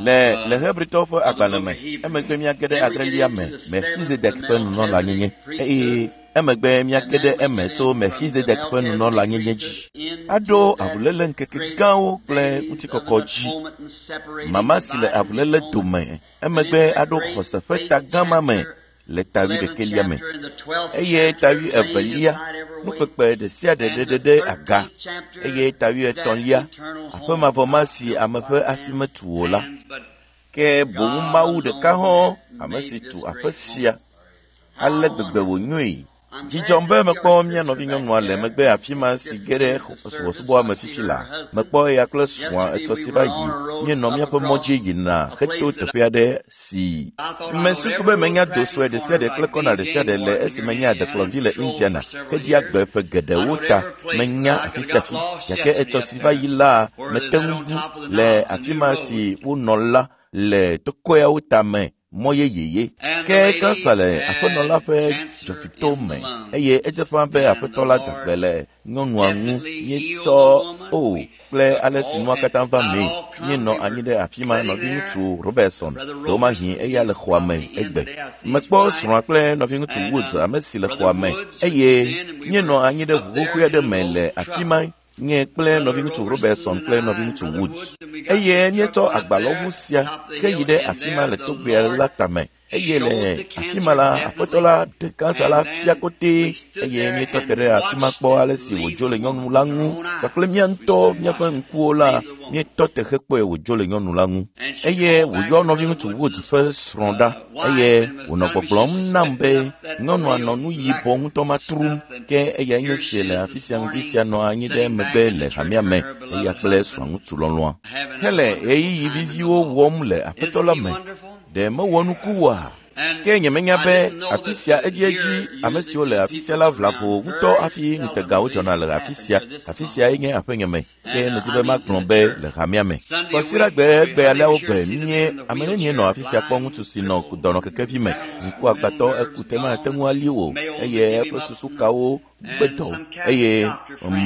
Le le Hebritɔwo ƒe agbalẽ me, emegbe míage ɖe adrelia me, Melchizedek ƒe nunɔlanyenye, eye emegbe míage ɖe eme tso Melchizedek ƒe nunɔlanyenye dzi. Aɖo avuléle ŋkeke gãwo kple ŋutikɔkɔ dzi. Mama si le avuléle dome, emegbe aɖo xɔse ƒe ta gã ma me le ta wuiɖekɛlia me. Eye ta wuievelia, nukpekpe ɖe sia ɖe ɖeɖe ɖe aga. Eye ta wuietɔ̃lia, aƒe mavɔ ma si ame ƒe asi metu o la. Ke boŋ Mawu ɖeka hɔ̃, ame si tu aƒe sia. Ale gbegbe wònyoe. Dzi dzɔm be mekpɔ mía nɔvinyɔnua le megbe afi ma si ge ɖe subɔsubɔa me fifi la. Mekpɔ eya kple srɔ̃a etsɔ si va yi. Míenɔ míaƒe mɔ dzi yina heto teƒe aɖe si mesusu be menya do sue ɖe sia ɖe kple kɔna ɖe sia ɖe le esi menye adekplɔvi le Indiana heɖia gbe ƒe geɖewo ta. Menya afi sia afi gake etsɔ si va yi la mete ŋu bu le afi ma si wonɔ la le tokɔeawo tame mɔ yeyeye. Ke kansa le aƒenɔ la ƒe dzɔfito me eye edze ƒã be aƒetɔ la da gbe le nyɔnua ŋu. Míetsɔ o kple ale si nua katã va mee. Míenɔ anyi ɖe afi ma nɔviŋutsu Robertson, ɖewomahi eya le xɔa me egbe. Mekpɔ srɔ̃a kple nɔviŋutsu Woods, ame si le xɔa me eye míenɔ anyi ɖe ʋu xoxoe aɖe me le afi ma nye kple nɔviŋutsu Robertson kple nɔviŋutsu Woods. Eye míetsɔ agbalɔʋu sia ke yi ɖe afi ma le togbea la tame. Eye le afi ma la, aƒetɔ la ɖe kansa la fia kotee eye míetɔ te ɖe afi ma kpɔ ale si wòdzo le nyɔnu la ŋu kpakple mía ŋutɔ míaƒe ŋkuwo la míetɔ te hekpɔe wòdzo le nyɔnu la ŋu. Eye wòyɔ nɔviŋutsu Woods ƒe srɔ̃ ɖa eye wònɔ gbɔgblɔm nam be nyɔnua nɔ nu yibɔ ŋutɔ ma trum ke eyae nye si le afi sia ŋdi sia nɔ anyi ɖe megbe le hamea me eya kple srɔ̃ŋutsu lɔlɔ̃a hele ɣeyiɣi viviwo wɔm le aƒetɔ la me. Ɖe mewɔ nuku oa? Ke nyemenya be afi sia edziedzi ame siwo le afi sia la vlavo ŋutɔ hafi ŋutegawo dzɔna le afi sia. Afi sia nye aƒenye me. Ke medi be magblɔ be le hamea me. Kɔsiɖagbe gbe aleawo gbe mie ame nenie nɔ afi sia kpɔ ŋutsu si nɔ dɔnɔkekevi me. Ŋkuagbãtɔ ekute mate ŋu ali o eye eƒe susu kawo gbe dɔ eye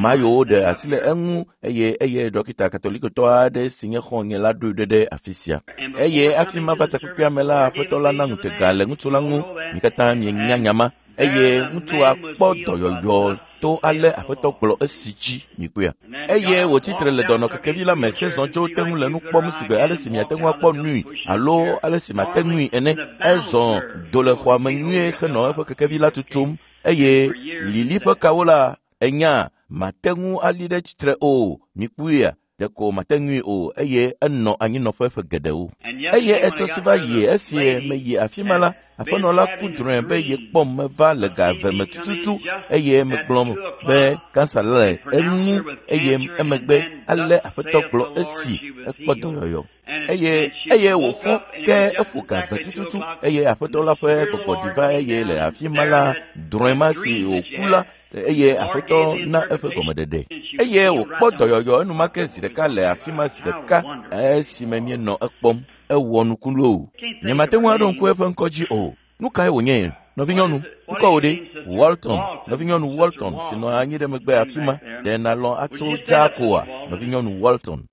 mayowo ɖe asi le eŋu eye eye dɔkita katolikotɔ aɖe si nye xɔ̃nye la ɖoe ɖe ɖe afi sia. Eye hafi mava takpekpea me la, aƒetɔ la na ŋutega le ŋutsu la ŋu. Mi katã mienya nya ma. Eye ŋutsua kpɔ dɔyɔyɔ to ale aƒetɔ gblɔ esi dzi mikpɔea. Eye wòtsitre le dɔnɔkekevi la me hezɔ tso te ŋu le nu kpɔm sigbe ale si miate ŋu akpɔ nui alo ale si mate ŋui ene. Ezɔ do le xɔa me nyuie henɔ eƒe kekevi la tutum eye lili ƒe kawo la enya mate ŋu ali ɖe tsitre o. Mikpɔea ɖeko mate ŋui o eye enɔ anyinɔƒe ƒe geɖewo. Eye etsɔ si va yi esi meyi afi ma la, aƒenɔ la ku drɔ̃e be yekpɔm meva le ga eve me tututu eye megblɔ be kansa le eŋu eye emegbe ale aƒetɔ gblɔ esi ekpɔ dɔyɔyɔ. Eye eye wòfɔ ke eƒo ga eve tututu eye aƒetɔ la ƒe gbɔgbɔ ɖi va eye le afi ma la drɔ̃e ma si wòku la eye aƒetɔ na eƒe gɔmeɖeɖe. Eye wòkpɔ dɔyɔyɔ enumake zi ɖeka le afi ma zi ɖeka esime míenɔ ekpɔm. Ewɔ nuku loo. Nyemate ŋu aɖo ŋku eƒe ŋkɔ dzi o. Nu kae wònye? Nɔvinyɔnu, ŋkɔ wò ɖe? Walton, nɔvinyɔnu Walton si nɔ anyi ɖe megbe afi ma. Ɖe nàlɔ̃ atso dzaa koa? Nɔvinyɔnu Walton.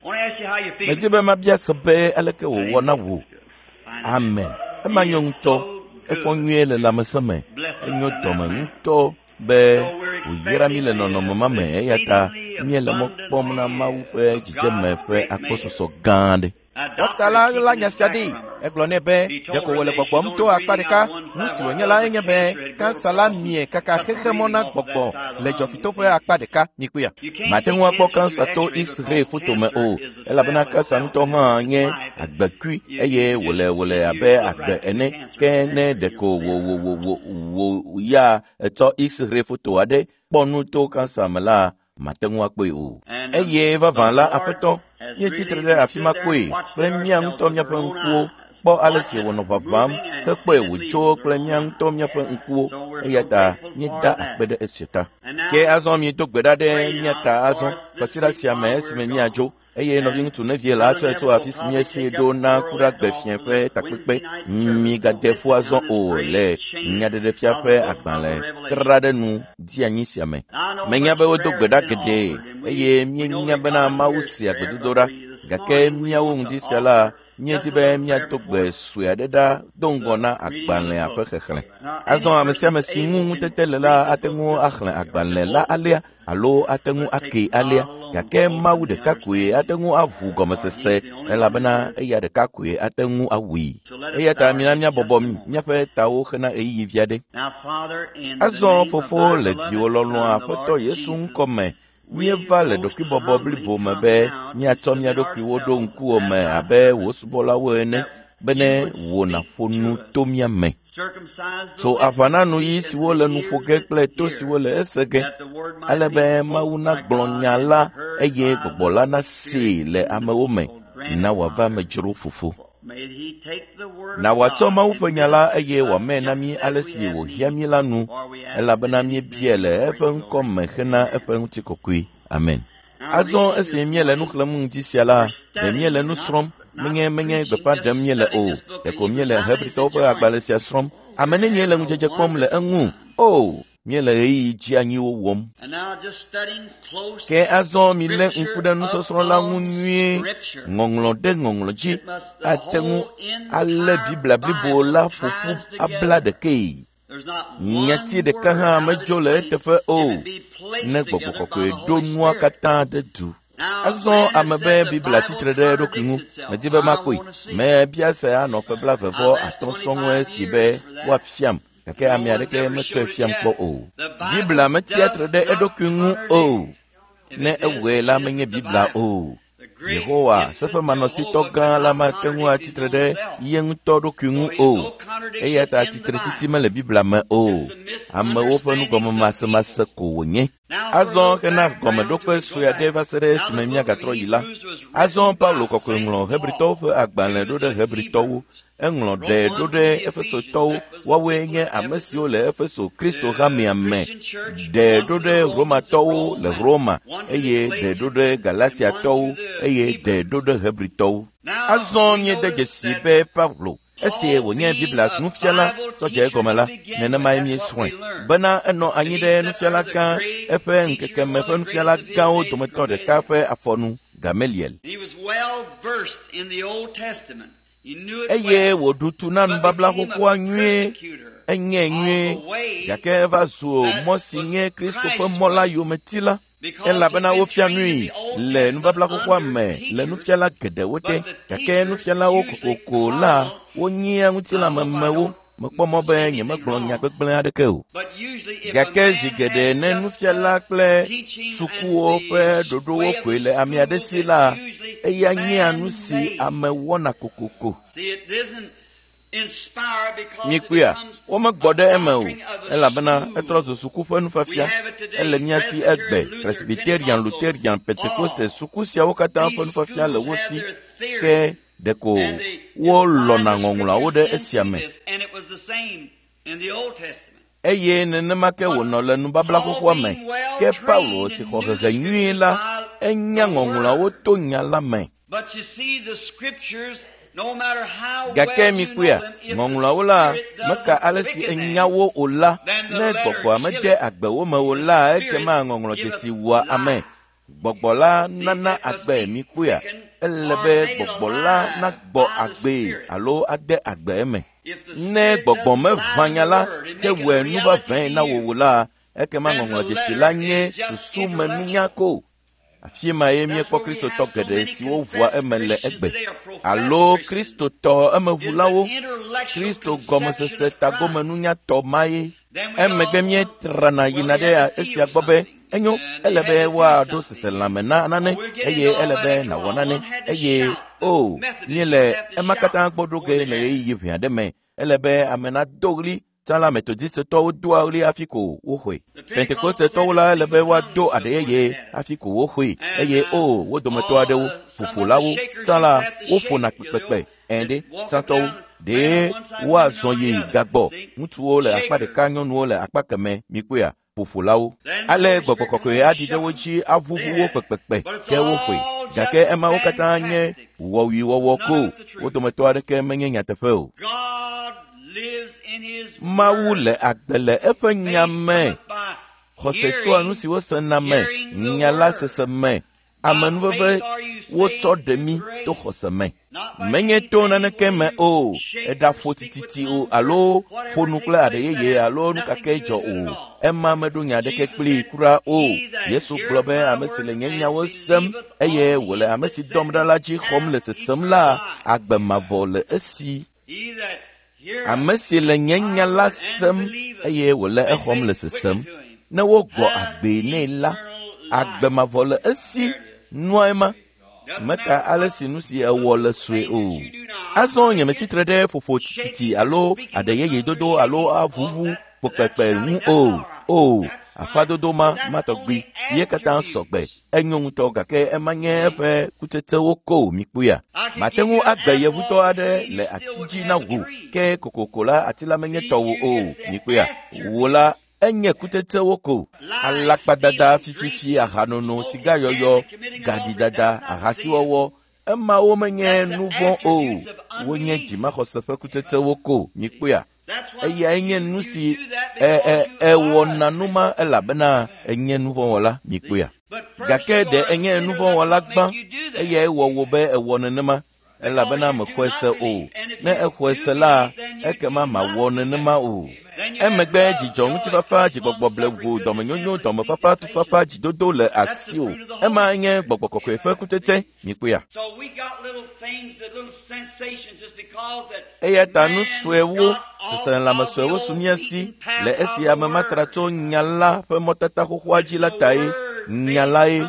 Medi be mabia se be aleke wòwɔ na wò. Amen. Ema nyo ŋutɔ. Efɔ nyuie le lãmesẽ me. Enyo dɔme ŋutɔ be wòyra mí le nɔnɔme ma me eya ta míele mɔ kpɔm na Mawu ƒe dzidzeme ƒe akpɔsɔsɔ gã aɖe. Dɔkta la ɣla nya sia ɖi. Egblɔ nɛ be ɖeko wòle gbɔgbɔm to akpa ɖeka. Nu si wònye la enye be kansa la mie kaka xexemɔ na gbɔgbɔ le dzɔfito ƒe akpa ɖeka. Mikpɔea? Mate ŋu akpɔ kansa to X-ray foto me o, elabena kansa ŋutɔ hã nye agbekui eye wòle wòle abe agbe ene. Ke ne ɖeko wò wò wò wò wò ya etsɔ X-ray foto aɖe kpɔ nu to kansa me la, mate ŋu akpɔe o. Eye vavã la, aƒetɔ, míetsitre ɖe afi ma kpɔe kple mía ŋutɔ míaƒe ŋkuwo kpɔ ale si wònɔ ʋaʋãm hekpɔe wòtso kple mía ŋutɔ míaƒe ŋkuwo eya ta míeda akpe ɖe esia ta. Ke azɔ míedo gbe ɖa ɖe mía ta azɔ kɔsiɖa sia me esime míadzo eye nɔviŋutsu Nevie la atsɔe tso afi si míesee ɖo na kuɖagbe fiẽ ƒe takpekpe. Migade ƒu azɔ o le nyaɖeɖefia ƒe agbalẽ tra ɖe nu di anyi sia me. Menya be wodo gbe ɖa geɖe eye míenya bena Mawu sea gbedodoɖa gake míawo ŋdi sia la Míedi be míado gbe sue aɖe ɖa do ŋgɔ na agbalẽa ƒe xexlẽ. Azɔ ame sia ame si ŋu ŋutete le la ate ŋu axlẽ agbalẽ la alea alo ate ŋu akee alea, gake Mawu ɖeka koe ate ŋu aʋu gɔmesese elabena eya ɖeka koe ate ŋu awui. Eya ta mina míabɔbɔ míaƒe tawo hena ɣeyiɣi vi aɖe. Azɔ Fofo le viwò lɔlɔ̃a Aƒetɔ Yesu ŋkɔ me, míeva le ɖokuibɔbɔ blibo me be míatsɔ mía ɖokuiwo ɖo ŋkuwò me abe wò subɔlawo ene bene wò nàƒo nu to mía me. Tso aʋa na nuyi siwo le nu ƒo ge kple to siwo le ese ge, ale be Mawu nagblɔ nya la eye gbɔgbɔ la nasee le amewo me. Na wòava me dzro Fofo. Na wòatsɔ Mawu ƒe nya la eye wòamee na mí ale si wòhiã mí la nu, elabena míebiae le eƒe ŋkɔ me hena eƒe ŋutikɔkɔe. Amen. Azɔ esi míele nu xlẽm ŋdi sia la, ɖe míele nu srɔ̃m, menye menye gbeƒã ɖem míele o, ɖeko míele Hebritɔwo ƒe agbalẽ sia srɔ̃m. Ame nenie le ŋudzedze kpɔm le eŋu? O, míele ɣeyiɣi dzianyiwo wɔm. Ke azɔ milé ŋku ɖe nusɔsrɔ̃ la ŋu nyuie. Ŋɔŋlɔ ɖe ŋɔŋlɔ dzi ate ŋu alé Biblia blibo la ƒo ƒu abla ɖekee. Nyati ɖeka hã medzo le eteƒe o, ne Gbɔgbɔ Kɔkɔe ɖo nua katã ɖe du. Azɔ ame be Biblia tsitre ɖe eɖokui ŋu. Medi be makpɔe. Mebia se anɔ ƒe 25 sɔŋ esi be woafiam, gake ame aɖeke metsɔe fiam kpɔ o. Biblia metsia tre ɖe eɖokui ŋu o. Ne ewɔe la menye Biblia o. Yehowa, seƒemanɔsitɔ gã la mate ŋu atsitre ɖe ye ŋutɔ ɖokui ŋu o. Eya ta tsitretsitsi mele Biblia me o. Amewo ƒe nugɔmemasemase ko wònye. Azɔ hena gɔmeɖokpe sue aɖe va se ɖe esime míagatrɔ yi la. Azɔ Paulo kɔkɔe ŋlɔ Hebritɔwo ƒe agbalẽ ɖo ɖe Hebritɔwo. Eŋlɔ ɖe ɖo ɖe Efesotɔwo, woawoe nye ame siwo le Efeso Kristo hamea me, ɖe ɖo ɖe Romatɔwo le Roma, eye ɖe ɖo ɖe Galatiatɔwo, eye ɖe ɖo ɖe Hebritɔwo. Azɔ míede dzesi be Paulo, esi wònye Biblia nufiala tsɔ dze egɔme la, nenemae míesrɔ̃e bena enɔ anyi ɖe nufiala gã eƒe ŋkeke me ƒe nufiala gãwo dometɔ ɖeka ƒe afɔnu, Gamaliel. Eye wòɖu tu na nubabla xoxoa nyuie, enyae nyuie, gake eva zu mɔ si nye Kristo ƒe mɔ la yometila, elabena wofia nui le nubabla xoxoa me le nufiala geɖewo te, gake nufialawo kokoko la wonyea ŋutilãmemewo. Mekpɔ mɔ be nyemegblɔ nya gbegblẽ aɖeke o. Gake zi geɖe ne nufiala kple sukuwo ƒe ɖoɖowo koe le ame aɖe si la, eya nyea nu si ame wɔna kokoko. Mikpɔea, womegbɔ ɖe eme o, elabena etrɔ zu suku ƒe nufiafia. Ele mía si egbe, Presbyterian, Lutherian, Pentekoste, suku siawo katã ƒe nufiafia le wo si, ke ɖeko wolɔ̃na ŋɔŋlɔawo ɖe esia me. Eye nenema ke wònɔ le nubabla xoxoa me. Ke Paulo si xɔ hehe nyuie la, enya ŋɔŋlɔawo to nya la me. Gake mikpɔea, ŋɔŋlɔawo la meka ale si enya wo o la, ne gbɔgbɔa mede agbe wo me o la, ekema ŋɔŋlɔdzesi wua ame. Gbɔgbɔ la nana agbe mikpɔea, ele be gbɔgbɔ la nagbɔ agbee alo ade agbe eme. Ne gbɔgbɔ meʋã nya la ke wɔe nu vavãe na wò o la, ekema ŋɔŋlɔdzesi la nye susumenunya ko. Afi mae míekpɔ Kristotɔ geɖe siwo ʋua eme le egbe, alo Kristotɔ emeʋulawo, Kristo gɔmesese tagomenunyatɔ mae. Emegbe míetrana yina ɖe esia gbɔ be enyo, ele be woaɖo seselãme na nane eye ele be nàwɔ nane eye o míele ema katã gbɔ ɖo ge le ɣeyiɣi ʋɛ aɖe me. Ele be ame nado ɣli. Tsã la Metodistetɔwo doa ɣli hafi ko woxɔe. Pentekostetɔwo la ele be woado aɖe yeye hafi ko woxɔe eye o wo dometɔ aɖewo, ƒoƒolawo, tsã la woƒona kpekpekpe ɛ̃ɖe, tsãtɔwo. Ɖe woazɔ yi gagbɔ. Ŋutsuwo le akpa ɖeka, nyɔnuwo le akpa keme, mikpɔea, ƒoƒolawo. Ale Gbɔgbɔ Kɔkɔe aɖi ɖe wo dzi aʋuʋu wo kpekpekpe ke woxɔe. Gake emawo katã nye wɔwuiwɔwɔ ko. Wo dometɔ aɖeke menye nyateƒe o. Mawu le agbe le eƒe nya me. Xɔse tsoa nu si wosena me, nya la sese me. Amenuveve wotsɔ ɖe mí to xɔse me. Menye to naneke me o, eɖaƒo tititi o alo ƒo nu kple aɖe yeye alo nu kake dzɔ o. Ema meɖo nya aɖeke kplii kura o. Yesu gblɔ be ame si le nye nyawo sem eye wòle ame si dɔm ɖa la dzi xɔm le sesem la, agbe mavɔ le esi. Ame si le nye nya la sem eye wòle exɔm le sesem, ne wogbɔ agbee nɛ la, agbe mavɔ le esi. Nua ema meka ale si nu si ewɔ le sue o. Azɔ nyemetsitre ɖe ƒoƒo tititi alo aɖe yeye dodo alo aʋuʋu kpokpekpe ŋu o. O, aƒadodo ma matɔgbi ye katã sɔgbe. Enyo ŋutɔ gake ema nye eƒe kutsetsewo ko mikpɔea. Mate ŋu agbe yevutɔ aɖe le ati dzi na wò ke kokoko la ati la menye tɔwò o. Mikpɔea, wò la enye kutsetsewo ko. Alakpadada, fififi, ahanono, sigayɔyɔ, gaɖidada, ahasiwɔwɔ, emawo menye nu vɔ̃ o. Wonye dzimaxɔse ƒe kutsetsewo ko. Mikpɔea, eyae nye nu si ewɔna nu ma elabena enye nu vɔ̃wɔla. Mikpɔea, gake ɖe enye nu vɔ̃wɔla gbã eyae wɔ wò be ewɔ nenema elabena mexɔe se o. Ne exɔe se la, ekema mawɔ nenema o. Emegbe dzidzɔ, ŋutifafa, dzigbɔgbɔ blewu, dɔmenyonyo, dɔmefafa, tufafa, dzidodo le asiwò. Ema nye gbɔgbɔ kɔkɔe ƒe kutsetse. Mikpɔea. Eya ta nu suewo, seselelãme suewo su mía si le esi ame matra tso nya la ƒe mɔtata xoxoa dzi la tae. Nya lae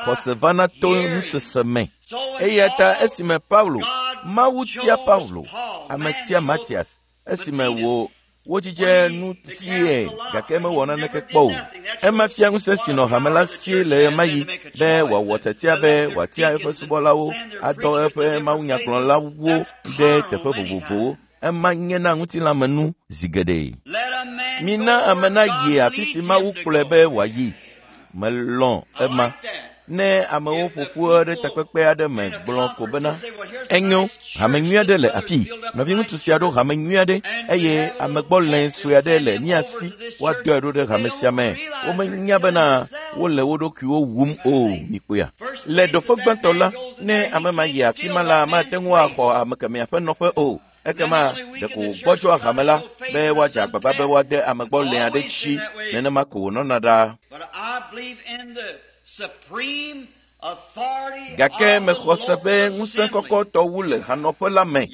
xɔse vana to nusese me. Eya ta esime Paulo, Mawu tia Paulo, ame tia Matias, esime wò wodzidze nu tie gake mewɔ naneke kpɔ o. Ema fia ŋusẽ si nɔ hame la si le ɣemaɣi be wòawɔ tiatia be wòatia eƒe subɔlawo adɔ eƒe mawunyagblɔlawo ɖe teƒe vovovowo. Ema nye na ŋutilãmenu zi geɖe. Mina ame nayi afi si Mawu kplɔe be wòayi. Melɔ̃ ema. Ne amewo ƒo ƒu ɖe takpekpe aɖe me gblɔ ko bena, enyo, hame nyui aɖe le afii. Nɔviŋutsu sia ɖo hame nyui aɖe eye amegbɔlẽ sue aɖe le mía si woadɔe ɖo ɖe hame sia me. Womenya bena wole wo ɖokuiwo wum o. Mikpɔea. Le ɖoƒe gbãtɔ la, ne ame ma yi afi ma la, mate ŋu axɔ ame kemɛa ƒe nɔƒe o. Ekema ɖeko wògbɔdzɔa hame la be woadze agbagba be woade amegbɔlẽ aɖe dzi. Nenema ko wònɔna ɖaa. Gake mexɔ se be ŋusẽ kɔkɔtɔ wu le hanɔƒe la me.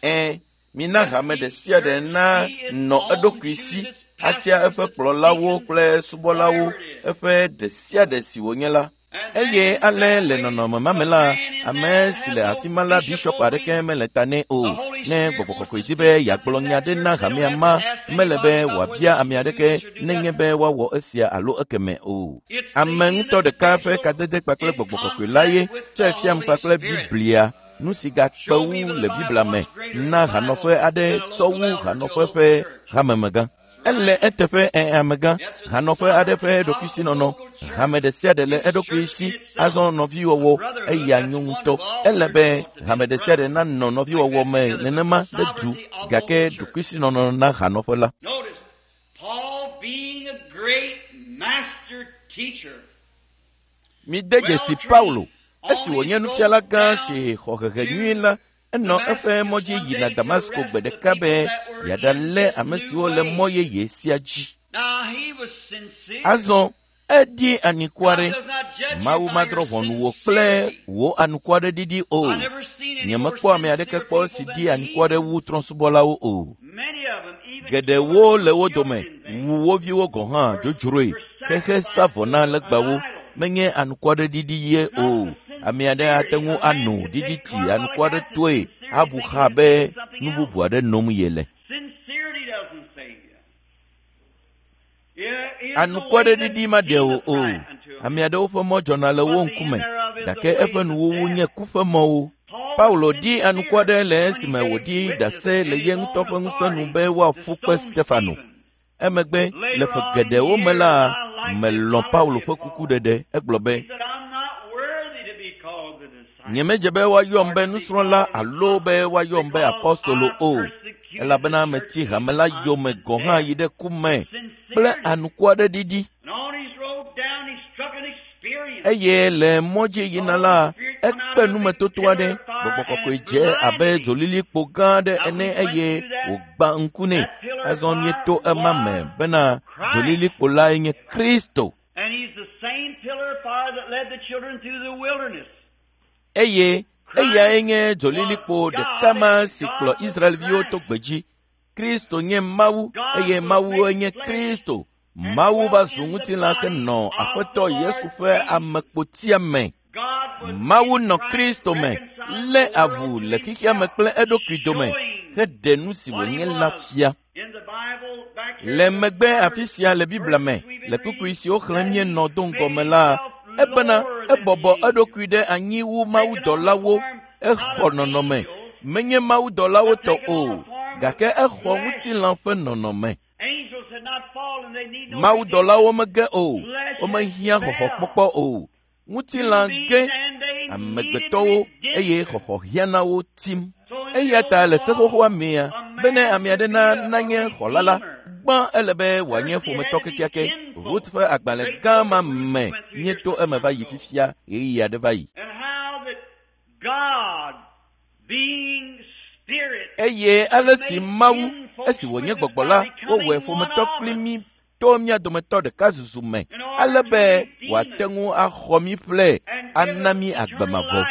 Ẽ, mina hame ɖe sia ɖe na nɔ eɖokui si atia eƒe kplɔlawo kple subɔlawo, eƒe ɖe sia ɖe si wònye la. Eye ale le nɔnɔme ma me la, ame si le afi ma la bishɔp aɖeke mele ta nɛ o. Ne gbɔgbɔ kɔkɔe di be yeagblɔ nya ɖe na hamea ma, mele be wòabia ame aɖeke nenye be woawɔ esia alo ekeme o. Ame ŋutɔ ɖeka ƒe kadede kpakple gbɔgbɔ kɔkɔe la ye tsɔe fiam kpakple Biblia, nu si gakpe wu le Biblia me na hanɔƒe aɖe tsɔ wu hanɔƒe ƒe hamemegã. Ele eteƒe amegã, hanɔƒe aɖe ƒe ɖokuisinɔnɔ. Hame ɖe sia ɖe le eɖokui si azɔ nɔviwɔwɔ eya nyo ŋutɔ. Ele be hame ɖe sia ɖe nanɔ nɔviwɔwɔ me nenema ɖe du gake ɖokuisinɔnɔ na hanɔƒe la. Mide dzesi Paulo, esi wònye nufiala gã si xɔ hehe nyui la, enɔ eƒe mɔ dzi yina Damasko gbe ɖeka be yeaɖalé ame siwo le mɔ yeye sia dzi. Azɔ eɖi anukware. Mawu madrɔ̃ ʋɔnu wò kple wò anukwareɖiɖi o. Nyemekpɔ ame aɖeke kpɔ si ɖi anukware wu trɔ̃subɔlawo o. Geɖewo le wo dome wu wo viwo gɔ̃ hã dzodzroe xexe sa vɔ na legbawo. Menye anukwareɖiɖi ye o. Ame aɖe ate ŋu ano ɖiɖiti anukwaretɔe abu xa be nu bubu aɖe nom yele. Anukwareɖiɖi maɖe wò o. Ame aɖewo ƒe mɔ dzɔna le wo ŋkume gake eƒe nuwuwu nye ku ƒe mɔwo. Paulo ɖi anukware le esime wòɖi ɖase le ye ŋutɔ ƒe ŋusẽ nu be woaƒu kpe Stefano. Emegbe le ƒe geɖewo me la, melɔ̃ Paulo ƒe kukuɖeɖe. Egblɔ be, Nyemedze be woayɔm be nusrɔ̃la alo be woayɔm be apɔstolo o, elabena meti hame la yome gɔ̃ hã yi ɖe ku me kple anukua ɖe ɖiɖi. Eye le mɔ dzi yina la, ekpe numetoto aɖe, gbɔgbɔ kɔkɔe dze abe dzolilikpo gã aɖe ene eye wògbã ŋku nɛ. Azɔ míeto ema me bena dzolilikpo lae nye Kristo. Eye eyae nye dzolilikpo ɖeka ma si kplɔ Israelviwo to gbedzi. Kristo nye Mawu eye Mawue nye Kristo. Mawu va zu ŋutilã henɔ Aƒetɔ Yesu ƒe amekpotia me. Mawu nɔ Kristo me, lé avu le xexea me kple eɖokui dome heɖe nu si wònye la fia. Le megbe afi sia le Biblia me, le kpukpui siwo xlẽm míenɔ do ŋgɔ me la, ebena ebɔbɔ eɖokui ɖe anyi wu mawudɔlawo, exɔ nɔnɔme, menye mawudɔlawo tɔ o, gake exɔ ŋutilã ƒe nɔnɔme. Mawudɔlawo mege o, womehiã xɔxɔkpɔkpɔ o. Ŋutilã ge amegbetɔwo eye xɔxɔ hiã na wo tim. Eya ta le se xoxoa mea, bene ame aɖe nanye xɔla la, gbã ele be wòanye ƒometɔ kekeake. Rut ƒe agbalẽ gã ma me míeto eme va yi fifia ɣeyiɣi aɖe va yi. Eye ale si Mawu, esi wònye gbɔgbɔ la, wowɔe ƒometɔ kpli mí to mía dometɔ ɖeka zuzu me, ale be wòate ŋu axɔ mí ƒle ana mí agbe mavɔ.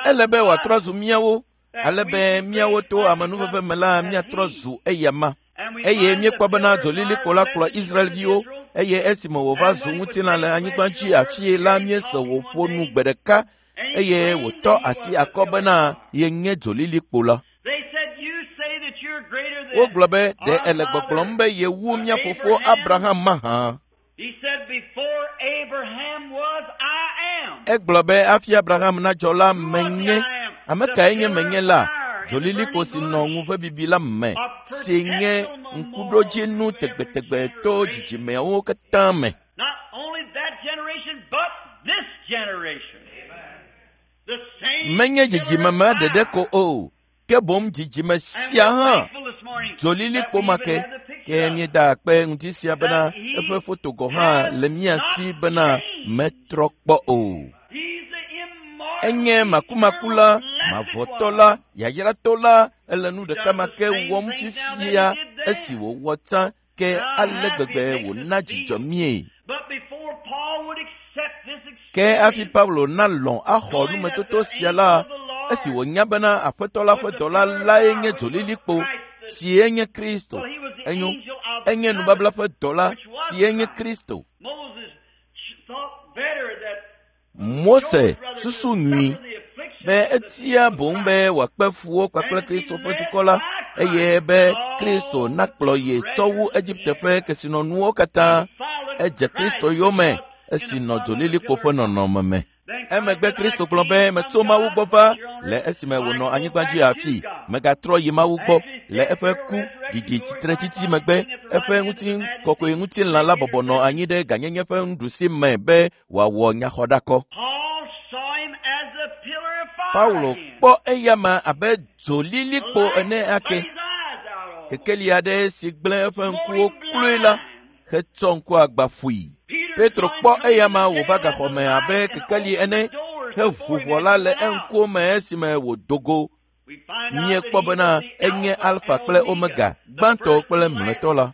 Ele be wòatrɔ zu míawo, ale be míawo to amenuveve me la míatrɔ zu eyama. Eye míekpɔ bena dzolilikpo la kplɔ Israelviwo, eye esime wòva zu ŋutilã le anyigba dzi afie la míese wòƒo nu gbe ɖeka eye wòtɔ asi akɔ bena yenye dzolilikpo la. Wogblɔ be ɖe ele gbɔgblɔm be yewu mía fofo Abraham mahã. Egblɔ be hafi Abraham nadzɔ la menye. Ame kae nye menye la? Dzolilikpo si nɔ ŋuvebibi la me, si nye ŋkuɖodzinu tegbetegbe to dzidzimeawo katã me. Menye dzidzime ma ɖeɖe ko o, ke boŋ dzidzime sia hã. Dzolilikpo ma ke, ke míeda akpe ŋuti sia bena eƒe foto gɔ̃ hã le mía si bena metrɔ kpɔ o. Enye makumaku la, mavɔtɔ la, yayratɔ la, ele nu ɖeka ma ke wɔm fifia esi wòwɔ tsã ke ale gbegbe wòna dzidzɔ mie. Ke hafi Paulo nalɔ̃ axɔ numetoto sia la, esi wònya bena Aƒetɔ la ƒe dɔla lae nye dzolilikpo si enye Kristo. Enyo, enye nubabla ƒe dɔla si enye Kristo. Mose susu nyui be etia boŋ be wòakpe fuwo kpakple Kristo ƒe dukɔ la eye be Kristo nakplɔ ye tsɔ wu Egipte ƒe kesinɔnuwo katã. Edze Kristo yome esi nɔ dzolilikpo ƒe nɔnɔme me. Emegbe Kristo gblɔ be metso Mawu gbɔ va le esime wònɔ anyigba dzi afi. Megatrɔ yi Mawu gbɔ le eƒe ku ɖiɖi tsitretsitsi megbe. Eƒe ŋutikɔkɔe ŋutilã la bɔbɔ nɔ anyi ɖe gãnyenye ƒe nuɖusi me be wòawɔ nyaxɔɖakɔ. Paulo kpɔ eyama abe dzolilikpo ene ake. Kekeli aɖe si gblẽ eƒe ŋkuwo kloe la hetsɔ ŋku agba ƒui. Petro kpɔ eyama wòva gaxɔme abe kekeli ene heʋu ʋɔ la le eŋkuwo me esime wòdo go. Míekpɔ bena enye Alfa kple Omega, gbãtɔ kple mlɔetɔ la.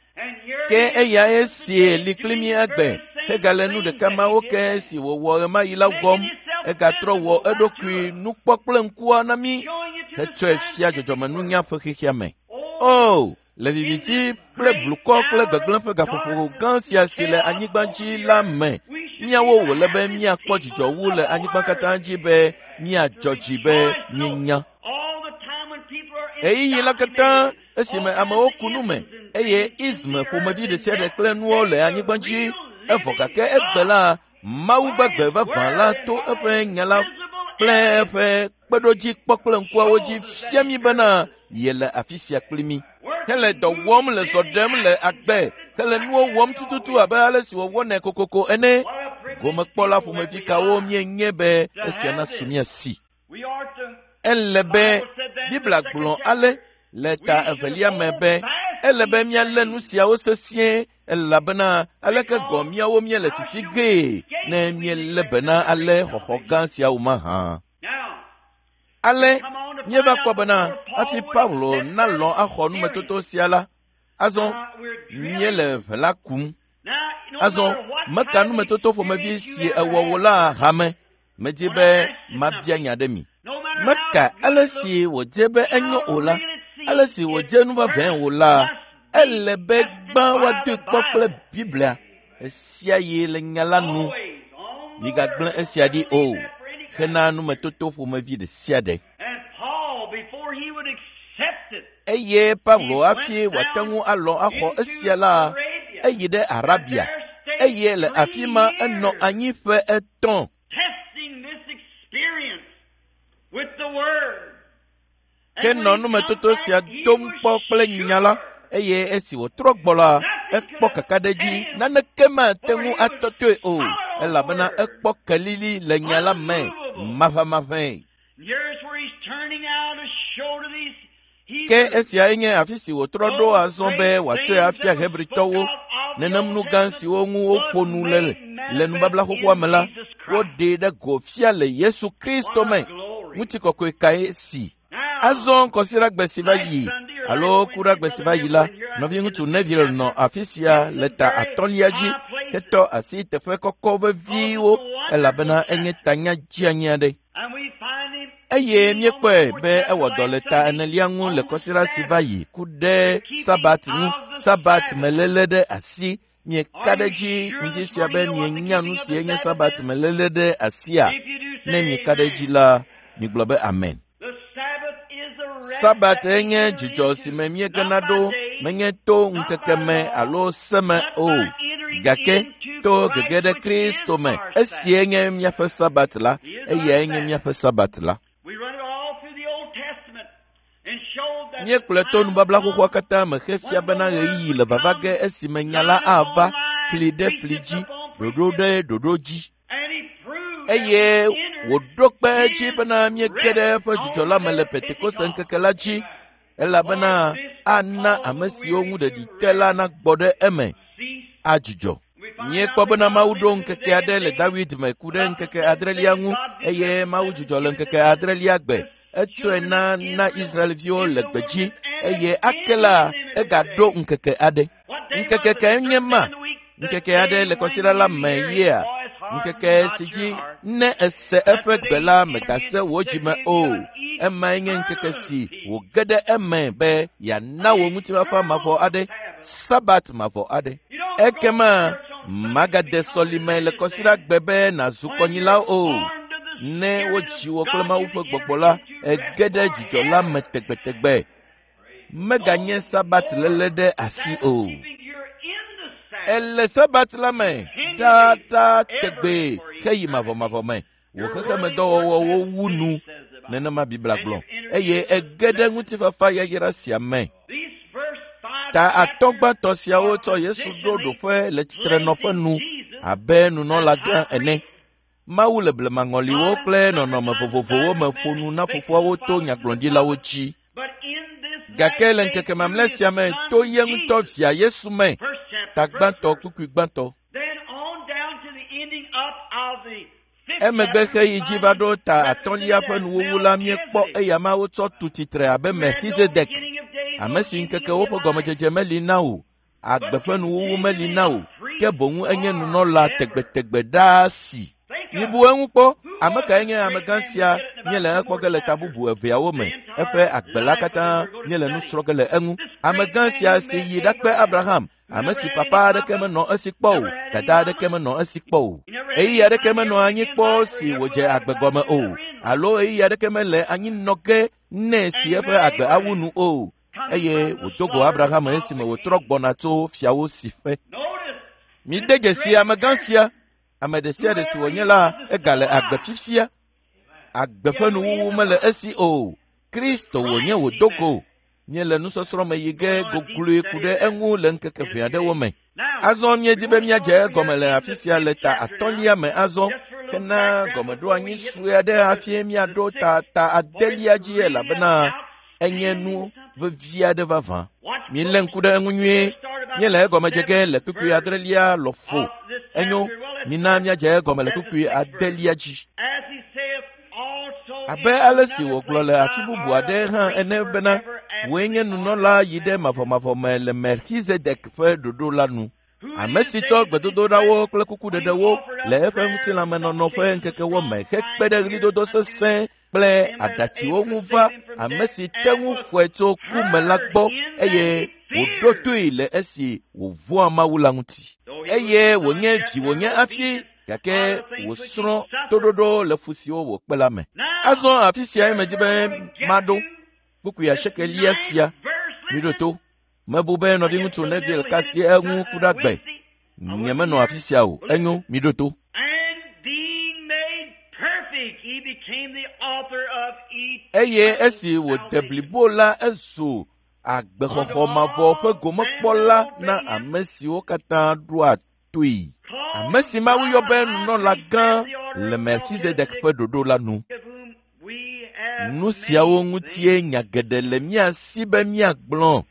Ke eyae sie li kpli mí agbe hegale nu ɖeka mawo ke si wòwɔ ɣemaɣi la wɔm. Egatrɔ wɔ eɖokui nukpɔ kple ŋkua na mí hetsɔe fia dzɔdzɔmenunya ƒe xexea me. O, le viviti kple blukɔ kple gbegblẽ ƒe gaƒoƒo gã sia si le anyigba dzi la me, míawo wòle be míakpɔ dzidzɔ wu le anyigba katã dzi be míadzɔ dzi be míenya. Ɣeyiɣi la katã esime amewo ku nu me eye ism ƒomevi ɖe sia ɖe kple nuwo le anyigba dzi, evɔ gake egbe la, Mawu gbagbe vavã la to eƒe nya la kple eƒe kpeɖodzi kpɔ kple ŋkuawo dzi fia mí bena yele afi sia kpli mí. Hele dɔ wɔm le zɔ ɖem le agbe, hele nuwo wɔm tututu abe ale si wòwɔnɛ kokoko ene. Gomekpɔla ƒomevi kawo míenye be esia nasu mía si? Ele be Biblia gblɔ ale le ta evelia me be ele be míalé nu siawo sesĩe elabena aleke gɔ míawo míele sisi gee ne míelé be na ale xɔxɔ gã siawo mahã. Ale míeva kpɔ bena hafi Paulo nalɔ̃ axɔ numetoto sia la, azɔ míele ʋe la kum. Azɔ meka numetoto ƒomevi si ewɔ wò la hame. Medi be mabia nya ɖe mi. Meka ale si wòdze be enyo o la, ale si wòdze nu vavãe o la, ele be gbã woadoe kpɔ kple Biblia esia yi le nya la nu. Migagblẽ esia ɖi o hena numetoto ƒomevi ɖe sia ɖe. Eye Paulo hafi wòate ŋu alɔ̃ axɔ esia la, eyi ɖe Arabia eye le afi ma enɔ anyi ƒe etɔ̃. Ke nɔ numetoto sia dom kpɔ kple nya la eye esi wòtrɔ gbɔ la, ekpɔ kakaɖedzi naneke mate ŋu atɔtɔe o elabena ekpɔ kelili le nya la me maʋamaʋãe. Ke esiae nye afi si wòtrɔ ɖo azɔ be wòatsɔe afia Hebritɔwo nenem nu gã siwo ŋu woƒo nu le le nubabla xoxoa me la, woɖee ɖe go fia le Yesu Kristo me. Ŋutikɔkɔe kae si? Azɔ kɔsiɖagbe si va yi alo kuɖagbe si va yi la, nɔviŋutsu Neville nɔ afi sia le ta atɔ̃lia dzi hetɔ asi teƒe kɔkɔ veviwo elabena enye tanya dzeanyi aɖe. Eye míekpɔe be ewɔ dɔ le ta enelia ŋu le kɔsiɖa si va yi ku ɖe Sabat ŋu, Sabat meléle ɖe asi. Mieka ɖe edzi ŋdi sia be mienya nu si enye Sabat meléle ɖe asia? Ne mieka ɖe edzi la, migblɔ be amen. Sabat enye dzidzɔ si me míegena ɖo menye to ŋkeke me alo se me o, gake to gege ɖe Kristo me. Esie nye míaƒe Sabat la, eyae nye míaƒe Sabat la. Míekplɔe to nubabla xoxoa katã me hefia bena ɣeyiɣi le vava ge esime nya la ava fli ɖe fli dzi, ɖoɖo ɖe ɖoɖo dzi. Eye wòɖo kpe edzi bena míege ɖe eƒe dzidzɔ la me le Pentekoste ŋkeke la dzi elabena ana ame siwo ŋu ɖeɖi te la nagbɔ ɖe eme adzudzɔ. Míekpɔ bena Mawu ɖo ŋkeke aɖe le Dawid me ku ɖe ŋkeke adrelia ŋu eye Mawu dzudzɔ le ŋkeke adrelia gbe. Etsɔe na na Israelviwo le gbedzi eye ake la egaɖo ŋkeke aɖe. Ŋkeke kae nye ma? Ŋkeke aɖe le kɔsiɖa la me yea? Ŋkeke si dzi ne ese eƒe gbe la mègase wò dzime o. Emae nye ŋkeke si wòge ɖe eme be yeana wò ŋutifafa mavɔ aɖe, Sabat mavɔ aɖe. Ekema màgade sɔlime le kɔsiɖa gbe be nàzu kɔnyila o. Ne wodzi wò kple Mawu ƒe gbɔgbɔ la, ège ɖe dzidzɔ la me tegbetegbe. Meganye Sabat léle ɖe asi o. Ele Sabat la me ɖaaɖaa tegbee heyi mavɔmavɔ me. Wò xexemedɔwɔwɔwo wu nu, nenema Biblia gblɔ, eye ege ɖe ŋutifafa yayra sia me. Ta atɔ̃ gbãtɔ siawo tsɔ Yesu ɖo ɖoƒe le tsitrenɔƒe nu abe nunɔlagã ene. Mawu le blemaŋɔliwo kple nɔnɔme vovovowo me ƒo nu na fofoawo to nyagblɔɖilawo dzi. Gake le ŋkeke mamlɛ sia me to ye ŋutɔ via Yesu me, ta gbãtɔ kpukpui gbãtɔ. Emegbe xeyi dzi va ɖo ta atɔ̃lia ƒe nuwuwu la míekpɔ eyama wotsɔ tu tsitre abe Melchizedek, ame si ŋkekewo ƒe gɔmedzedze meli na o, agbe ƒe nuwuwu meli na o, ke boŋ enye nunɔla tegbetegbe ɖaa si. Mibu eŋu kpɔ, ame kae nye amegã sia míele ekpɔ ge le ta bubu eveawo me, eƒe agbe la katã míele nu srɔ̃ ge le eŋu. Amegã sia si yi ɖakpe Abraham, ame si papa aɖeke menɔ esi kpɔ o, dada aɖeke menɔ esi kpɔ o. Ɣeyiɣi aɖeke menɔ anyi kpɔ si wòdze agbe gɔme o, alo ɣeyiɣi aɖeke mele anyi nɔ ge nɛ si eƒe agbe awu nu o. Eye wòdo go Abraham esime wòtrɔ gbɔna tso fiawo si ƒe. Mide dzesi amegã sia, ame ɖe sia ɖe si wònye la, egale agbe fifia. Agbe ƒe nuwuwu mele esi o. Kristo wònye wòdo go. Míele nusɔsrɔ̃ me yi ge gogloe ku ɖe eŋu le ŋkeke ʋɛ aɖewo me. Azɔ míedi be míadze egɔme le afi sia le ta atɔ̃lia me azɔ hena gɔmeɖoanyi sue aɖe hafi míaɖo ta ta adelia dzi elabena enye nu vevi aɖe vavã. Milé ŋku ɖe eŋu nyuie. Míele egɔme dze ge le kpukpui adrelia lɔƒo. Enyo, mina míadze egɔme le kpukpui adelia dzi. Abe ale si wògblɔ le afi bubu aɖe hã ene bena, wòe nye nunɔla yi ɖe mavɔmavɔ me le Melchizedek ƒe ɖoɖo la nu. Ame si tsɔ gbedodoɖawo kple kukuɖeɖewo le eƒe ŋutilãmenɔnɔ ƒe ŋkekewo me hekpe ɖe ɣlidodo sesẽ kple aɖatsiwo ŋu va ame si te ŋu xɔe tso ku me la gbɔ eye wòɖo toe le esi wòvɔ̃a Mawu la ŋuti. Eye wònye dzi wònye hafi gake wòsrɔ̃ toɖoɖo le fu siwo wòkpe la me. Azɔ afi siae medi be maɖo kpukpui asiekelia sia. Miɖo to. Mebu be nɔviŋutsu Neville ka asi eŋu ku ɖe agbe. Nyemenɔ afi sia o. Enyo, miɖo to. Eye esi wòde blibo la, ezu agbexɔxɔ mavɔ ƒe gomekpɔla na ame siwo katã ɖoa toe. Ame si Mawu yɔ be nunɔla gã le Melchizedek ƒe ɖoɖo la nu. Nu siawo ŋutie nya geɖe le mía si be míagblɔ.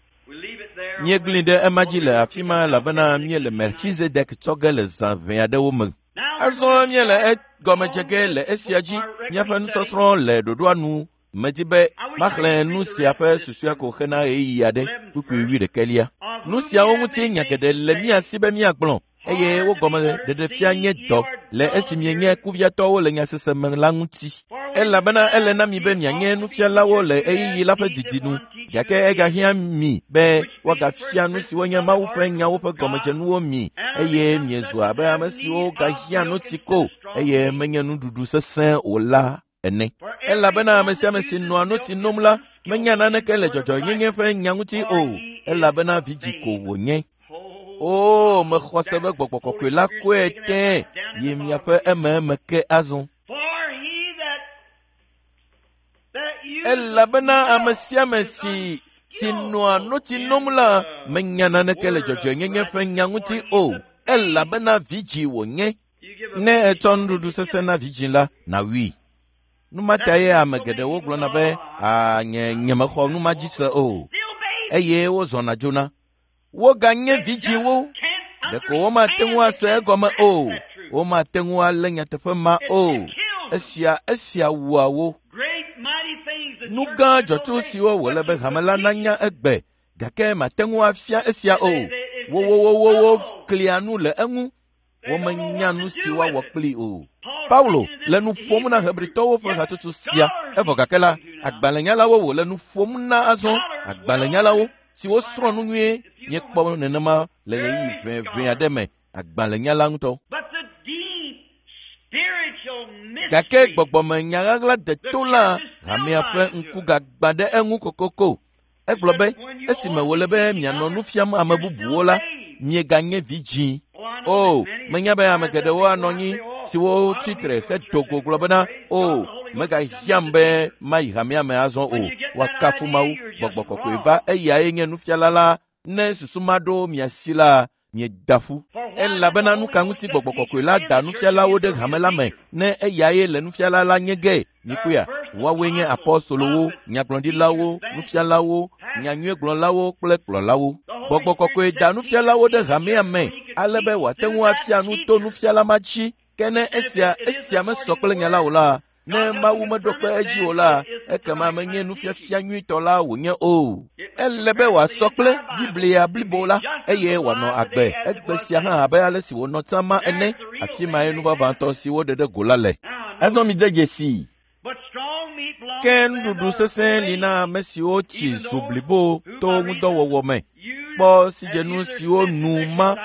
Míegblẽe ɖe ema dzi le afi ma elabena míele Melchizedek tsɔ ge le zã ʋɛ aɖewo me. Azɔ míele egɔme dze ge le esia dzi. Míaƒe nusɔsrɔ̃ le ɖoɖoa nu. Medi be maxlẽ nu sia ƒe susɔea ko hena ɣeyiɣi aɖe, kpukpui wuiɖekɛlia. Nu siawo ŋuti nya geɖe le mía si be míagblɔ eye wo gɔme ɖeɖefia nye dɔ le esi mienye kuviatɔwo le nyasese me la ŋuti. Elabena ele na mi be mianye nufialawo le ɣeyiɣi la ƒe didi nu, gake egahiã mi be woagafia nu siwo nye Mawu ƒe nyawo ƒe gɔmedzenuwo mi eye miezu abe ame siwo gahiã notsi ko eye menye nuɖuɖu sesẽ o la ene. Elabena ame sia ame si nɔa notsi nom la menya naneke le dzɔdzɔenyenye ƒe nya ŋuti o, elabena vidzĩ ko wònye. O, mexɔ se be gbɔgbɔ kɔkɔe la kɔe tẽe yi miaƒe ememe ke azɔ. Elabena ame sia ame si si nɔa notsi nom la menya naneke le dzɔdzɔenyenye ƒe nya ŋuti o, elabena vidzĩ wònye. Ne ètsɔ nuɖuɖu sesẽ na vidzĩ la, nàwui. Nu ma tae ame geɖewo gblɔna be, “Aa, nye nyemexɔ nu ma dzi se o,” eye wozɔna dzona. Woganye vidzĩwo. Ɖeko womate ŋu ase egɔme o. Womate ŋu alé nyateƒe ma o. Esia esia wua wo. Nu gã dzɔtsu siwo wòle be hame la nanya egbe gake mate ŋu afia esia o. Wowowowowo klia nu le eŋu. Womenya nu si woawɔ kplii o. Paulo le nu ƒom na Hebritɔwo ƒe hatsotso sia evɔ gake la, agbalẽnyalawo wòle nu ƒom na azɔ. Agbalẽnyalawo siwo srɔ̃ nu nyuie míekpɔ nenema le ɣeyiɣi ʋɛʋɛ aɖe me agbalẽnyala ŋutɔ. Gake gbɔgbɔme nyaɣaɣla deto la hamea ƒe ŋku gagbã ɖe eŋu kokoko. Egblɔ be esime wòle be mianɔ nu fiam ame bubuwo la, mieganye vidzĩ. O, menya be ame geɖewo anɔ anyi siwo tsi tre hedo go gblɔ bena, o, megahiãm be mayi hamea me azɔ o. Woakafu Mawu, gbɔgbɔ kɔkɔe va eyae nye nufiala la. Ne susu ma ɖo mia si la, mieda ƒu. Elabena nu ka ŋuti gbɔgbɔ kɔkɔe la da nufialawo ɖe hame la me ne eyae le nufiala la nye ge? Mikpɔea, woawoe nye apɔstolowo, nyagblɔɖilawo, nufialawo, nyanyuiegblɔlawo kple kplɔlawo. Gbɔgbɔ kɔkɔe da nufialawo ɖe hamea me ale be wòate ŋu afia nu to nufiala ma dzi. Ke ne esia esia mesɔ kple nya la o la, ne Mawu meɖo kpe edzi o la, ekema menye nufiafia nyuitɔ la wònye o. Ele be wòasɔ kple Biblia blibo la eye wòanɔ agbe egbe sia hã abe ale si wònɔ tsã ma ene. Afi mae nu vavãtɔ si woɖe ɖe go la le. Azɔ mide dzesii. Ke nuɖuɖu sesẽ li na ame siwo tsi zu blibo to ŋudɔwɔwɔ me kpɔ sidzenu siwo nu ma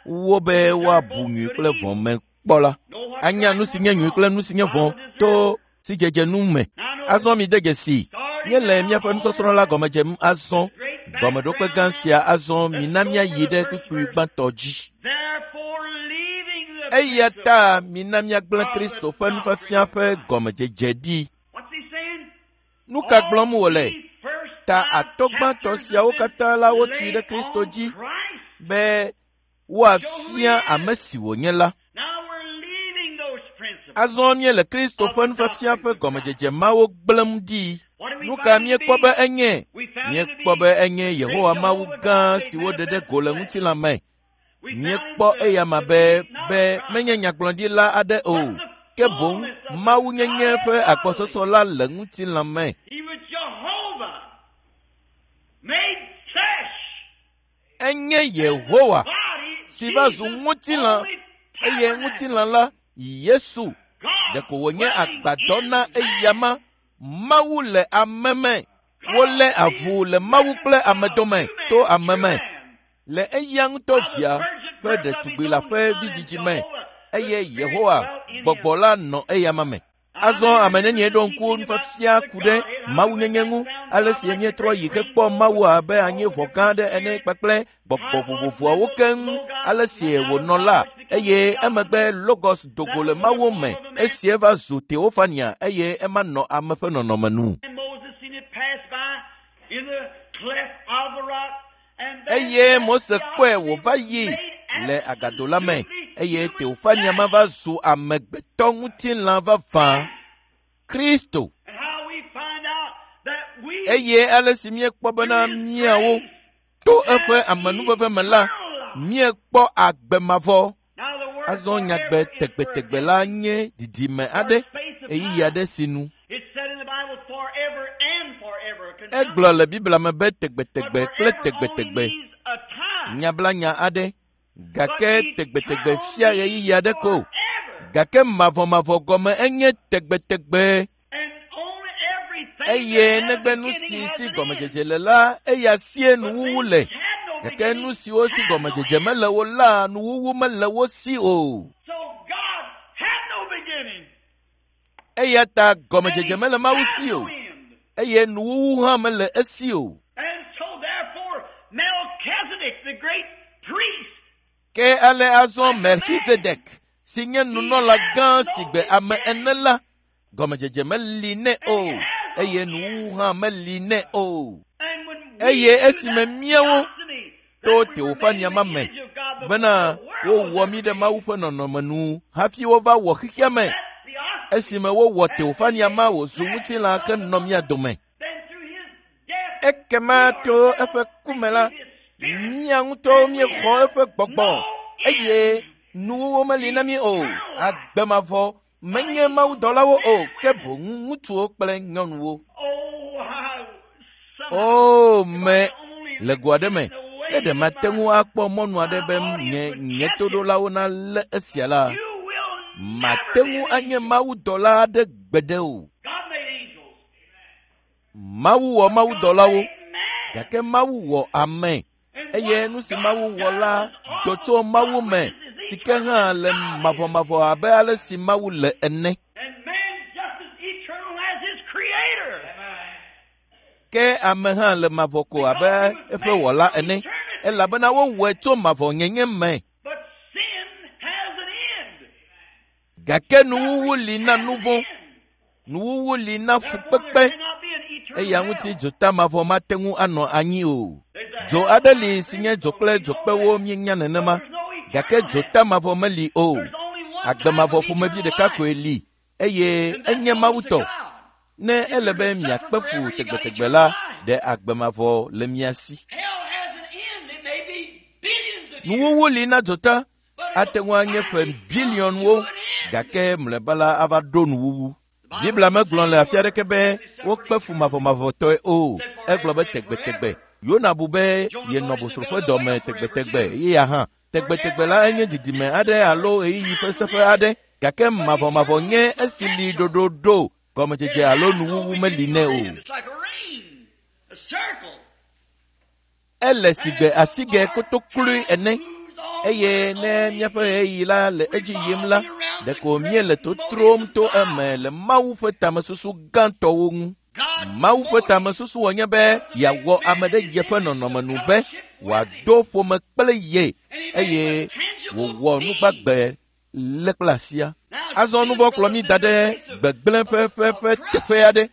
wo be woabu nyui kple vɔ̃ me kpɔ la. Anya nu si nye nyui kple nu si nye vɔ̃ to sidzedze nu me. Azɔ mide dzesii. Míele míaƒe nusɔsrɔ̃ la gɔme dzem azɔ. Gɔmeɖokpe gã sia azɔ mina míayi ɖe kpukpui gbãtɔ dzi. Eya ta mina míagblẽ Kristo ƒe nufiafia ƒe gɔmedzedze ɖi. Nu ka gblɔm wòle? Ta atɔ̃ gbãtɔ siawo katã la wotui ɖe Kristo dzi be Woafia ame si wònye la. Azɔ míele Kristo ƒe nufiafia ƒe gɔmedzedze mawo gblẽm ɖi. Nu ka míekpɔ be enye? Míekpɔ be enye Yehowa Mawu gã si woɖe ɖe go le ŋutilã me. Míekpɔ eyama be be menye nyagblɔɖila aɖe o, ke boŋ Mawunyenye ƒe agbɔsɔsɔ la le ŋutilã me. Enye Yehowa si va zu ŋutilã eye ŋutilã la Yesu ɖeko wònye agbadɔ na eyama. Mawu le ame me. Wolé avu le Mawu kple ame dome to ame me le eya ŋutɔ via ƒe ɖetugbi la ƒe vidzidzi me eye Yehowa gbɔgbɔ la nɔ eyama me. Azɔ ame nenie ɖo ŋku nufiafia ku ɖe mawunyenye ŋu ale si míetrɔ yi hekpɔ Mawu abe anyiʋɔ gã aɖe ene kpakple gbɔgbɔ vovovoawo keŋ ale si wònɔ la eye emegbe Logos do go le Mawu me esi eva zu Teofania eye ema nɔ ame ƒe nɔnɔme nu. Eye Mose kpɔe wòva yi le agado la me eye Teofania ma va zu amegbetɔ ŋutilã vavã, Kristo. Eye ale si míekpɔ bena míawo to eƒe amenuveve me la, míekpɔ agbe mavɔ. Azɔ nyagbe tegbetegbe la nye didime aɖe, ɣeyiɣi aɖe si nu. Egblɔ le Biblia me be tegbetegbe kple tegbetegbe, nyablanya aɖe, gake tegbetegbe fia ɣeyiɣi aɖe ko. Gake mavɔmavɔ gɔme enye tegbetegbe. Eye negbe nu si si gɔmedzedze le la, eya sie nuwuwu le. Gake nu siwo si gɔmedzedze mele o la, nuwuwu mele wo si o. Eya ta gɔmedzedze mele Mawu si o, eye nuwuwu hã mele esi o. Ke ale azɔ Melchizedek, si nye nunɔla gã si gbe ame ene la, gɔmedzedze meli nɛ o, eye nuwuwu hã meli nɛ o. Eye esime míawo to Teofania ma me bena wowɔ mí ɖe Mawu ƒe nɔnɔme nu hafi wova wɔ xexea me. Esime wowɔ Teofania ma wòzu ŋutilã henɔ mía dome. Ekema to eƒe ku me la, mía ŋutɔwo míexɔ eƒe gbɔgbɔ eye nuwuwu meli na mí o. Agbe mavɔ menye mawudɔlawo o, ke boŋ ŋutsuwo kple nyɔnuwo. O me le go aɖe me, ne ɖe mate ŋu akpɔ mɔnu aɖe be nye nye toɖolawo nalé esia la, mate ŋu anye mawudɔla aɖe gbeɖe o. Mawu wɔ mawudɔlawo, gake Mawu wɔ ame. Eye nu si Mawu wɔ la do tso Mawu me, si ke hã le mavɔmavɔ abe ale si Mawu le ene. Ke ame hã le mavɔ ko abe eƒe wɔla ene, elabena wowɔe tso mavɔnyenye me. Gake nuwuwu li na nu vɔ̃, nuwuwu li na fukpekpe, eya ŋuti dzota mavɔ mate ŋu anɔ anyi o. Dzo aɖe li si nye dzo kple dzokpewo míenya nenema, gake dzota mavɔ meli o. Agbe mavɔ ƒomevi ɖeka koe li eye enye Mawu tɔ. Ne ele be miakpe fu tegbetegbe la, ɖe agbe mavɔ le mia si. Nuwuwu li na dzota ate ŋu anye ƒe biliɔnwo, gake mlɔeba la ava ɖo nuwuwu. Biblia megblɔ le afi aɖeke be wokpe fu mavɔmavɔtɔe o. Egblɔ be tegbetegbe. Yona bu be yenɔ bosro ƒe dɔme tegbetegbe eya hã. Tegbetegbe la enye didime aɖe alo ɣeyiɣi ƒe seƒe aɖe, gake mavɔmavɔ nye esi li ɖoɖoɖo, gɔmedzedze alo nuwuwu meli nɛ o. Ele sigbe asigɛ kotoklui ene eye ne míaƒe ɣeyiɣi la le edzi yim la, ɖeko míele totrom to eme le Mawu ƒe tamesusu gãtɔwo ŋu. Mawu ƒe tamesusu wònye be yeawɔ ame ɖe yeƒe nɔnɔme nu be wòado ƒome kple ye eye wòwɔ nugbagbe lé kple asia. Azɔ nu vɔ̃ kplɔ mí da ɖe gbegblẽ ƒe ƒe ƒe teƒe aɖe.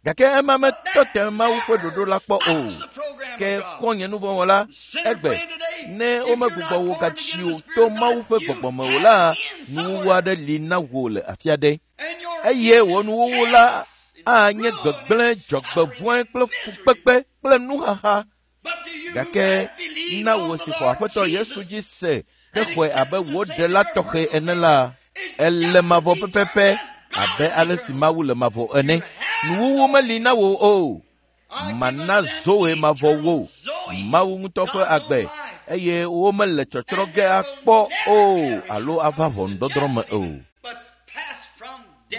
Gake ema metɔ te Mawu ƒe ɖoɖo la kpɔ o. Ke xɔ̃nye nuvɔ̃wɔla, egbe, Ne womegbugbɔ wò gatsi o to Mawu ƒe gbɔgbɔ me o la, nuwuwu aɖe li na wò le afi aɖe. Eye wò nuwuwu la anye gbegblẽ, dzɔgbevɔ̃e kple fukpekpe kple nuxaxa. Gake na wò si xɔ Aƒetɔ Yesu dzi se hexɔe abe wò ɖela tɔxɛ ene la, ele mavɔ pɛpɛpɛ abe ale si Mawu le mavɔ ene. Nuwuwu meli na wò o. Mana Zoe mavɔ wò, Mawu ŋutɔ ƒe agbe, eye womele tsɔtsrɔ̃ ge akpɔ o alo ava ʋɔnudɔdrɔ̃ me o.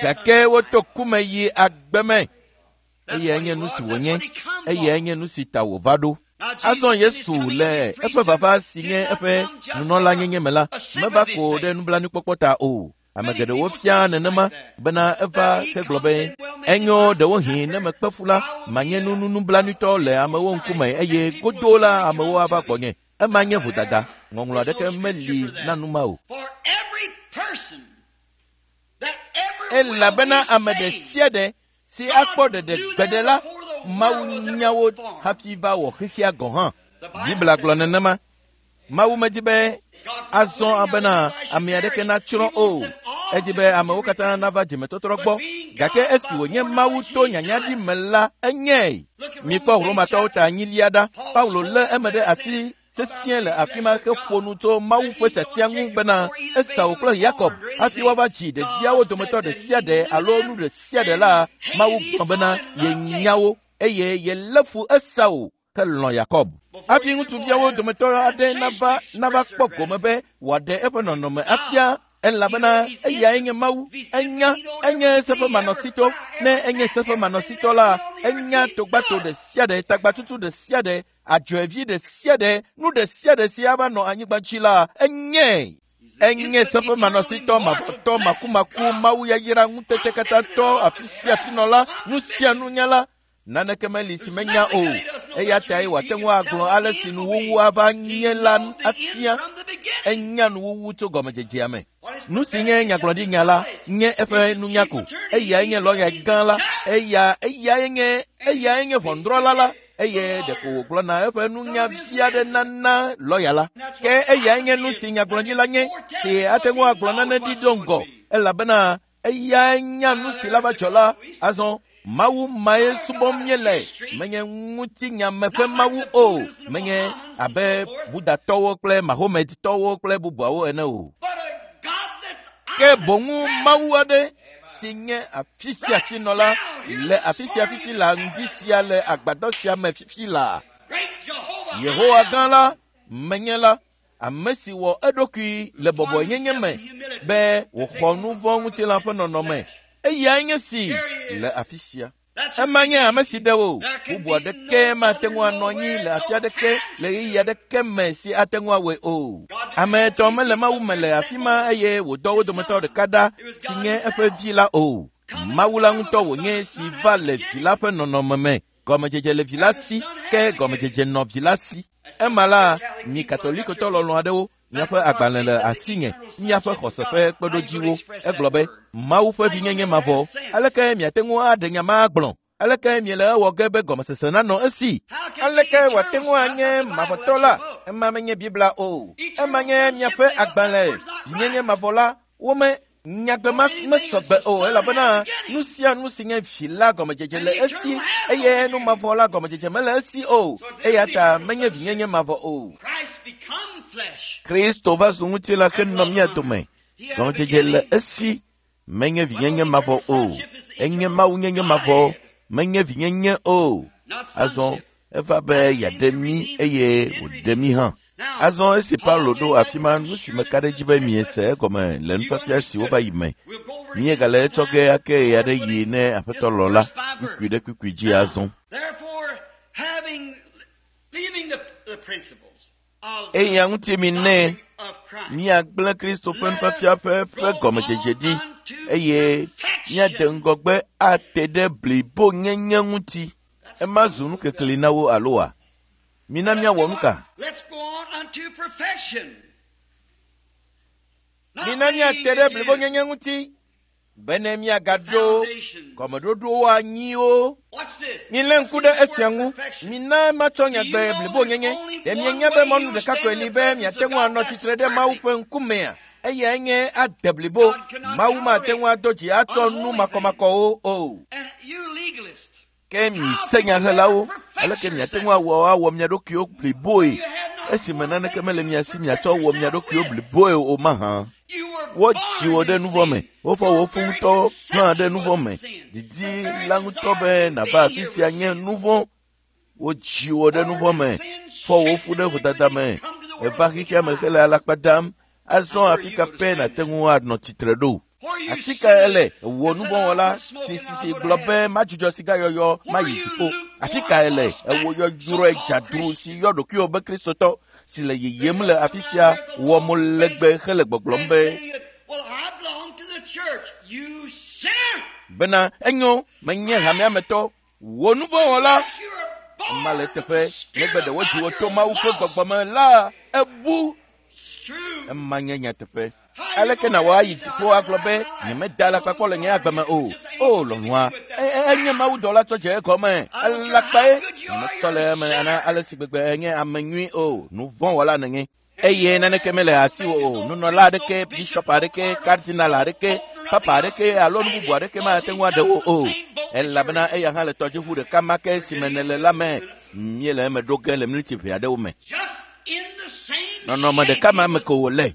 Gake woto ku me yi agbe me. Eyae nye nu si wònye, eyae nye nu si ta wòva ɖo. Azɔ Yesu le eƒe vava si nye eƒe nunɔlanyenye me la, meva ko ɖe nublanuikpɔkpɔ ta o. Ame geɖewo fia nenema bena eva hegblɔ be, enyo ɖewohĩ ne mekpe fu la, manye nu nublanuitɔ le amewo ŋkume eye godoo la amewo ava gbɔnye. Ema nye vodada. Ŋɔŋlɔ aɖeke meli na nu ma o. Elabena ame ɖe sia ɖe si akpɔ ɖeɖe gbeɖe la, Mawu nya wo hafi va wɔ xexea gɔ̃ hã. Biblia gblɔ nenema. Mawu medi be azɔ abena ame aɖeke natsrɔ̃ o. Edi be amewo katã nava dzimetɔtrɔ gbɔ. Gake esi wònye Mawu to nyanyaɖi me la, enyae. Mikpɔ Romatɔwo ta enyilia ɖa. Paulo lé eme ɖe asi sesĩe le afi ma heƒo nu tso Mawu ƒe tiatia ŋu bena Esau kple Yakob hafi woava dzi ɖeviawo dometɔ ɖe sia ɖe alo nu ɖe sia ɖe la, Mawu gblɔ bena yenya wo eye yelé fu Esau helɔ̃ Yakob. Hafi ŋutsuviawo dometɔ aɖe nava kpɔ gome be wòaɖe eƒe nɔnɔme afia, elabena eyae nye Mawu. Enya, enye seƒemanɔsitɔ. Ne enye seƒemanɔsitɔ la, enya togbato ɖe sia ɖe, tagbatutu ɖe sia ɖe, adzɔevi ɖe sia ɖe, nu ɖe sia ɖe si ava nɔ anyigba dzi la, enyae. Enye seƒemanɔsitɔ, mavɔtɔ, makumaku, Mawu yayra, ŋutete katãtɔ, afi sia afi nɔla, nu sia nunyala. Naneke meli si menya o. Eya tae wòate ŋu agblɔ ale si nuwuwu ava nye la afia. Enya nuwuwu tso gɔmedzedzea me. Nu si nye nyagblɔɖinya la nye eƒe nunya ko. Eyae nye lɔya gã la. Eyae nye ʋɔnudrɔ̃la la. Eye ɖeko wògblɔna eƒe nunya vi aɖe nana lɔya la. Ke eyae nye nu si nyagblɔɖila nye si ate ŋu agblɔ nane ɖi do ŋgɔ, elabena eyae nya nu si la va dzɔ la. Azɔ Mawu mae subɔm míele, menye ŋutinyame ƒe Mawu o, menye abe Budatɔwo kple Mahomedtɔwo kple bubuawo ene o. Ke boŋu Mawu aɖe si nye afi sia afi nɔla le afi sia fifi la ŋdi sia le agbadɔ sia me fifi la. Yehowa gã la, menye la, ame si wɔ eɖokui le bɔbɔenyenye me be wòxɔ nu vɔ̃ ŋutilã ƒe nɔnɔme. Eyae nye si le afi sia. Ema nye ame si ɖe wò. Bubu aɖeke mate ŋu anɔ anyi le afi aɖeke le ɣeyiɣi aɖeke me si ate ŋu awɔe o. Ame etɔ̃ mele Mawu me le afi ma eye wòdɔ wo dometɔ ɖeka ɖa si nye eƒe vi la o. Mawu la ŋutɔ wònye si va le vi la ƒe nɔnɔme me. Gɔmedzedze le vi la si, ke gɔmedzedze nɔ vi la si. Ema la, mi Katolikotɔ lɔlɔ̃ aɖewo, miaƒe agbalẽ le asinye, miaƒe xɔse ƒe kpeɖodziwo. Egblɔ be, Mawu ƒe vinyenye mavɔ. Aleke miate ŋu aɖe nya ma agblɔ? Aleke miele ewɔ ge be gɔmesese nanɔ esi? Aleke wòate ŋu anye mavɔtɔ la? Ema menye Biblia o. Ema nye miaƒe agbalẽ vinyenye mavɔ la. Wome nyagbe ma mesɔgbe o, elabena nu sia nu si nye vi la gɔmedzedze le esi, eye nu mavɔ la gɔmedzedze mele esi o. Eya ta menye vinyenye mavɔ o. Kristo va zu ŋutilã henɔ mía dome. Gɔmedzedze le esi, menye vinyenye mavɔ o. Enye Mawu nyenye mavɔ, menye vinyenye o. Azɔ eva be yeaɖe mí eye wòɖe mí hã. Azɔ esi Paulo ɖo afi ma, nu si meka ɖe edzi be miese egɔme le nufiafia siwo va yi me. Míegale etsɔ ge ake ɣe aɖe yi ne Aƒetɔ lɔ la, kpukpui ɖe kpukpui dzi azɔ. Eya ŋuti mi ne míagblẽ Kristo ƒe nufiafia ƒe gɔmedzedze ɖi eye míade ŋgɔgbe ate ɖe blibonyenye ŋuti. Ema zu nukekeli na wo aloa? Mina míawɔ nu ka? Mina míate ɖe blibonyenye ŋuti. Bene míagaɖo gɔmeɖoɖowo anyiwo. Milé ŋku ɖe esia ŋu. Mina matsɔ nyagbe blibonyenye. Ɖe mienya be mɔnu ɖeka koe li be miate ŋu anɔ tsitre ɖe Mawu ƒe ŋkumea? Eyae nye ade blibo. Mawu mate ŋu ado dzi atsɔ nu makɔmakɔwo o. Ke mi senyahelawo, aleke miate ŋu awɔ awɔ mia ɖokuiwo bliboe esime naneke mele mia si miatsɔ wɔ mia ɖokuiwo bliboe o mahã? Wodzi wò ɖe nuvɔ̃ me, wofɔ wò fu ŋutɔ hã ɖe nuvɔ̃ me. Didi la ŋutɔ be nàva afi sia nye nuvɔ̃. Wodzi wò ɖe nuvɔ̃ me, fɔ wò fu ɖe vodada me. Èva xexea me hele alakpa dam. Azɔ afi ka pɛ nàte ŋu anɔ tsitre ɖo? Afi ka ele wò nuvɔ̃wɔla si si gblɔ be madzudzɔ sigayɔyɔ mayi dziƒo? Afi ka ele wò yɔyrɔe dzadru si yɔ ɖokuiwò be Kristotɔ si le yiyim le afi sia wɔ mo legbe hele gbɔgblɔm be bena enyo menye hamea me tɔ wò nuvɔ̃wɔla ema le teƒe negbe ɖe wodzi wò to Mawu ƒe gbɔgbɔ me la ebu. Ema nye nyateƒe. Aleke nàwɔ ayi dziƒo agblɔ be nyemeda alakpa kpɔ le nye agbe me o? O lɔlɔ̃a, enye mawudɔla tsɔ dze egɔme. Alakpae nyemetsɔ le eme ana ale si gbegbe enye ame nyui o. Nuvɔ̃wɔla nènye. Eye naneke mele asiwò o. Nunɔla aɖeke, bishɔp aɖeke, kardinal aɖeke, papa aɖeke alo nu bubu aɖeke mate ŋu aɖe wò o. Elabena eya hã le tɔdziʋu ɖeka ma ke si me nèle la me. Míele eme ɖo ge le miniti ʋɛ aɖewo me. Nɔnɔme ɖeka ma me ko wòle.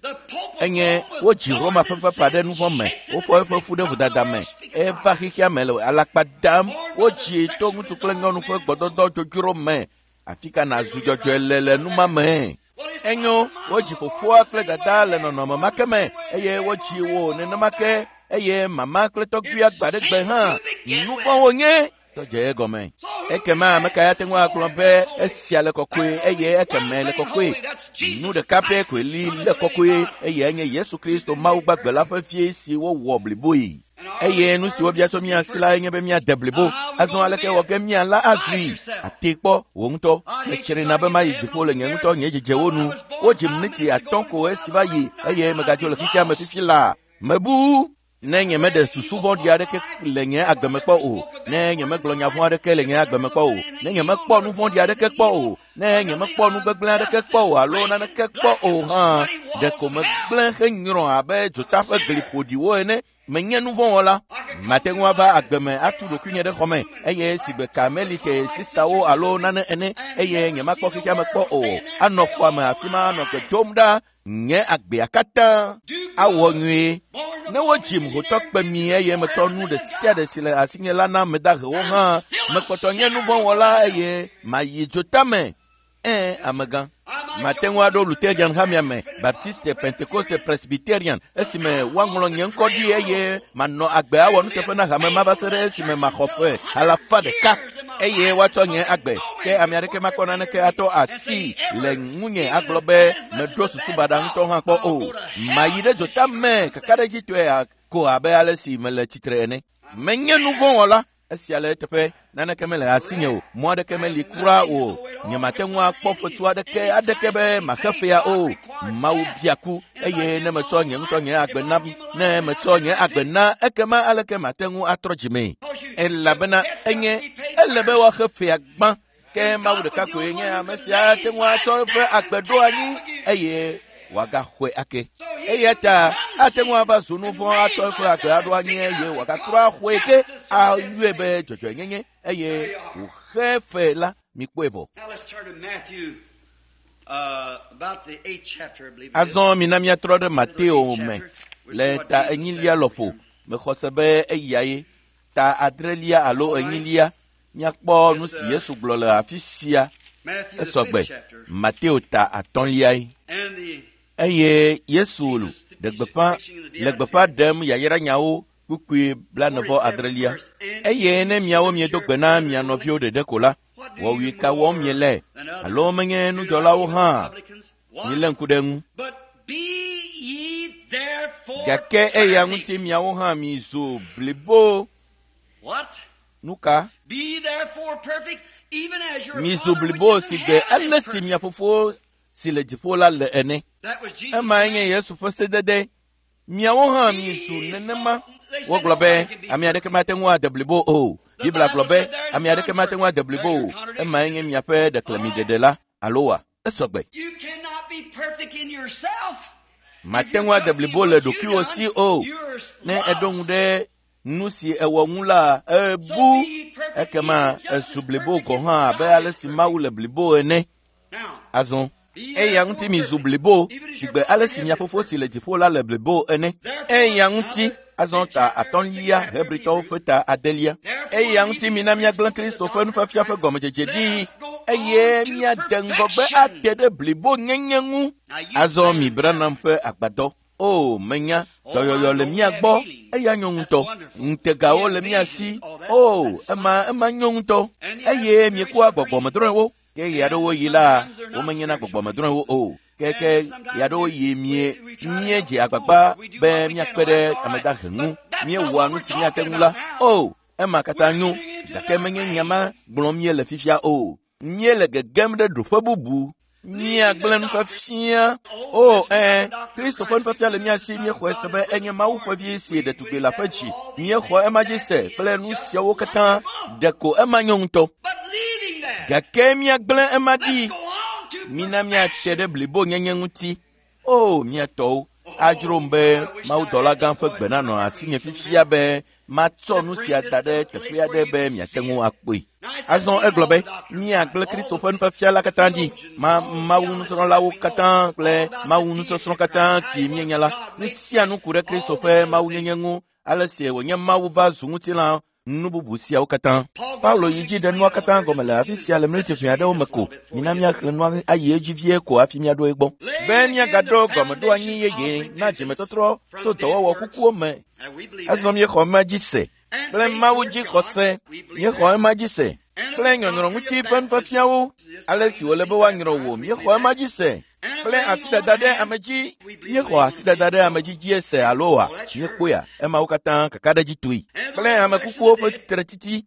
Enye wodzi Roma ƒe papa ɖe nuvɔ̃ me, wofɔ eƒe fu ɖe vodada me, eva xexea me le alakpa dam, wodzii to ŋutsu kple nyɔnu ƒe gbɔdɔdɔ dzodzro me. Afi ka nàzu dzɔdzɔe le le nu ma me? Enyo, wodzi fofoa kple dada le nɔnɔme ma ke me eye wodzi wò nenema ke eye mama kple tɔgbuia gba ɖe gbe hã. Nuvɔ̃ wònye. Tɔdze egɔme. Ekema ame ka ate ŋu agblɔ be esia le kɔkɔe eye ekeme le kɔkɔe? Nu ɖeka pɛ koe li le kɔkɔe eye enye Yesu Kristo Mawu gbagbe la ƒe vie si wowɔ bliboe. Eye nu si wobia tso mía si lae nye be míade blibo. Azɔ aleke wɔ ge mía la azui? Ate kpɔ wò ŋutɔ. Metsrina be mayi dziƒo le nye ŋutɔ nye dzedzewo nu. Wodzi miniti atɔ̃ ko esi va yi eye megadzo le xexea me fifi laa. Mebu. Ne nyemeɖe susu vɔ̃ɖi aɖeke le nye agbe me kpɔ o, ne nyemegblɔ nya vɔ̃ aɖeke le nye agbe me kpɔ o, ne nyemekpɔ nu vɔ̃ɖi aɖeke kpɔ o, ne nyemekpɔ nu gbegblẽ aɖeke kpɔ o alo naneke kpɔ o hã, ɖeko megblẽ henyrɔ abe dzota ƒe gli ƒoɖiwo ene. Menye nu vɔ̃ wɔla. Mate ŋu ava agbe me atu ɖokuinye ɖe xɔ me eye sigbe Karmelite sistawo alo nane ene eye nyemakpɔ xexea me kpɔ o. Anɔ xɔa me afi ma anɔ gbe dom ɖa nye agbea katã awɔ nyuie. Ne wodzim hotɔ kpe mi eye metsɔ nu ɖe sia ɖe si le asinye la na ame dahewo hã, mekpɔtɔ nye nu vɔ̃ wɔla eye mayi dzotame. Ẽ, amegã. Mate ŋu aɖo Lutherian hamea me, Baptiste, Pentekoste, Presbyterian, esime woaŋlɔ nye ŋkɔ ɖi eye manɔ agbe awɔ nuteƒe na hame ma va se ɖe esime maxɔ ƒe alafa ɖeka eye woatsɔ nye agbe. Ke ame aɖeke makpɔ naneke atɔ asi le ŋunye agblɔ be meɖo susu baɖa ŋutɔ hã kpɔ o. Mayi ɖe dzota me kakaɖedzitɔe ko abe ale si mele tsitre ene. Menye nu vɔ̃ wɔla. Esia le eteƒe. Naneke mele asinye o. Mɔ aɖeke meli kura o. Nyemate ŋu akpɔ fetu aɖeke aɖeke be maxe fea o. Mawu bia ku eye ne metsɔ nye ŋutɔ nye agbe na ne metsɔ nye agbe na ekema aleke mate ŋu atrɔ dzimee? Elabena enye ele be woaxe fea gbã. Ke Mawu ɖeka koe nye ame sia ate ŋu atsɔ eƒe agbe ɖo anyi eye wòagaxɔe ake. Eya ta ate ŋu ava zu nu vɔ̃ atsɔ eƒe agbe aɖo anyi eye wòagatrɔ axɔe ke ayɔe be dzɔdzɔenyenye eye wòxe fe la. Mikpɔe vɔ. Azɔ mina míatrɔ ɖe Mateo me le ta enyilia lɔƒo. Mexɔ se be eyae ta adrelia alo enyilia. Míakpɔ nu si Yesu gblɔ le afi sia. Esɔgbe Mateo ta atɔ̃liae. Eye Yesu ɖe gbeƒã le gbeƒã ɖem yayranyawo kpukpui blanevɔ adrelia. Eye ne miawo miedo gbe na mia nɔviwo ɖeɖe ko la, wɔwui ka wɔm miele? Alo menye nudzɔlawo hã? Milé ŋku ɖe eŋu. Gake eya ŋuti miawo hã mizu blibo. Nuka? Mizu blibo si gbe ale si mia fofo si le dziƒo la le ene. Emae nye Yesu ƒe sedede. Miawo hã mizu nenema. Wogblɔ be ame aɖeke mate ŋu ade blibo o. Biblia gblɔ be ame aɖeke mate ŋu ade blibo o. Emae nye miaƒe ɖeklemiɖeɖe la, alo wa? Esɔgbe. Mate ŋu ade blibo le ɖokuiwò si o. Ne eɖo ŋu ɖe nu si ewɔ ŋu la, ebu. Ekema ezu blibo gɔ̃ hã abe ale si Mawu le blibo ene. Azɔ eya ŋuti mizu blibo sigbe ale si mia fofo si le dziƒo la le blibo ene. Eya ŋuti azɔ ta 5 Hebritɔwo ƒe ta 9. Eya ŋuti mina míagblẽ Kristo ƒe nufiafia ƒe gɔmedzedze ɖi eye míade ŋgɔgbe ate ɖe blibo nyenye ŋu. Azɔ mi Branham ƒe agbadɔ. O, menya, dɔyɔyɔ le mía gbɔ, eya nyo ŋutɔ. Ŋutegawo le mía si. O, ema nyo ŋutɔ. Eye miekua gbɔgbɔmedrɔ̃ewo. Ke ɣeaɖewo yi la, womenyena gbɔgbɔmedrɔ̃ewo o. Ke ɣeaɖewo yi míedze agbagba be míakpe ɖe ame dahe ŋu. Míewɔa nu si míate ŋu la. O, ema katã nyo, gake menye nya ma gblɔm míele fifia o. Míele gegem ɖe ɖoƒe bubu. Míagblẽ nufiafia. O, Kristo ƒe nufiafia le mía si. Míexɔe se be enye Mawu ƒe vi si ɖetugbi le aƒe dzi. Míexɔ ema dzi se kple nu siawo katã. Ɖeko ema nyo ŋutɔ. Gake míagblẽ ema ɖi. Mina míate ɖe blibonyenye ŋuti. O, mía tɔwo, adzrom be mawudɔlagã ƒe gbe nanɔ asinye fifia be matsɔ nu sia da ɖe teƒe aɖe be miate ŋu akpɔe. Azɔ egblɔ be míagblẽ Kristo ƒe nufiafia la katã ɖi, Mawu nusrɔ̃lawo katã kple Mawu nusɔsrɔ̃ katã si míenya la. Nu sia nu ku ɖe Kristo ƒe mawunyenye ŋu, ale si wònye Mawu va zu ŋutilã nu bubu siawo katã. Paulo yi dzi ɖe nua katã gɔme le afi sia le miniti ʋɛ aɖewo me ko. Mina míaxlẽ nua ayi edzi vie ko hafi míaɖo egbɔ. Be míagaɖo gɔmeɖoanyi yeye na dzimetɔtrɔ tso dɔwɔwɔ kukuwo me. Azɔ míexɔ ema dzi se kple Mawu dzi xɔse. Míexɔ ema dzi se kple nyɔnyrɔ ŋuti ƒe nufiafiawo. Ale si wòle be woanyrɔ wò, míexɔ ema dzi se kple asidada ɖe ame dzi. Míexɔ asidada ɖe ame dzi dzie se alo wa? Míekpɔea emawo katã kakaɖedzi toe kple ame kukuwo ƒe tsitretsitsi.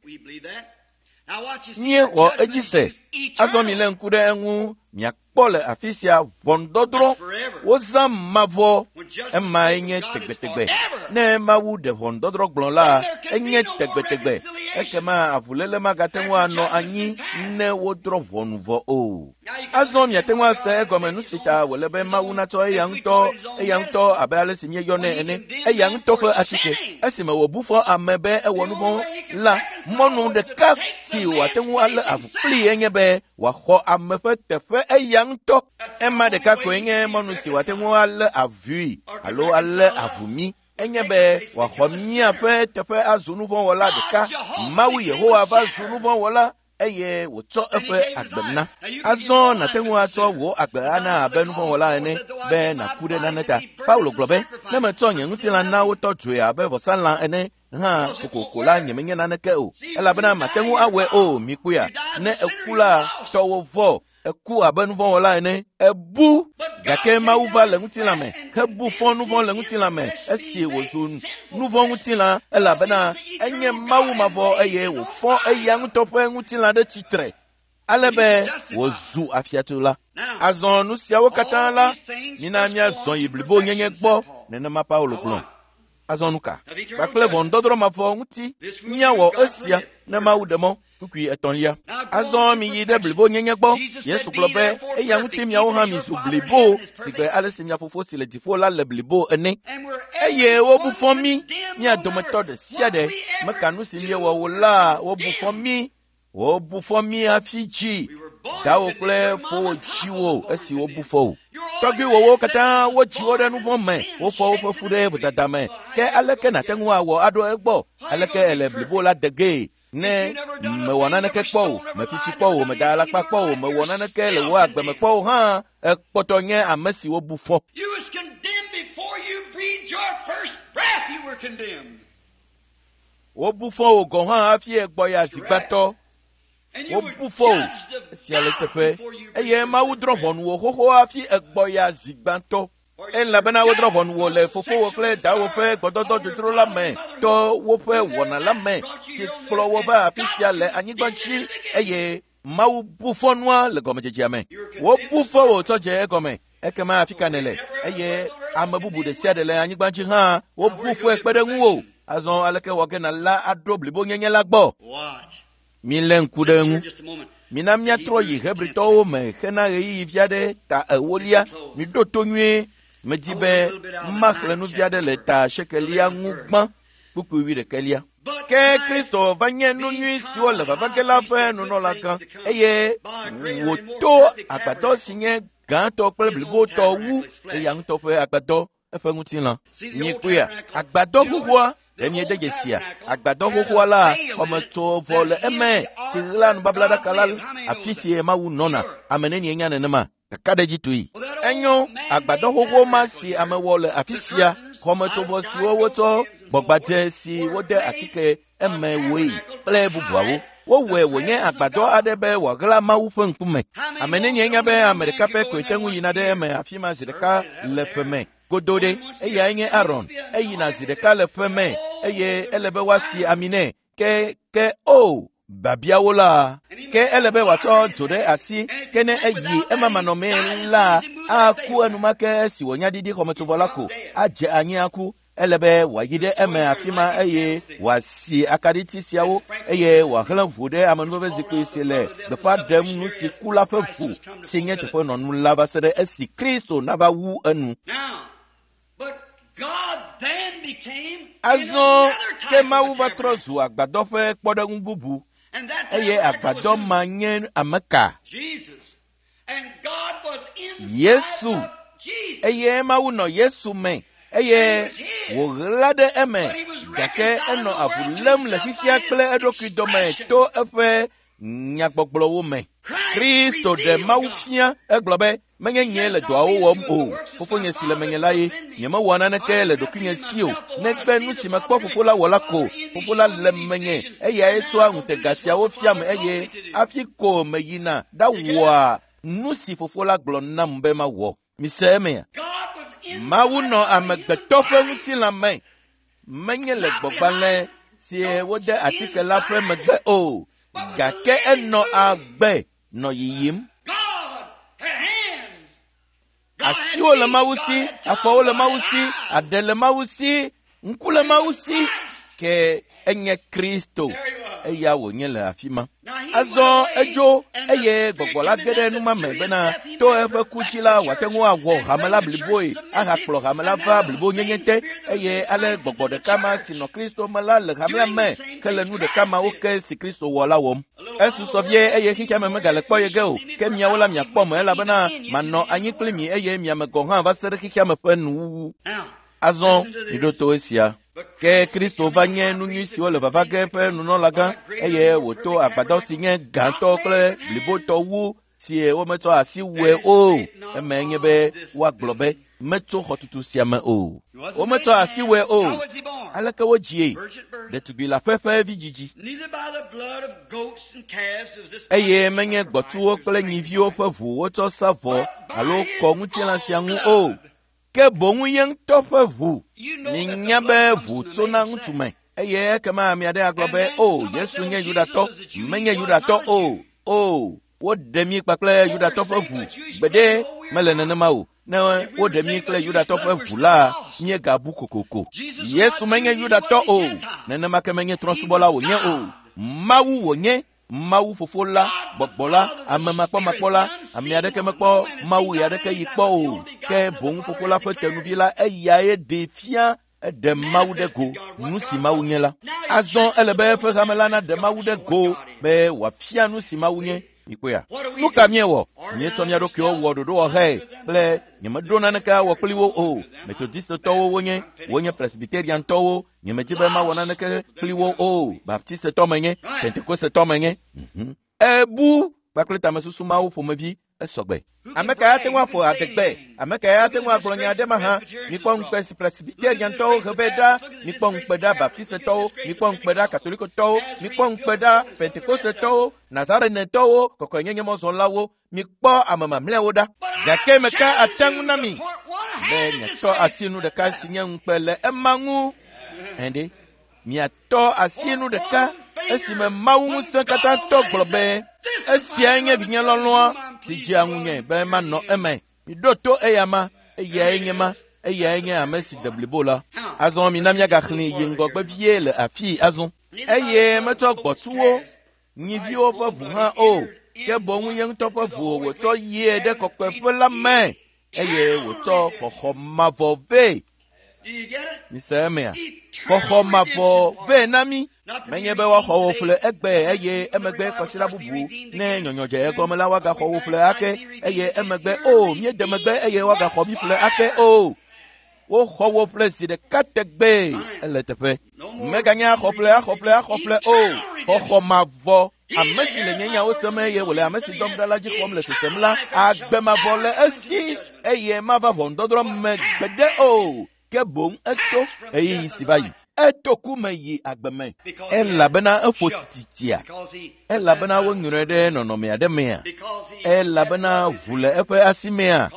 Míexɔ edzi se. Azɔ milé ŋku ɖe eŋu miakpɔ le afi sia ʋɔnudɔdrɔ̃. Wozã mavɔ. Emae nye tegbetegbe. Ne Mawu ɖe ʋɔnudɔdrɔ̃ gblɔ la, enye tegbetegbe. Ekema avuléle magate ŋu anɔ anyi ne wodrɔ̃ ʋɔnu vɔ o. Azɔ miate ŋu ase egɔme nu si ta wòle be Mawu natsɔ eya ŋutɔ abe ale si míeyɔnɛ ene, eya ŋutɔ ƒe atike. Esime wòbu fɔ ame be ewɔ nu vɔ̃ la, mɔnu ɖeka si wòate ŋu alé avu kplii enye be wòaxɔ ame ƒe teƒe eya ŋutɔ. Ema ɖeka koe nye mɔnu si wòate ŋu alé avui alo alé avu mí. Enye be wòaxɔ míaƒe teƒe azu nu vɔ̃ wɔla ɖeka. Mawu Yehowa va zu nu vɔ̃ wɔla eye wòtsɔ eƒe agbe na. Azɔ nàte ŋu atsɔ wò agbe ana abe nu vɔ̃ wɔla ene be nàku ɖe nane ta. Paulo gblɔ be, ne metsɔ nye ŋutilã na wotɔ dzoe abe vɔsalã ene hã kokoko la nyemenye naneke o, elabena mate ŋu awɔe o. Mikpɔea, ne eku la, tɔwò vɔ. Eku abe nu vɔ̃ wɔla ene. Ebu. Gake Mawu va le ŋutilã me hebu fɔ nu vɔ̃ le ŋutilã me esi wòzu nu vɔ̃ ŋutilã, elabena enye Mawu mavɔ eye wòfɔ eya ŋutɔ ƒe ŋutilã ɖe tsitre ale be wòzu afiatsola. Azɔ nu siawo katã la, mina míazɔ yi blibonyenye gbɔ, nenema Paulo gblɔ. Azɔ nu ka? Kpakple ʋɔnudɔdrɔ̃ mavɔ ŋuti míawɔ esia ne Mawu ɖe mɔ. Kpukpui 3. Azɔ miyi ɖe blibonyenye gbɔ. Yesu gblɔ be eya ŋuti miawo hã mizu blibo sigbe ale si mia fofo si le dziƒo la le blibo ene. Eye wobu fɔ mí, mía dometɔ ɖe sia ɖe meka nu si míewɔ o la, wobu fɔ mí. Wobu fɔ mí hafi dzi. Dawo kple fowò dzi wò esi wobu fɔ wò. Tɔgbuiwòwo katã wodzi wo ɖe nu vɔ̃ me, wofɔ woƒe fu ɖe vodada me. Ke aleke nàte ŋu awɔ aɖo egbɔ? Aleke ele blibo la de gee? Ne mewɔ naneke kpɔ o, mefitsi kpɔ o, meda alakpa kpɔ o, mewɔ naneke le wò agbe me kpɔ o hã, ekpɔtɔ nye ame si wobu fɔ. Wobu fɔ wò gɔ̃ hã hafi egbɔ ya zigbatɔ. Wobu fɔ wò esia le teƒe eye Mawu drɔ̃ ʋɔnu wò xoxo hafi egbɔ ya zigbatɔ. Elabena wodrɔ̃ ʋɔnu wò le fofowò kple dawò ƒe gbɔdɔdɔ dzodzro la me to woƒe wɔna la me si kplɔ wo va afi sia le anyigba dzi eye Mawu bu fɔ nua le gɔmedzedzea me. Wobu fɔ wò tsɔ dze egɔme. Ekema afi ka nèle? Eye ame bubu ɖe sia ɖe le anyigba dzi hã wobu fɔe kpe ɖe ŋuwò. Azɔ aleke wɔ ge nàla aɖo blibonyenye la gbɔ? Milé ŋku ɖe eŋu. Mina míatrɔ yi Hebritɔwo me hena ɣeyiɣi vi aɖe ta ewolia. Miɖo to nyuie. Medi be maxlẽ nu vi aɖe le ta sekelia ŋu gbã kpukpui wuiɖekɛlia. Ke Kristo va nye nu nyui siwo le vava ge la ƒe nunɔlagã eye wòto agbadɔ si nye gãtɔ kple blibotɔ wu eya ŋutɔ ƒe agbadɔ eƒe ŋutilã. Miekpɔea? Agbadɔ xoxoa ɖe miede dzesia? Agbadɔ xoxoa la xɔmetsovɔ le eme si ɣla nubablaɖaka la afi si Mawu nɔna. Ame nenie nya nenema? Kakaɖedzitɔe. Enyo agbadɔ xoxo ma si ame wɔ le afi sia, xɔmetsovɔ siwo wotsɔ gbɔgbadze si wode atike eme woe kple bubuawo. Wowɔe wònye agbadɔ aɖe be wòaɣla Mawu ƒe ŋkume. Ame nenie nya be ame ɖeka pɛ koe te ŋu yina ɖe eme afi ma zi ɖeka le ƒe me godo ɖe? Eyae nye Aron. Eyina zi ɖeka le ƒe me eye ele be woasi ami nɛ. Ke ke o babiawo la ke ele be wòatsɔ dzo ɖe asi ke ne eyi ema manɔmee la aku enumake esi wònya ɖiɖi xɔmetsovɔ la ko adze anyi aku. Ele be wòayi ɖe eme afi ma eye wòasi akaɖiti siawo eye wòahlẽ ʋu ɖe amenuveve zikpui si le gbeƒã ɖem nu si ku la ƒe ʋu si nye teƒenɔnu la va se ɖe esi Kristo nava wu enu. Azɔ ke Mawu va trɔ zu agbadɔ ƒe kpɔɖeŋu bubu eye agbadɔ ma nye ame ka? Yesu. Eye Mawu nɔ Yesu me eye wòɣla ɖe eme gake enɔ avu lém le xexea kple eɖokui dome to eƒe nyagbɔgblɔwo me. Kristo ɖe Mawu fia egblɔ be menye nyee le dɔawo wɔm o, fofonye si le menye la ye. Nyemewɔ naneke le ɖokuinye si o, negbe nu si mekpɔ fofo la wɔ la ko. Fofo la le menye eyae tsɔa ŋutega siawo fiam eye hafi ko meyina ɖawɔa nu si fofo la gblɔ nam be mawɔ. Mise emea? Mawu nɔ amegbetɔ ƒe ŋutilã me, menye le gbɔgbalẽ si wode atike la ƒe megbe o, gake enɔ agbe nɔ yiyim. Asiwo le Mawu si, afɔwo le Mawu si, aɖe le Mawu si, ŋku le Mawu si, ke enye Kristo. Eya wònye le afi ma. Azɔ edzo eye gbɔgbɔ la ge ɖe numa me bena to eƒe ku dzi la wòate ŋu awɔ hame la bliboe ahakplɔ hame la va blibonyenye te eye ale gbɔgbɔ ɖeka ma si nɔ Kristo me la le hamea me ke le nu ɖeka mawo ke si Kristo wɔ la wɔm. Esusɔ vie eye xexea me megale kpɔ ye ge o, ke miawo la miakpɔ me elabena manɔ anyi kpli mi eye miame gɔ̃ hã va se ɖe xexea me ƒe nuwuwu. Azɔ miɖo to esia. Ke Kristo va nye nu nyui siwo le vava ge ƒe nunɔlagã eye wòto agbadɔ si nye gãtɔ kple blibotɔ wu si wometsɔ asi wɔe o. Eme nye be woagblɔ be metso xɔtutu sia me o. Wometsɔ asi wɔe o. Aleke wodzie? Ɖetugbi le aƒe ƒe vidzidzi. Eye menye gbɔ̃tsuwo kple nyiviwo ƒe ʋu wotsɔ sa vɔ alo kɔ ŋutilã sia ŋu o. Ke boŋ ye ŋutɔ ƒe ʋu. Minya be ʋu tsona ŋutsu me. Eye ekema ame aɖe agblɔ be, o, Yesu nye Yudatɔ. Menye Yudatɔ o. O, woɖe mí kpakple Yudatɔ ƒe ʋu. Gbeɖe mele nenema o. Ne woɖe mí kple Yudatɔ ƒe ʋu la, míegabu kokoko. Yesu menye Yudatɔ o. Nenema ke menye trɔ̃subɔla wònye o. Mawu wònye. Mawu fofo la, gbɔgbɔ la, ame makpɔmakpɔ la, ame aɖeke mekpɔ Mawu ɣe aɖeke yi kpɔ o. Ke boŋ fofo la ƒe tenuvi la, eyae ɖee fia eɖe Mawu ɖe go, nu si Mawu nye la. Azɔ ele be eƒe hame la naɖe Mawu ɖe go be wòafia nu si Mawu nye. Mikpɔea? Nu ka míewɔ? Míetsɔ mía ɖokuiwo wɔ ɖoɖowɔhɛ kple nyemeɖo naneke awɔ kpli wo o. Metodistetɔwo wonye, wonye Presbyteriantɔwo. Nyemedi be mawɔ naneke kpli wo o. Baptistetɔ menye, Pentekostetɔ menye. Ebu kpakple tamesusu mawo ƒomevi esɔgbe. Ame kae ate ŋu aƒo adegbe? Ame kae ate ŋu agblɔ nya aɖe mahã? Mikpɔ ŋukpe si Presbyteriantɔwo he vɛ ɖa, mikpɔ ŋukpe ɖa Baptistetɔwo, mikpɔ ŋukpe ɖa Katolikotɔwo, mikpɔ ŋukpe ɖa Pentekostetɔwo, Nazarenetɔwo, kɔkɔenyenyemɔzɔlawo, mikpɔ ame mamlɛawo ɖa. Gake meka ate ŋu na mi be miatɔ asi nu ɖeka si nye ŋukpe le ema ŋu. Ɛɖe, miatɔ asi nu ɖeka esime Mawu ŋusẽ katã tɔ gblɔ be esiae nye vinye lɔlɔ̃a si dzea ŋunye be manɔ eme. Miɖo to eyama, eyae nye ma. Eyae nye ame si de blibo la. Azɔ mina míagaxlẽ yi ŋgɔgbe vie le afii azɔ. Eye metsɔ gbɔtuwo, nyiviwo ƒe ʋu hã o, ke boŋ ye ŋutɔ ƒe ʋu wòtsɔ yie ɖe kɔkɔeƒe la me eye wòtsɔ xɔxɔ mavɔ vɛ. Mise emea? Xɔxɔ mavɔ vɛ na mí. Menye be woaxɔ wò ƒle egbe eye emegbe kɔsiɖa bubu ne nyɔnyɔ dze egɔme la woagaxɔ wò ƒle ake eye emegbe o míede megbe eye woagaxɔ mí ƒle ake o. Woxɔ wò ƒle zi ɖeka tegbee ele teƒe. Meganye axɔƒle axɔƒle axɔƒle o. Xɔxɔ mavɔ. Ame si le nye nyawo sem eye wòle ame si dɔm ɖa la dzi xɔm le sesem la, agbe mavɔ le esi eye mava ʋɔnudɔdrɔ̃ me gbeɖe o. Ke boŋ eto ɣeyiɣi si va yi. Eto ku me yi agbe me. Elabena eƒo tititia. Elabena wonyrɔe ɖe nɔnɔme aɖe mea. Elabena ʋu le eƒe asi mea.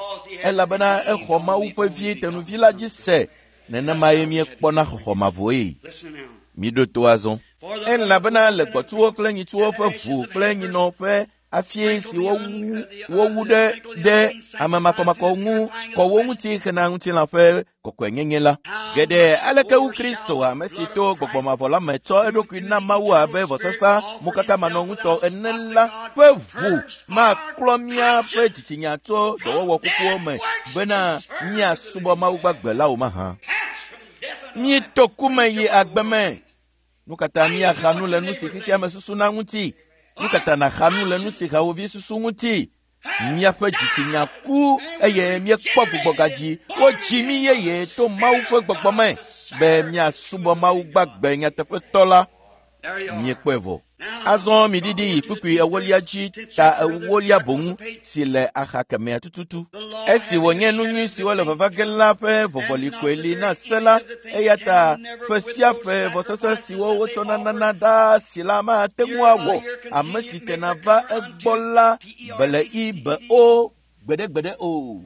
Elabena exɔ Mawu ƒe vi tenuvi la dzi se. Nenemae míekpɔna xɔxɔ mavɔe. Miɖo to azɔ. Elabena le gbɔtuwo kple nyitsuwo ƒe ʋu kple nyinɔ ƒe afie si wowu ɖe ɖe ame makɔmakɔ ŋu kɔ wo ŋuti hena ŋutilã ƒe kɔkɔenyenye la. Geɖe aleke wu Kristo ame si to gbɔgbɔ mavɔ la me tsɔ eɖokui na Mawu abe vɔsasa mokankamanɔŋutɔ ene la ƒe ʋu maklɔ míaƒe dzitsinya tso dɔwɔwɔ kukuwo me bena míasubɔ Mawu gbagbe la o mahã. Míeto ku me yi agbe me. Nu ka ta míaxa nu le nu si xexea me susuna ŋuti? Nu ka ta nàxa nu le nu si hawòvi susu ŋuti? Míaƒe dzitsinya ku eye míekpɔ gbugbɔgadzi. Wodzi mí yeye to Mawu ƒe gbɔgbɔ me be míasubɔ Mawu gbagbe nyateƒetɔ la. Míekpɔe vɔ. Azɔ miɖiɖi yi kpukpui ewolia dzi ta ewolia boŋ si le axa kemɛa tututu. Esi wònye nu nyui siwo le vava ge la ƒe vɔvɔli koe li na se la, eya ta ƒe sia ƒe vɔsasa siwo wotsɔna nana ɖaa si la mate ŋu awɔ ame si tena va egbɔ la bele i be o gbeɖegbeɖe o.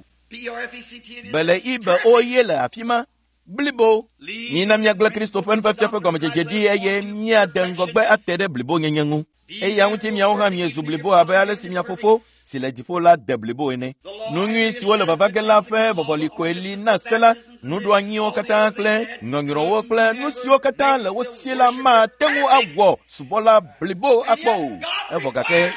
Bele i be o ye le afi ma. Blibo. Mina míagblẽ Kristo ƒe nufiafia ƒe gɔmedzedze ɖi eye míade ŋgɔgbe ate ɖe blibonyenye ŋu. Eya ŋuti miawo hã miezu blibo abe ale si mia fofo si le dziƒo la de blibo ene. Nu nyui siwo le vava ge la ƒe vɔvɔli koe li na se la, nuɖoanyiwo katã kple nyɔnyrɔwo kple nu siwo katã le wo si la mate ŋu awɔ subɔla blibo akpɔ o. Evɔ gake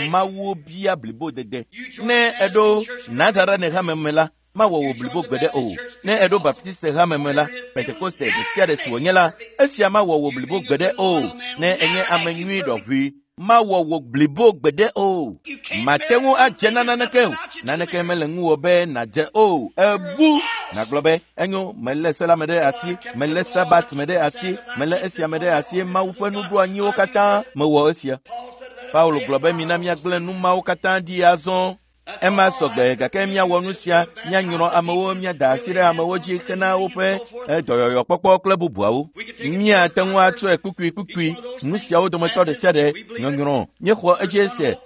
Mawu bia blibodede. Ne eɖo Nazarene hame me la, mawɔ wò blibo gbeɖe o. Ne eɖo Baptiste hame me la, Pentekoste ɖe sia ɖe si wònye la, esia mawɔ wò blibo gbeɖe o. Ne enye ame nyui ɖɔʋui, mawɔ wò blibo gbeɖe o. Mate ŋu adze na naneke o. Naneke mele ŋuwò be nàdze o. Ebu nàgblɔ be enyo, melé se la me ɖe asi, melé Sabat me ɖe asi, melé esia me ɖe asi, Mawu ƒe nuɖoanyiwo katã mewɔ esia. Paulo gblɔ be mina míagblẽ nu mawo katã ɖi azɔ. Ema sɔgbe gake míawɔ nu sia, míanyrɔ amewo, míada asi ɖe amewo dzi hena woƒe dɔyɔyɔkpɔkpɔ kple bubuawo. Míate ŋu atsɔe kpukpuikpukpui. Nu siawo dometɔ ɖe sia ɖe nyɔnyrɔ míexɔ edzi se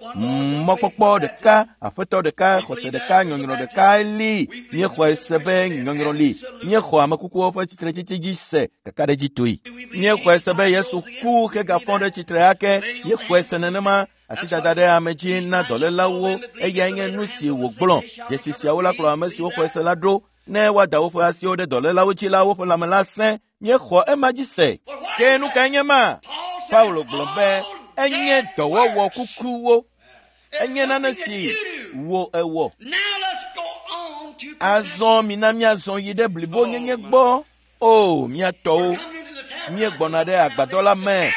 mɔkpɔkpɔ ɖeka, aƒetɔ ɖeka, xɔse ɖeka, nyɔnyrɔ ɖeka li. Míexɔe se be nyɔnyrɔ li. Míexɔ ame kukuwo ƒe tsitretsitsi dzi se kakaɖedzitɔe. Míexɔe se be Yesu ku hegafɔ ɖe tsitre ake. Míexɔe se nenema. Asidada ɖe ame dzi na dɔlélawo eyae nye nu si wògblɔ. Dzesi siawo la kplɔ ame siwo xɔe se la ɖo. Ne woada woƒe asiwo ɖe dɔlélawo dzi la, woƒe lãme la sẽ. Míexɔ ema dzi se. Ke nu kae nye ma? Paulo gblɔ be enye dɔwɔwɔ kukuwo. Enye nane si wò ewɔ. Azɔ mina míazɔ yi ɖe blibonyenye gbɔ. O, mía tɔwo, míegbɔna ɖe agbadɔ la me.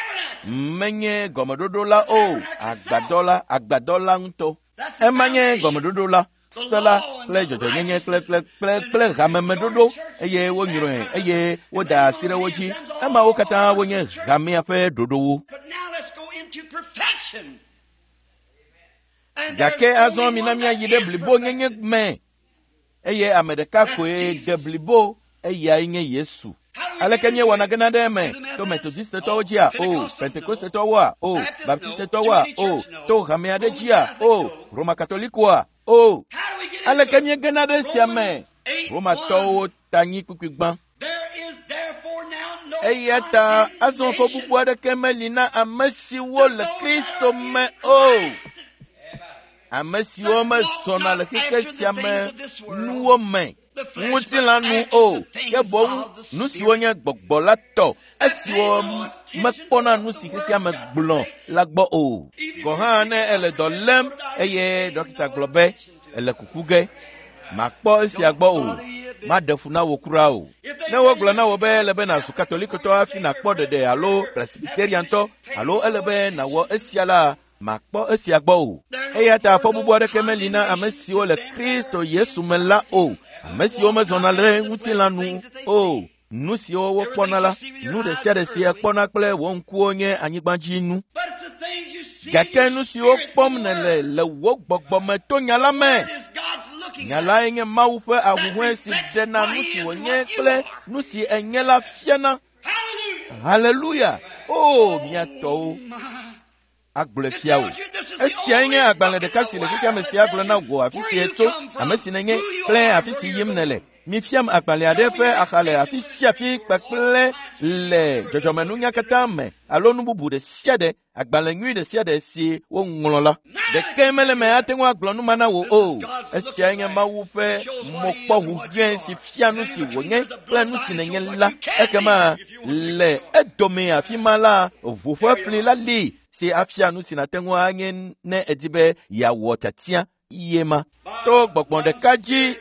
Menye gɔmeɖoɖo la o, agbadɔ la, agbadɔ la ŋutɔ. Ema nye gɔmeɖoɖo la, se la kple dzɔdzɔnyenye kple kple kple kple hamemeɖoɖo eye wonyrɔe eye woda asi ɖe wo dzi. Emawo katã wonye hamea ƒe ɖoɖowo. Gake azɔ mina míayi ɖe blibonyenye me eye ame ɖeka koe de blibo eyae nye Yesu. Aleke míewɔna gena ɖe eme? To Metodistetɔwo dzia? O. Pentekostetɔwoa? O. Baptistetɔwoa? O. To hame aɖe dzia? O. Roma Katolikoa? O. Aleke míegena ɖe esia me? Romatɔwo ta nyi kpukpui gbã. Eya ta azɔ fɔ bubu aɖeke meli na ame siwo le Kristo me o. Ame siwo mezɔna le xexe sia me nuwo me. ŋutilã nu o, ke boŋ nu siwo nye gbɔgbɔ la tɔ, esiwo mekpɔna nu si xexea me gblɔ la gbɔ o. Gɔ̃ hã ne ele dɔ lém eye ɖɔkita gblɔ be ele kuku ge, makpɔ esia gbɔ o, maɖe fu na wò kura o. Ne wogblɔ na wò be ele be nàzu katolikotɔ hafi nàkpɔ ɖeɖe alo presbiteriantɔ alo ele be nàwɔ esia la, makpɔ esia gbɔ o. Eya ta afɔ bubu aɖeke meli na ame siwo le Kristo Yesu me la o, ame siwo mezɔna le ŋutilã nu o. Nu siwo wokpɔna la, nu ɖe sia ɖe si èkpɔna kple wò ŋkuwo nye anyigbadzinu. Gake nu siwo kpɔm nèle le wò gbɔgbɔ me to nya la me. Nya lae nye Mawu ƒe ahuhɔ̃e si ɖena nu si wònye kple nu si enye la fiana. Haleluya! O, mía tɔwo agblɔe fia wò. Esiae nye agbalẽ ɖeka si le xexea me si agblɔ na wò afi si ètso, ame si nènye kple afi si yim nèle. Mifiam agbalẽ aɖe ƒe axa le afi sia afi kpakple le dzɔdzɔmenunya katã me alo nu bubu ɖe sia ɖe, agbalẽ nyui ɖe sia ɖe si woŋlɔ la. Ɖeke mele me ate ŋu agblɔ nu ma na wò o. Esiae nye Mawu ƒe mɔkpɔhuhɔ̃e si fia nu si wònye kple nu si nènye la. Ekema le edome afi ma la, ʋu ƒe fli la li si afia nu si nàte ŋu anye ne èdi be yeawɔ tiatia ye ma. To gbɔgbɔ ɖeka dzi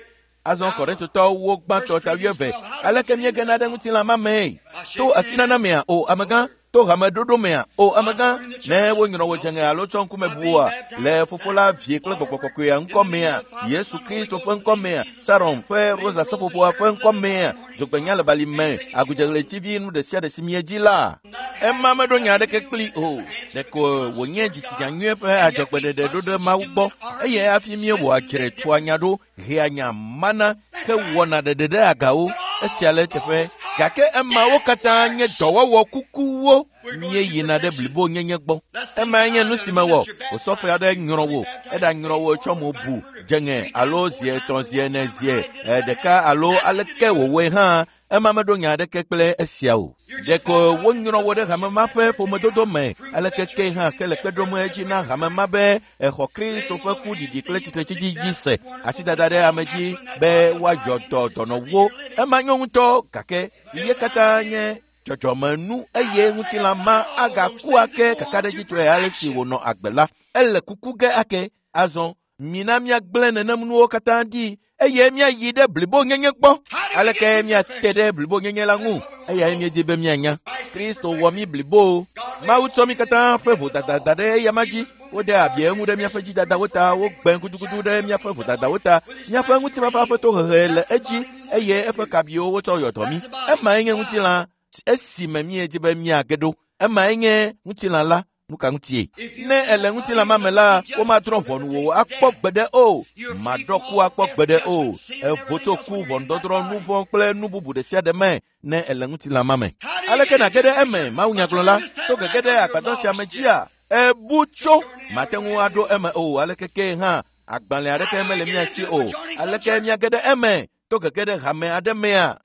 azɔ Korintotɔwo gbãtɔ ta 20. Aleke míegena ɖe ŋutilã ma mee? To asinana mea? O amegã. To hameɖoɖo mea? O amegã. Ne wonyrɔ wò dzeŋe alo tsɔ ŋkume bu wòa? Le Fofo la, Vie kple Gbɔgbɔ Kɔkɔea ŋkɔ mea? Yesu Kristo ƒe ŋkɔ mea? Saron ƒe rosa seƒoƒoa ƒe ŋkɔ mea? Dzogbenya le bali me, agudzeɣletivi nu ɖe sia ɖe si miedi la? Ema meɖo nya aɖeke kpli o. Ɖeko wònye dzitsinya nyui ƒe adzɔgbeɖeɖe ɖo ɖe Mawu gbɔ, eye hafi míewɔa dzre tua nya ɖo, hea nya mana hewɔna ɖeɖe ɖe agawo. Esia le eteƒe. Gake emawo katã nye dɔwɔwɔ kukuwo. Míeyina ɖe blibonyenye gbɔ. Emae nye nu si mewɔ. Osɔfo aɖe nyrɔ wò, eɖanyrɔ wò tsɔ mo bu dzeŋe alo zi etɔ̃, zi ene, zi ɖeka alo aleke wòwɔe hã, ema meɖo nya aɖeke kple esia o. Ɖeko wonyrɔ wò ɖe hame ma ƒe ƒomedodo me, aleke ke hã ke le kpe ɖom edzi na hame ma be exɔ Kristo ƒe ku ɖiɖi kple tsitretsitsi dzi se, asidada ɖe ame dzi be woayɔ dɔ dɔnɔwo. Ema nyo ŋutɔ, gake ye katã nye dzɔdzɔmenu eye ŋutilã ma agaku ake kakaɖedzitɔe ale si wònɔ agbe la. Ele kuku ge ake. Azɔ mina míagblẽ nenem nuwo katã ɖi eye míayi ɖe blibonyenye gbɔ. Aleke míate ɖe blibonyenye la ŋu? Eyae míedi be míanya. Kristo wɔ mí blibo. Mawu tsɔ mí katã ƒe vodada da ɖe eyama dzi. Wode abi eŋu ɖe míaƒe dzidadawo ta, wogbe gudugudu ɖe míaƒe vodadawo ta. Míaƒe ŋutifafa ƒe tohehe le edzi eye eƒe kabiwo wotsɔ yɔ dɔ mí. Emae nye ŋutilã esime míedi be míage ɖo. Emae nye ŋutilã la. Nu ka ŋutie? Ne ele ŋutilã ma me la, womadrɔ̃ ʋɔnu wò akpɔ gbeɖe o. Maɖɔ ku akpɔ gbeɖe o. Evo tso ku, ʋɔnudɔdrɔ̃, nu vɔ̃ kple nu bubu ɖe sia ɖe me ne ele ŋutilã ma me. Aleke nàge ɖe eme, mawunyagblɔla, to gege ɖe agbadɔ sia me dzia? Ebu tso. Mate ŋu aɖo eme o. Aleke ke hã, agbalẽ aɖeke mele mía si o. Aleke míage ɖe eme to gege ɖe hame aɖe mea?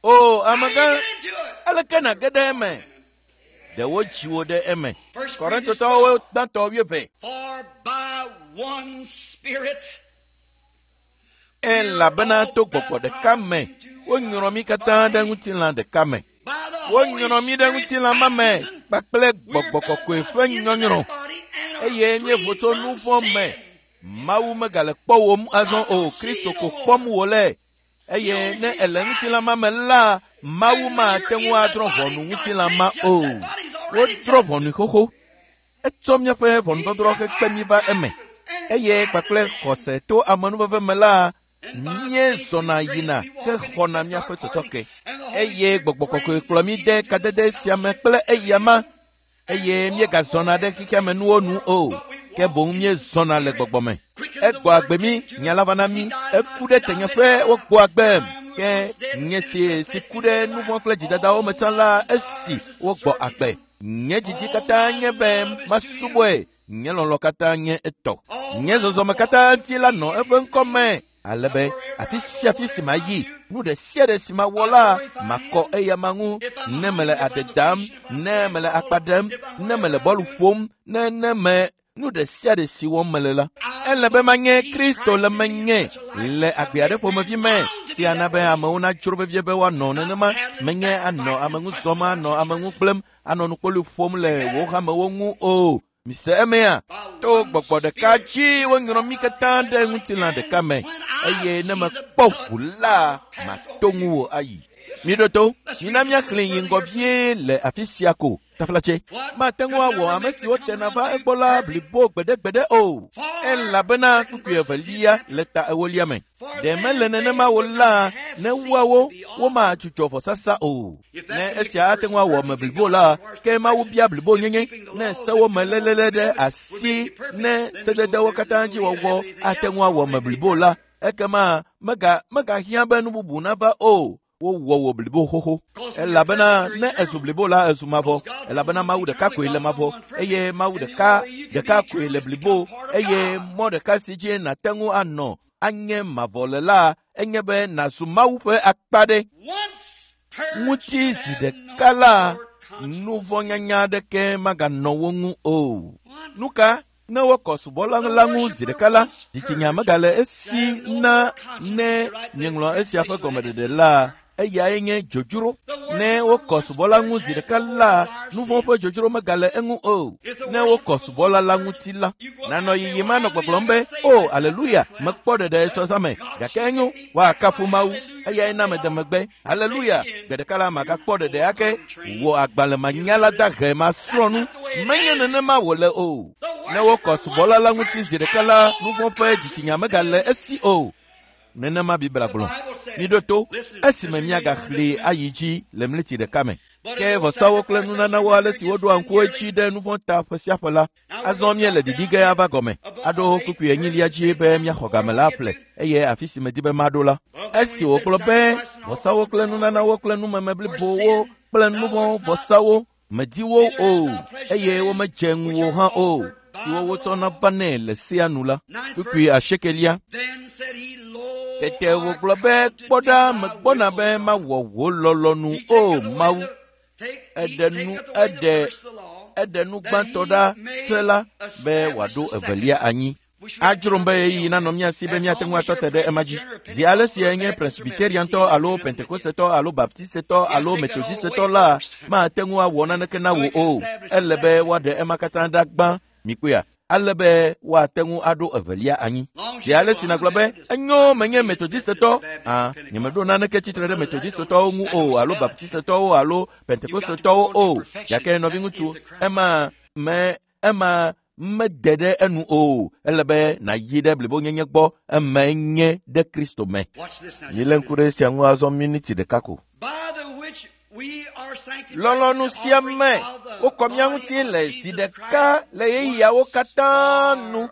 O, amegã, aleke nàge ɖe eme? Ɖe wodzi wò ɖe eme. Korintotɔwo gbãtɔ 20. Elabena to gbɔgbɔ ɖeka me wonyrɔ mí katã ɖe ŋutilã ɖeka me. Wonyrɔ mí ɖe ŋutilã ma me kpakple gbɔgbɔ kɔkɔe ƒe nyɔnyrɔ eye míevo tso nu vɔ̃ me. Mawu megale kpɔwòm azɔ o, Kristo ko kpɔm wòle. Eye ne ele ŋutilã ma me la, Mawu mate ŋu adrɔ̃ ʋɔnu ŋutilã ma o. Wodrɔ̃ ʋɔnui xoxo. Etsɔ míaƒe ʋɔnudɔdrɔ̃ hekpe mí va eme. Eye kpakple xɔse to amenuveve me la, míezɔna yina hexɔna míaƒe tsɔtsɔke. Eye gbɔgbɔ kɔkɔe kplɔ mí de kadede sia me kple eyama. Eye míegazɔna ɖe xexea me nuwo nu o, ke boŋ míezɔna le gbɔgbɔ me. Egbɔ agbe mí, nya la va na mí, eku ɖe tenyeƒe wogbɔ agbem. Ke nye si ku ɖe nu vɔ̃ kple dzidadawo me tsã la, esi wogbɔ agbe. Nye didi katã nye be masubɔe, nye lɔlɔ̃ katã nye etɔ. Nye zɔzɔme katã ŋuti la nɔ eƒe ŋkɔ me, ale be afi sia afi si mayi, nu ɖe sia ɖe si mawɔ la, makɔ eyama ŋu. Ne mele ade dam, ne mele akpa ɖem, ne mele bɔlu ƒom, ne me Nu ɖe sia ɖe si wɔm mele la, ele be manye Kristo le menye le agbe aɖe ƒomevi me si ana be amewo nadzro vevie be woanɔ nenema. Menye anɔ ame ŋu zɔm, anɔ ame ŋu gblẽm, anɔ nukpoli ƒom le wò hamewo ŋu o. Mise emea? To gbɔgbɔ ɖeka dzi wonyrɔ mí katã ɖe ŋutilã ɖeka me, eye ne mekpɔ ʋu la, mato ŋuwò ayi. Miɖo to, mina míaxlẽ yi ŋgɔ vie le afi sia ko. Taflatse, mate ŋu awɔ ame siwo tena va egbɔ la blibo gbeɖegbeɖe o, elabena kpukpui evelia le ta ewolia me. Ɖe mele nenema wo la, ne woawo womadzudzɔ vɔsasa o. Ne esia ate ŋu awɔ ame blibo la, ke Mawu bia blibonyenye. Ne sewo me lélele ɖe asi, ne sededewo katã dzi wɔwɔ ate ŋu awɔ ame blibo la, ekema megahiã be nu bubu nava o. Wowɔ wò blibo xoxo. Elabena ne ezu blibo la, ezu mavɔ. Elabena Mawu ɖeka koe le mavɔ, eye Mawu ɖeka koe le blibo, eye mɔ ɖeka si dzi nàte ŋu anɔ anye mavɔ le la, enye be nàzu Mawu ƒe akpa ɖe. Ŋuti zi ɖeka la, nuvɔ̃nyanya aɖeke maganɔ wo ŋu o. Nu ka? Ne wokɔ subɔla la ŋu zi ɖeka la, dzitsinya megale esi na ne míeŋlɔ esia ƒe gɔmeɖeɖe la, eyae nye dzodzro. Ne wokɔ subɔla ŋu zi ɖeka la, nuvɔ̃ ƒe dzodzro megale eŋu o. Ne wokɔ subɔla la ŋuti la, nanɔ yiyim anɔ gbɔgblɔm be, o, aleluya, mekpɔ ɖeɖe etsɔzãme, gake enyo, woakafu Mawu, eyae na mede megbe. Aleluya, gbe ɖeka la magakpɔ ɖeɖe ake, wò agbalẽmanyala dahe masrɔ̃ nu. Menye nenema wòle o. Ne wokɔ subɔla la ŋuti zi ɖeka la, nuvɔ̃ ƒe dzitsinya megale esi o. Nenema Biblia gblɔ. Miɖo to, esime míagaxlẽe ayi dzi le mleti ɖeka me. Ke vɔsawo kple nunanawo ale si woɖoa ŋku edzi ɖe nuvɔ̃ ta ƒe sia ƒe la, azɔ míele ɖiɖi ge ava gɔme, aɖo kpukpui enyilia dzi be míaxɔ game la aƒle, eye afi si medi be maɖo la. Esi wògblɔ be vɔsawo kple nunanawo kple numeme blibowo kple nuvɔ̃ vɔsawo medi wo o, eye womedze ŋuwò hã o, siwo wotsɔna vanɛ le sea nu la. Kpukpui asiekelia. Tete wògblɔ be, kpɔ ɖa, megbɔna be mawɔ wò lɔlɔ̃nu, o Mawu. Eɖe nu gbãtɔ ɖa se la be wòaɖo evelia anyi. Adzrom be ɣeyiɣi nanɔ mía si be míate ŋu atɔ te ɖe ema dzi. Zi ale si enye Presbyteriantɔ alo Pentekostetɔ alo Baptistetɔ alo Metodistetɔ la, mate ŋu awɔ naneke na wò o. Ele be woaɖe ema katã ɖa gbã, mikpɔea, ale be woate ŋu aɖo evelia anyi. Zi ale si nàgblɔ be, enyo, menye Metodistetɔ, nyemeɖo naneke tsitre ɖe Metodistetɔwo ŋu o, alo Baptistetɔwo alo Pentekostetɔwo o, gake nɔviŋutsu, ema mede ɖe enu o. Ele be nàyi ɖe blibonyenye gbɔ, emae nye ɖe Kristo me. Milé ŋku ɖe esia ŋu azɔ miniti ɖeka ko. Lɔlɔ̃nu sia me wokɔ mía ŋuti le zi ɖeka le ɣeyiɣiawo katã nu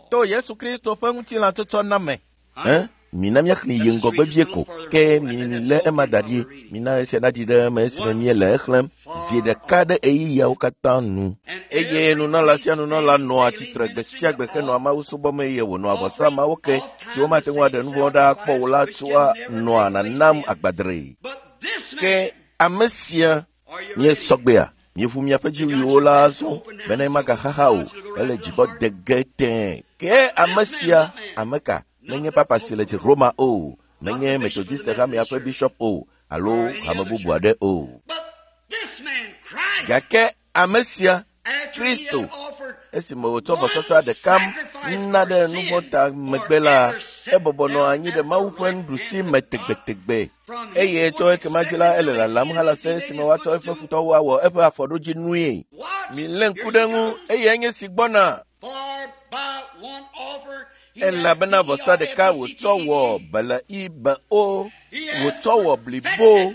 to Yesu Kristo ƒe ŋutilã tsɔtsɔ na me. Mina míaxlẽ yi ŋgɔgbe vie ko, ke milé ema da ɖi. Mina esia naɖi ɖe eme esime míele exlẽm zi ɖeka ɖe ɣeyiɣiawo katã nu. Eye nunɔla sia nunɔla nɔa tsitre gbe sia gbe henɔa Mawu subɔm eye wònɔa vɔsa mawo ke siwo mate ŋu aɖe nuvɔ̃ ɖa akpɔ o la tsoa nɔa nanam agbadree. Ke ame sia míesɔgbea, míeʋu miaƒe dziwuiwo la azɔ bene magaxaxa o, ele dzigbɔ de ge tẽe. Ke ame sia, ame ka? Menye papa si le dzi Roma o, menye Methodiste hamea ƒe bishop o, alo hame bubu aɖe o. Gake ame sia, Kristo, esime wòtsɔ vɔsasa ɖeka na ɖe nuvɔ̃ ta megbe la, ebɔbɔ nɔ anyi ɖe Mawu ƒe nuɖusi me tegbetegbe. Eye tso ekema dzi la, ele lalam halase esime woatsɔ eƒe futɔwo awɔ eƒe afɔɖodzinue. Milé ŋku ɖe eŋu, eye enye si gbɔna. Elabena vɔsa ɖeka wòtsɔ wɔ bele-ibe-o, wòtsɔ wɔ blibo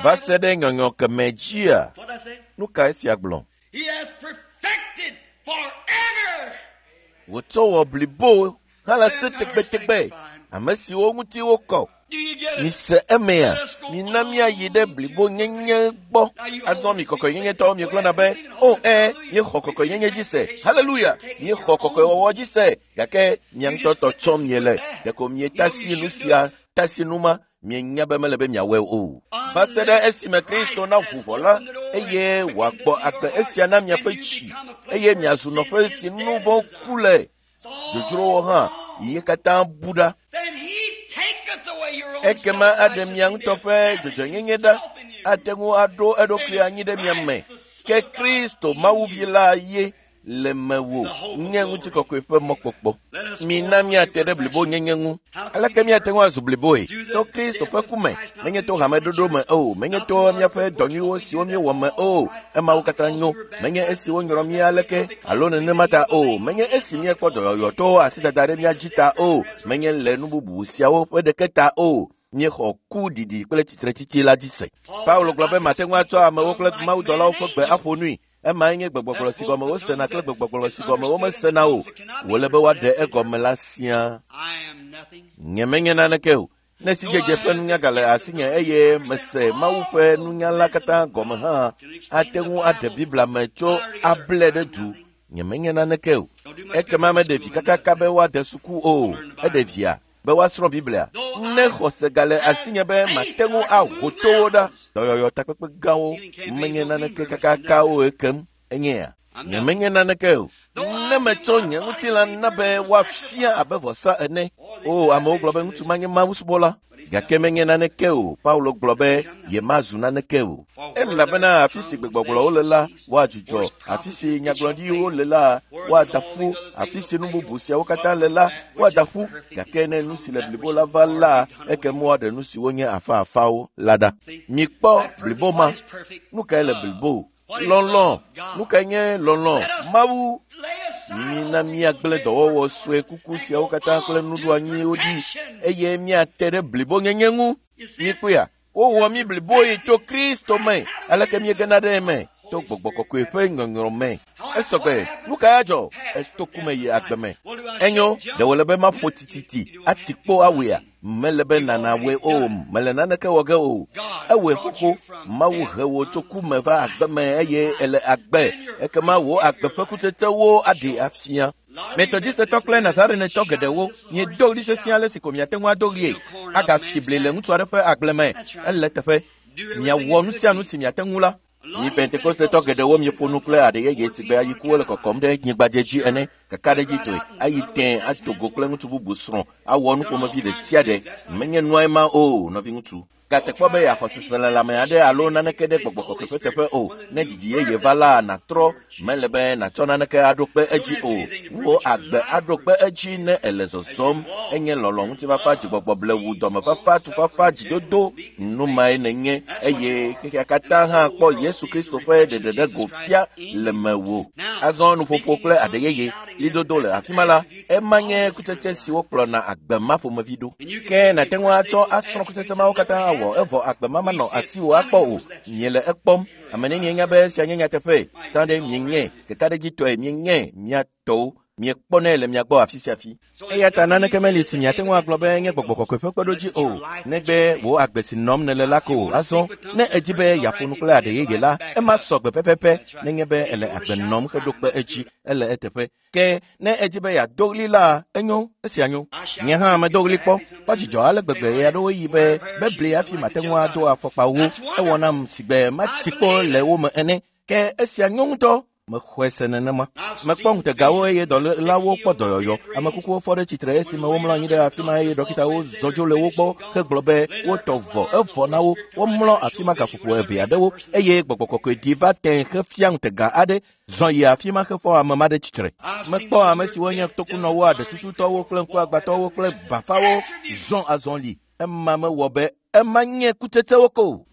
va se ɖe nyɔnyɔ keme dzia. Nu ka esia gblɔ? Wòtsɔ wɔ blibo halase tegbetegbe, ame siwo ŋuti wokɔ. Mise emea, mina míayi ɖe blibonyenye gbɔ. Azɔ mi kɔkɔenyenyetɔwo miegblɔna be, o míexɔ kɔkɔenyenye dzi se. Haleluya! Míexɔ kɔkɔewɔwɔ dzi se. Gake mia ŋutɔ tɔ tsɔm miele. Ɖeko mietasi nu sia, tasi nu ma. Mienya be mele be miawɔe o. Va se ɖe esime Kristo naʋu ʋɔ la, eye wòagbɔ agbe esia na miaƒe tsi, eye miazu nɔƒe si nu vɔ̃ ku le. Dzodzrowo hã ye katã bu ɖa. Ekema aɖe mia ŋutɔ ƒe dzɔdzɔenyenye ɖa, ate ŋu aɖo eɖokui anyi ɖe mia me. Ke Kristo Mawuvi la ye le mewò nye ŋutikɔkɔe ƒe mɔkpɔkpɔ. Mina míate ɖe blibonyenye ŋu. Aleke míate ŋu azu bliboe? To Kristo ƒe ku me, menye to hameɖoɖo me o, menye to míaƒe dɔ nyuiwo siwo míewɔ me o. Emawo katã nyo, menye esi wonyrɔ mí aleke alo nenema ta o, menye esi míekpɔ dɔyɔyɔ to asidada ɖe mía dzi ta o, menye le nu bubu siawo ƒe ɖeke ta o. Míexɔ ku ɖiɖi kple tsitretsitsi la dzi se. Paulo gblɔ be mate ŋu atsɔ amewo kple mawudɔlawo ƒe gbe aƒo nui. Emae nye gbegbɔgblɔ si gɔme wosena kple gbegbɔgblɔ si gɔme womesena o. Wòle be woaɖe egɔme la siaa. Nyemenye naneke o. Ne sidzedze ƒe nunya gale asinye eye mese Mawu ƒe nunya la katã gɔme hã, ate ŋu aɖe Biblia me tso able ɖe du. Nyemenye naneke o. Ekema meɖe vi kakaka be woade suku o. Eɖe via be woasrɔ̃ Biblia. Ne xɔse gale asinye be mate ŋu aho towo ɖa, dɔyɔyɔ takpekpe gãwo menye naneke kakaka o ekem enyea. Nyemenye naneke o. Ne metsɔ nye ŋutilã na be woafia abe vɔsa ene. O, amewo gblɔ be ŋutsu ma nye mawusubɔla. Gake menye naneke o. Paulo gblɔ be yemazu naneke o. Elabena afi si gbegbɔgblɔwo le la, woadzudzɔ. Afi si nyagblɔɖiwo le la, woada ƒu. Afi si nu bubu siawo katã le la, woada ƒu. Gake ne nu si le blibo la va la, ekema woaɖe nu siwo nye afaafawo la ɖa. Mikpɔ blibo ma. Nu kae le blibo? Lɔlɔ̃. Nu kae nye lɔlɔ̃? Mawu. Mina míagblẽ dɔwɔwɔ sue kuku siawo katã kple nuɖoanyiwo ɖi eye míate ɖe blibonyenye ŋu. Mikpɔea? Wowɔ mí bliboe to Kristo me. Aleke míegena ɖe eme? To gbɔgbɔ kɔkɔe ƒe nyɔnyrɔ me. Esɔgbe. Nu kae adzɔ? Eto ku me yi agbe me. Enyo, ɖe wòle be maƒo tititi ati kpo awɔea? Mele be nàna wɔe o. Mele naneke wɔ ge o. Ewɔe xoxo. Mawu he wò tso ku me va agbe me eye ele agbe. Ekema wò agbe ƒe kutsetsewo aɖee afia. Metɔdzisetɔ kple Nazarenetɔ geɖewo miedo ɣli sesĩe ale si ko miate ŋu ado ɣlie. Agafi bli le ŋutsu aɖe ƒe agble me. Ele teƒe. Miawɔ nu sia nu si miate ŋu la. Mi Pentekostetɔ geɖewo mieƒo nu kple aɖe yeye si gbe ayikuwo le kɔkɔm ɖe nyigbadze ene, kakaɖedzitɔe, ayi tẽ ado go kple ŋutsu bubu srɔ̃, awɔ nu ƒomevi ɖe sia ɖe. Menye nuae ma o, nɔviŋutsu. Gate kpɔ be yeaxɔ seselelãme aɖe alo naneke ɖe gbɔgbɔ kɔkɔe ƒe teƒe o. Ne dzidzi yeye va la, nàtrɔ. Mele be nàtsɔ naneke aɖo kpe edzi o. Wò agbe aɖo kpe edzi ne èle zɔzɔm. Enye lɔlɔ̃, ŋutifafa, dzigbɔgbɔ blewu, dɔmefafa, tufafa, dzidodo. Nu mae nènye eye xexea katã hã kpɔ Yesu Kristo ƒe ɖeɖeɖego fia le mewò. Azɔ nuƒoƒo kple aɖe yeye, ɣlidodo le afi ma la, ema nye kutsetse siwo kplɔna agbe ma ƒomevi ɖo. Ke nàte ŋu atsɔ asrɔ̃ kutsetse mawo katã awɔ evɔ agbe ma manɔ asiwò akpɔ o. Miele ekpɔm. Ame nenie nya be esia nye nyateƒe? Tsã ɖe mienye, kekaɖedzitɔe mienye mia tɔwo. Miekpɔnɛ le mia gbɔ afi sia afi. Eya ta naneke meli si miate ŋu agblɔ be nye gbɔgbɔ kɔkɔe ƒe kpeɖodzi o, negbe wò agbe si nɔm nèle la ko. Azɔ, ne èdi be yeaƒo nu kple aɖe yeye la, ema sɔ gbe pɛpɛpɛ nenye be èle agbe nɔm heɖo kpe edzi, ele eteƒe. Ke ne èdi be yeado ɣli la, enyo, esia nyo. Nye hã medo ɣli kpɔ, kpɔ dzidzɔ ale gbegbe ɣeaɖewoɣi yi be bebli hafi mate ŋu ado afɔkpawo. Ewɔ nam sigbe mati kpo le wo me ene. Ke esia nyo ŋutɔ. Mexɔe se nenema. Mekpɔ ŋutegawo eye dɔlélawo kpɔ dɔyɔyɔ. Ame kukuwo fɔ ɖe tsitre esime womlɔ anyi ɖe afi ma eye ɖɔkitawo zɔ dzo le wo gbɔ hegblɔ be wotɔ vɔ, evɔ na wo. Womlɔ afi ma gaƒoƒo eve aɖewo eye gbɔgbɔ kɔkɔe ɖi va tẽ hefia ŋutega aɖe zɔ yi afi ma hefɔ ame ma ɖe tsitre. Mekpɔ ame siwo nye tokunɔwo, aɖetututɔwo kple ŋkuagbãtɔwo kple bafawo zɔ azɔli. Ema mewɔ be ema nye kutsetsewo ko.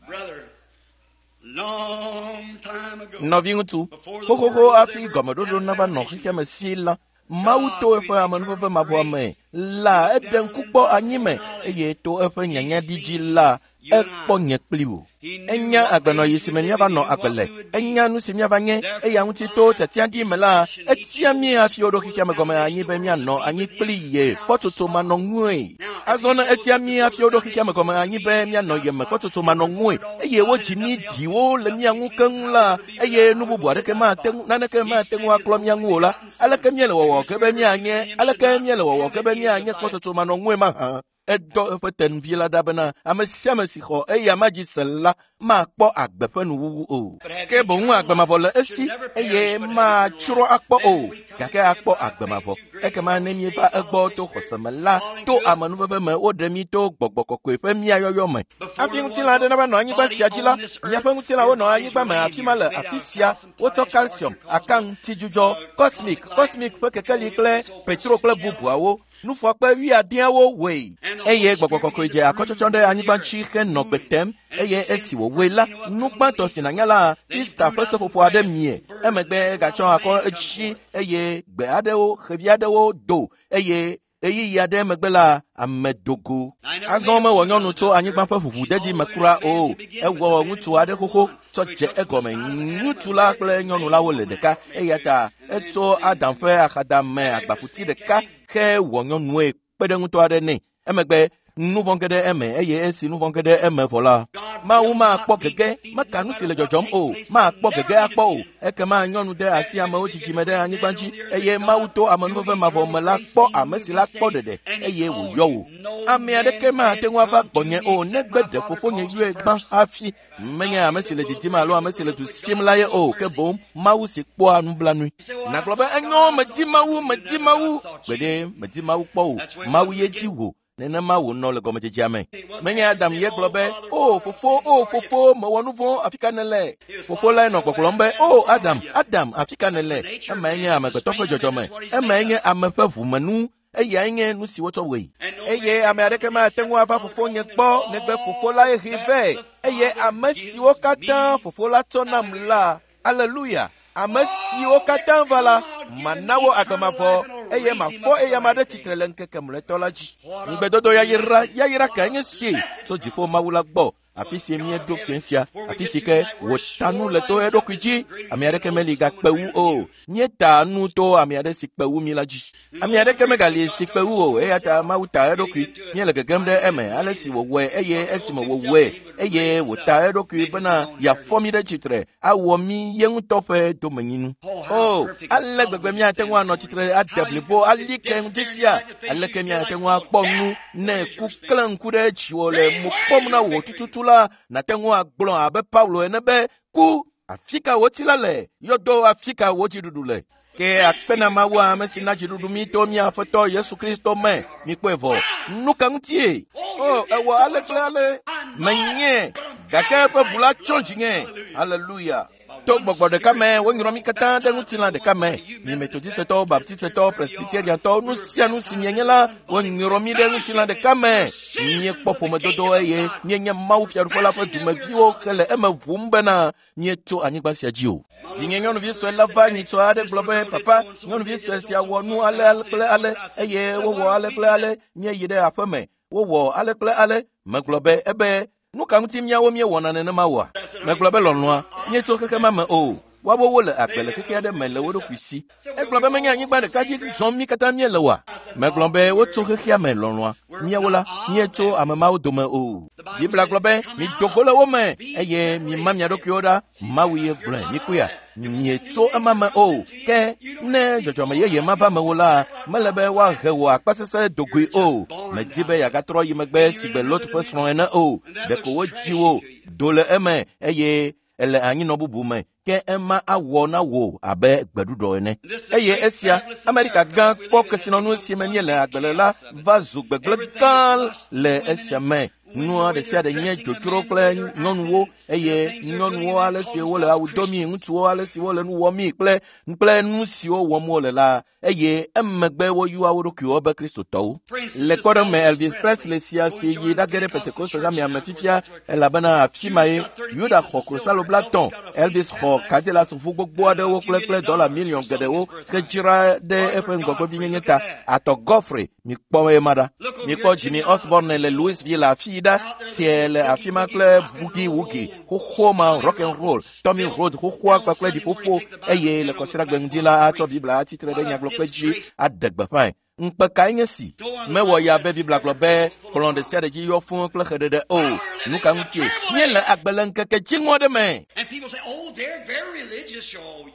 Nɔviŋutsu, xoxoxo hafi gɔmeɖoɖo nava nɔ xexeame si la, Mawu to eƒe amenuveve mavɔa me la, eɖe ŋku kpɔ anyi me eye to eƒe nyanyaɖi dzi la, ekpɔ nye kpli wò. Enya agbenɔɣi si me míava nɔ agbe le. Enya nu si míava nye. Eya ŋuti to tiatiaɖi me la, etia mí hafi woɖo xexeame gɔme anyi be míanɔ anyi kpli ye kpɔtsotso manɔŋue. Azɔ ne etia mí hafi woɖo xexeame gɔme anyi be míanɔ ye me kpɔtsotso manɔŋue eye wodzi mí ɖiwo le mía ŋu keŋ la, eye nu bubu aɖeke mate ŋu, naneke mate ŋu aklɔ mía ŋu o la, aleke míele wɔwɔ ke be míanye, aleke míele wɔwɔ ke be míanye kpɔtsotso manɔŋue mahã? Edɔ eƒe tenuvi la ɖa bena ame sia ame si xɔ eya ma dzi se la makpɔ agbe ƒe nuwuwu o. Ke boŋ agbe mavɔ le esi eye matsrɔ̃ akpɔ o, gake akpɔ agbe mavɔ. Ekema ne míeva egbɔ to xɔse me la, to amenuveve me woɖe mí to gbɔgbɔ kɔkɔe ƒe míayɔyɔ me. Hafi ŋutilã aɖe nava nɔ anyigba sia dzi la, miaƒe ŋutilãwo nɔ anyigba me afi ma le afi sia. Wotsɔ calcium, akaŋutidzudzɔ, cosmic, cosmic ƒe kekeli kple petro kple bubuawo. Nufɔkpe wuiadeawo wɔe. Eye gbɔgbɔ kɔkɔe dze akɔtsɔtsɔ ɖe anyigba dzi henɔ gbe tem eye esi wòwɔe la, nu gbãtɔ si nànya la, Easter ƒe seƒoƒo aɖe mie. Emegbe egatsɔ akɔ edzi eye gbe aɖewo, xevi aɖewo do eye ɣeyiɣi aɖe megbe la, ame dogo. Azɔ mewɔ nyɔnu tso anyigba ƒe ʋuʋudedi me kura o. Ewɔ ŋutsu aɖe xoxo tsɔ dze egɔme. Ŋutsu la kple nyɔnu la wole ɖeka eya ta etso Adam ƒe axadame agbakuti ɖeka ke wɔ nyɔnue kpe ɖe ŋutɔ aɖe nɛ. Emegbe nu vɔ̃ ge ɖe eme eye esi nu vɔ̃ ge ɖe eme vɔ la, Mawu makpɔ gege, meka nu si le dzɔdzɔm o, makpɔ gege akpɔ o. Ekema nyɔnu de asi amewo dzidzime ɖe anyigba dzi eye Mawu to amenuveve mavɔ me la kpɔ ame si la kpɔ ɖeɖe eye wòyɔ wò. Ame aɖeke mate ŋu ava gbɔnye o negbe ɖe fofonye yɔe gbã hafi. Menye ame si le didim alo ame si le du sim la ye o, ke boŋ Mawu si kpɔa nublanui. Nàgblɔ be enyo, medi Mawu, medi Mawu. Gbeɖe, medi Mawu kpɔ o. Mawu ye di wò. Nenema wònɔ le gɔmedzedzea me. Menye Adam ye gblɔ be, O fofo, o fofo, mewɔ nu vɔ̃, afi ka nèle? Fofo lae nɔ gbɔgblɔm be, O Adam, Adam, afi ka nèle? Emae nye amegbetɔ ƒe dzɔdzɔme. Emae nye ame ƒe ʋumenu. Eyae nye nu si wotsɔ wɔe. Eye ame aɖeke mate ŋu ava fofonye gbɔ negbe fofo lae hee vɛ. Eye ame siwo katã fofo la tsɔ nam la, aleluya, ame siwo katã va la, mana wo agbe mavɔ eye mafɔ eyama ɖe tsitre le ŋkeke mlɔetɔ la dzi. Ŋugbedodo yayra, yayra kae nye si tso dziƒo Mawu la gbɔ, afi si míeɖo fiẽ sia, afi si ke wòta nu le to eɖokui dzi. Ame aɖeke meli gakpe wu o. Míeta nu to ame aɖe si kpe wu mí la dzi. Ame aɖeke megali si kpe wu o, eya ta Mawu ta eɖokui. Míele gegem ɖe eme ale si wòwɔe eye esime wòwɔe eye wòta eɖokui bena yeafɔ mí ɖe tsitre awɔ mí ye ŋutɔ ƒe domenyinu. O, ale gbegbe míate ŋu anɔ tsitre ade blibo ali ke ŋdi sia. Aleke míate ŋu akpɔ nu ne ku klẽ ŋku ɖe dziwò le mo kpɔm na wò tututu la, nàte ŋu agblɔ abe Paulo ene be, ku, afi ka wò tsi la le? Yɔdo afi ka wò dziɖuɖu le? Ke akpe na Mawu ame si na dziɖuɖu mí to mía Aƒetɔ Yesu Kristo me. Mikpɔe vɔ. Nu ka ŋutie? O, ewɔ ale kple ale. Menye, gake eƒe ʋu la tsɔ dzinye. Haleluya. To gbɔgbɔ ɖeka me wonyrɔ mí katã ɖe ŋutilã ɖeka me. Mi Metodistetɔwo, Baptistetɔwo, Presbyteriantɔwo, nu sia nu si mienye la, wonyrɔ mí ɖe ŋutilã ɖeka me. Míekpɔ ƒomedodo eye míenye Mawu Fiaɖuƒe la ƒe dumeviwo hele eme ʋum bena míetso anyigba sia dzi o. Vinye nyɔnuvi sue la va nyitsɔ aɖe gblɔ be, papa, nyɔnuvi sue sia wɔ nu ale kple ale eye wowɔ ale kple ale. Míeyi ɖe aƒe me, wowɔ ale kple ale. Megblɔ be ebe nu ka ŋuti míawo míewɔna nenema oa? Megblɔ be lɔlɔ̃a, míetso xexe ma me o. Woawo wole agbe le xexe aɖe me le wo ɖokui si. Egblɔ be menye anyigba ɖeka dzi zɔm mí katã míele oa? Megblɔ be wotso xexea me lɔlɔ̃a. Míawo la, míetso ame mawo dome o. Biblia gblɔ be, mido go le wo me eye mima mia ɖokuiwo ɖa. Mawu ye gblɔe, mikpɔea? Mietso ema me o. Ke ne dzɔdzɔme yeye ma va mewo la, mele be woahe wò akpasesẽ dogoe o. Medi be yeagatrɔ yi megbe sigbe Lot ƒe srɔ̃ ene o. Ɖeko wodzi wò do le eme eye ele anyinɔ bubu me, ke ema awɔ na wò abe gbeɖuɖɔ ene. Eye esia, Amerika gã kpɔ kesinɔnu si me míele agbe le la va zu gbegblẽ gã le esia me. Nua ɖe sia ɖe nye dzodzro kple nyɔnuwo eye nyɔnuwo ale si wole awu domi, ŋutsuwo ale si wole nu wɔmi kple kple nu siwo wɔm wole la eye emegbe woyɔa wo ɖokuiwo be Kristotɔwo. Le kpɔɖeŋu me, Elvis Presley sia si yi ɖage ɖe Pentekoste hamea me fifia elabena afi ma ye Yuda xɔ klosalo 50, Elvis xɔ Cadillac ʋu gbogbo aɖewo kple kple dɔla miliɔn geɖewo hedzra ɖe eƒe ŋgɔgbevinyenye ta. Arthur Godfrey, mikpɔ ema ɖa. Mikpɔ Jimmy Osborne le Louisville afi ɖa sie le afi ma kple boogie woogie xoxo ma rock and roll, Tommy Rhodes xoxoa kpakple ɖiƒoƒo eye le kɔsiɖagbe ŋdi la atsɔ Biblia atsitre ɖe nyagblɔkpe dzi aɖe gbeƒãe. Ŋukpe kae nye si? Mewɔ ya be Biblia gblɔ be kplɔ̃ ɖe sia ɖe dzi yɔ fũu kple xeɖeɖe o. Nu ka ŋutie? Míele agbe le ŋkeke dziŋɔ aɖe me. And people say, oh, they're very religious. Oh,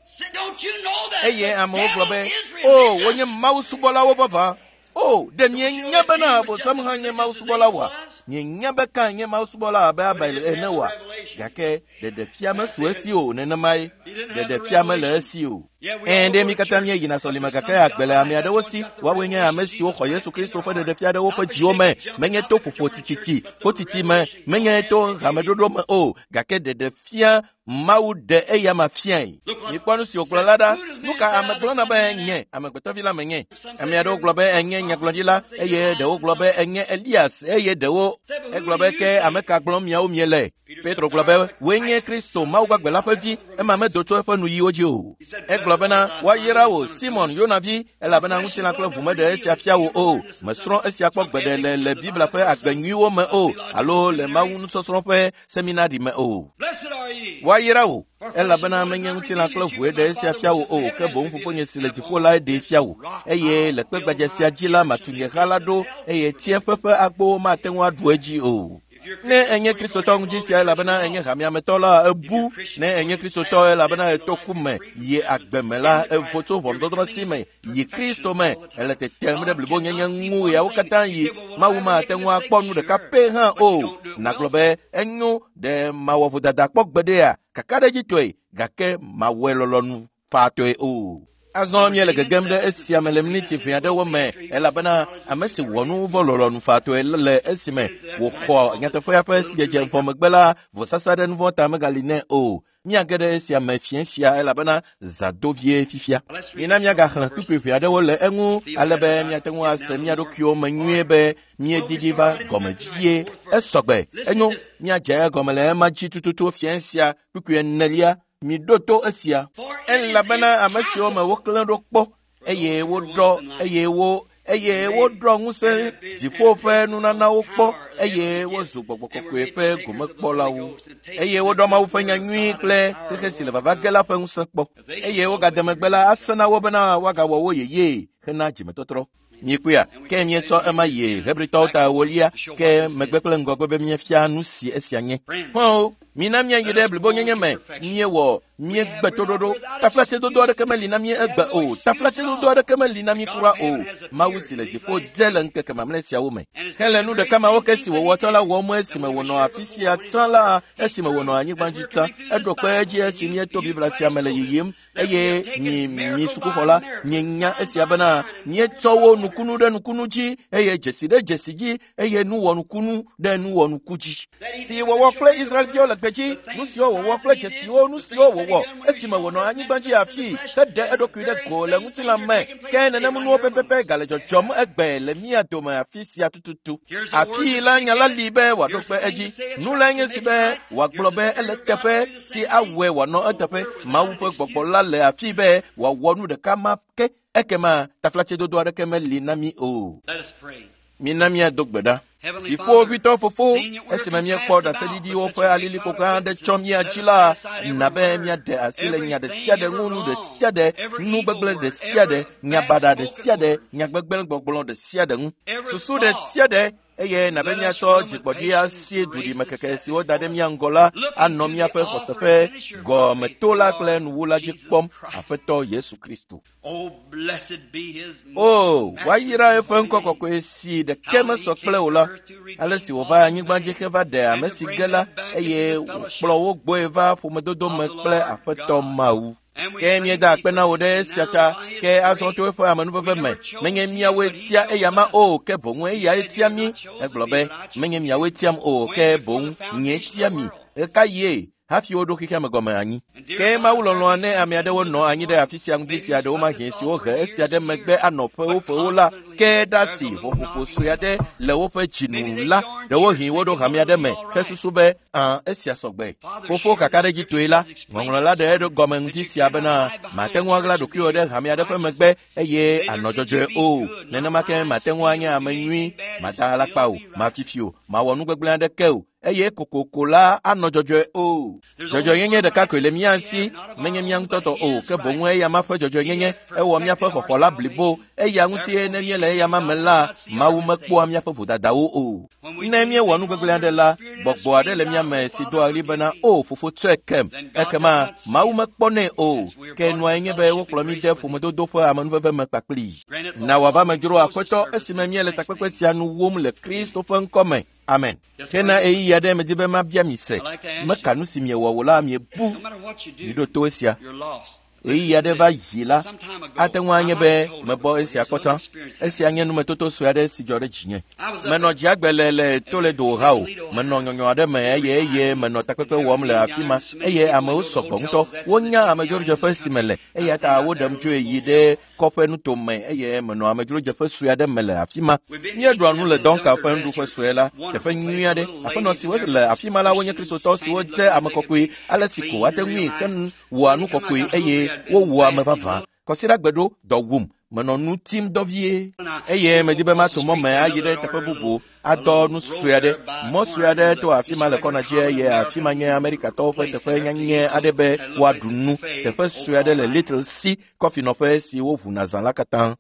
say, don't you know that Eye the amewo gblɔ devil be, is o, wonye religious? Mawu subɔlawo vavã. O, ɖe mienya bena Abosam hã nye mawusubɔla oa? Mienya be Kain nye mawusubɔla abe Abel ene oa? Gake ɖeɖefia mesu esi o nenemae. Ɖeɖefia mele esi o. Ɛ̃, ɖe mi katã míeyina sɔlime gake agbe le ame aɖewo si. Woawoe nye ame siwo xɔ Yesu Kristo ƒe ɖeɖefia ɖe woƒe dziwo me, menye to ƒoƒo tititi, kotiti me, menye to hameɖoɖo me o, gake ɖeɖefia Mawu ɖe eyama fiae. Mikpɔ nu si wògblɔ la ɖa. Nu ka ame gblɔna be nye amegbetɔvi la menye? Ame aɖewo gblɔ be enye nyagblɔɖila eye ɖewo gblɔ be enye Elias eye ɖewo egblɔ be ke ame ka gblɔm miawo miele? Petro gblɔ be wòe nye Kristo Mawu gbagbe la ƒe vi, ema medo tso eƒe nuyiwo dzi o. Egblɔ bena woayra wò Simon Yona vi elabena ŋutilã kple ʋu meɖe esia fia wò o. Mesrɔ̃ esia kpɔ gbeɖe le le Biblia ƒe agbe nyuiwo me o alo le Mawu nusɔsrɔ̃ ƒe seminari me o. Woayra wò, elabena menye ŋutilã kple ʋue ɖe esia fia wò o, ke boŋ Fofonye si le dziƒo lae ɖee fia wò. Eye le kpe gbadze sia dzi la matu nye ha la ɖo, eye tsiẽƒe ƒe agbowo mate ŋu aɖu edzi o. Ne enye Kristotɔ ŋdi sia elabena enye hameametɔ la, ebu. Ne enye Kristotɔ elabena eto ku me yi agbe me la, evo tso ʋɔnudɔdrɔ̃ si me yi Kristo me. Ele tetem ɖe blibonyenye ŋu ɣeawo katã yi. Mawu mate ŋu akpɔ nu ɖeka pɛ hã o. Nàgblɔ be enyo ɖe mawɔ vodada kpɔ gbeɖea? Kakaɖedzitɔe, gake mawɔe lɔlɔ̃nu faatɔe o. Azɔ míele gegem ɖe esia me le miniti ʋɛ aɖewo me elabena ame si wɔ nu vɔ̃ lɔlɔ̃nu faatɔe le esime wòxɔ nyateƒea ƒe sidzedze vɔ megbe la, vɔsasa ɖe nu vɔ̃ ta megali nɛ o. Míage ɖe esia me fiẽ sia elabena zã do vie fifia. Mina míagaxlẽ kpukpui ʋɛ aɖewo le eŋu ale be míate ŋu ase mía ɖokuiwo me nyuie be míedidi va gɔme vie. Esɔgbe, enyo, míadze egɔme le ema dzi tututu fiẽ sia kpukpui enelia. Miɖo to esia. Elabena ame siwo me woklẽ ɖo kpɔ eye woɖɔ eye wo eye woɖɔ ŋusẽ dziƒo ƒe nunanawo kpɔ eye wozu gbɔgbɔ kɔkɔe ƒe gomekpɔlawo eye woɖɔ Mawu ƒe nya nyui kple xexe si le vava ge la ƒe ŋusẽ kpɔ eye wogade megbe la asẽ na wo bena woagawɔ wo yeyee hena dzimetɔtrɔ. Miekpɔea? Ke míetsɔ ema yi Hebritɔwo ta ewolia ke megbe kple ŋgɔgbe be míefia nu si esia nye. Xɔ̃wo, mina míayi ɖe blibonyenye me. Míewɔ míegbe toɖoɖo. Taflatsedodo aɖeke meli na mí egbe o. Taflatsedodo aɖeke meli na mí kura o. Mawu si le dziƒo dze le ŋkeke mamlɛ siawo me. Hele nu ɖeka mawo ke si wòwɔ tsã la wɔm esime wònɔ afi sia tsã la, esime wònɔ anyigba dzi tsã. Eɖo kpe edzi esi míeto Biblia sia me le yiyim eye mi mi sukuxɔla mienya esia bena míetsɔ wo nukunu ɖe nukunu dzi eye dzesi ɖe dzesi dzi eye nuwɔnukunu ɖe nuwɔnuku dzi si wɔwɔ kple Israelviwo le gbedzi, nu siwo wòwɔ kple dzesiwo, nu siwo wòwɔ esime wònɔ anyigba dzi afii heɖe eɖokui ɖe go le ŋutilã me. Ke nenem nuwo pɛpɛpɛ gale dzɔdzɔm egbe le mía dome afi sia tututu. Afii la nya la li be wòaɖo kpe edzi. Nu lae nye si be wòagblɔ be ele teƒe si awɔe wòanɔ eteƒe. Mawu ƒe gbɔgbɔ la le afii be wòawɔ nu ɖeka ma ke. Ekema taflatsedodo aɖeke meli na mí o. Mina míado gbe ɖa. Dziƒoʋĩtɔ Fofo, esime míekpɔ ɖaseɖiɖiwo ƒe alilikpo gã aɖe tsɔ mía dzi la, na be míaɖe asi le nya ɖe sia ɖe ŋu, nu ɖe sia ɖe, nu gbegblẽ ɖe sia ɖe, nya baɖa ɖe sia ɖe, nya gbegblẽ gbɔgblɔ ɖe sia ɖe ŋu, susu ɖe sia ɖe, eye na be míatsɔ dzigbɔɖi asie duɖimekeke si woda ɖe mía ŋgɔ la anɔ míaƒe xɔse ƒe gɔmetola kple nuwula dzi kpɔm, Aƒetɔ Yesu Kristo. O, woayra eƒe ŋkɔ kɔkɔe si ɖeke mesɔ kple o la, ale si wòva anyigba dzi heva ɖe ame si ge la, eye wòkplɔ wo gbɔe va ƒomedodo me kple Aƒetɔ Mawu. Ke míeda akpe na wò ɖe esia ta, ke azɔ to eƒe amenuveve me, menye míawoe tia eyama o, ke boŋ eyae tia mí. Egblɔ be, menye miawoe tiam o, ke boŋ nyee tia mi. Ɣekaɣie hafi woɖo xexea me gɔme anyi? Ke Mawu lɔlɔ̃a ne ame aɖewo nɔ anyi ɖe afi sia ŋdi sia ɖewomahĩ si wohe esia ɖe megbe anɔ ƒewo ƒewo la, ke ɖe asi ʋɔƒoƒo sue aɖe le woƒe dzi nu la, ɖewohĩ woɖo hame aɖe me hesusu be, Ã, esia sɔgbe. Fofo kakaɖedzitɔe la, ŋɔŋlɔ la ɖe eɖo gɔme ŋdi sia bena, Màte ŋu aɣla ɖokuiwò ɖe hame aɖe ƒe megbe eye ànɔ dzɔdzɔe o. Nenema ke màte ŋu anye ame nyui, màda alakpa o, màfi fi o, màwɔ nu gbegblẽ aɖeke o, eye kokoko la anɔ dzɔdzɔe o. Dzɔdzɔenyenye ɖeka koe le mía si, menye mía ŋutɔ tɔ o, ke boŋ eyama ƒe dzɔdzɔenyenye. Ewɔ míaƒe xɔxɔ la blibo. Eya ŋutie ne míele eyama me la, Mawu mekpɔa míaƒe vodadawo o. Ne míewɔ nu gbegblẽ aɖe la, gbɔgbɔ aɖe le mía me si doa ɣli bena, “O fofo tsɔe kem.” Ekema Mawu mekpɔnɛ o. Ke nuae nye be wokplɔ mí de ƒomedodo ƒe amenuveve me kpakplii. Na wòava me dzro Aƒetɔ esime míele takpekpe sia nu wom le Kristo ƒe ŋkɔ me. Amen. Ke na ɣeyiɣi aɖe medi be mabia mi se. Meka nu si miewɔ o la miebu. Miɖo to esia. Ɣeyiɣi aɖe va yi la, ate ŋu anye be mebɔ esia kpɔ tsã. Esia nye numetoto sue aɖe si dzɔ ɖe dzinye. Menɔ dziagbe le le Toledo ha o. Menɔ nyɔnyɔ aɖe me eye eye menɔ takpekpe wɔm le afi ma eye amewo sɔgbɔ ŋutɔ. Wonya amedzrodzeƒe si mele eya ta woɖem tsoe yi ɖe kɔƒe nutome eye menɔ amedzrodzeƒe sue aɖe me le afi ma. Míeɖua nu le Donka ƒe nuɖuƒe sue la, teƒe nyui aɖe. Aƒenɔ siwo le afi ma la wonye Kristotɔ siwo dze ame kɔkɔe ale si ko woate ŋui ke wɔa nu kɔkɔe eye wowɔa ame vavã. Kɔsiɖagbe ɖo dɔ wum. Menɔ nu tim dɔ vie eye medi be matso mɔ me ayi ɖe teƒe bubu adɔ nu sue aɖe. Mɔ sue aɖe to afi ma le kɔna dzi eye afi ma nye Amerikatɔwo ƒe teƒe nyanyɛ aɖe be woaɖu nu. Teƒe sue aɖe le Little C kɔfinɔƒe si woʋuna zã la katã.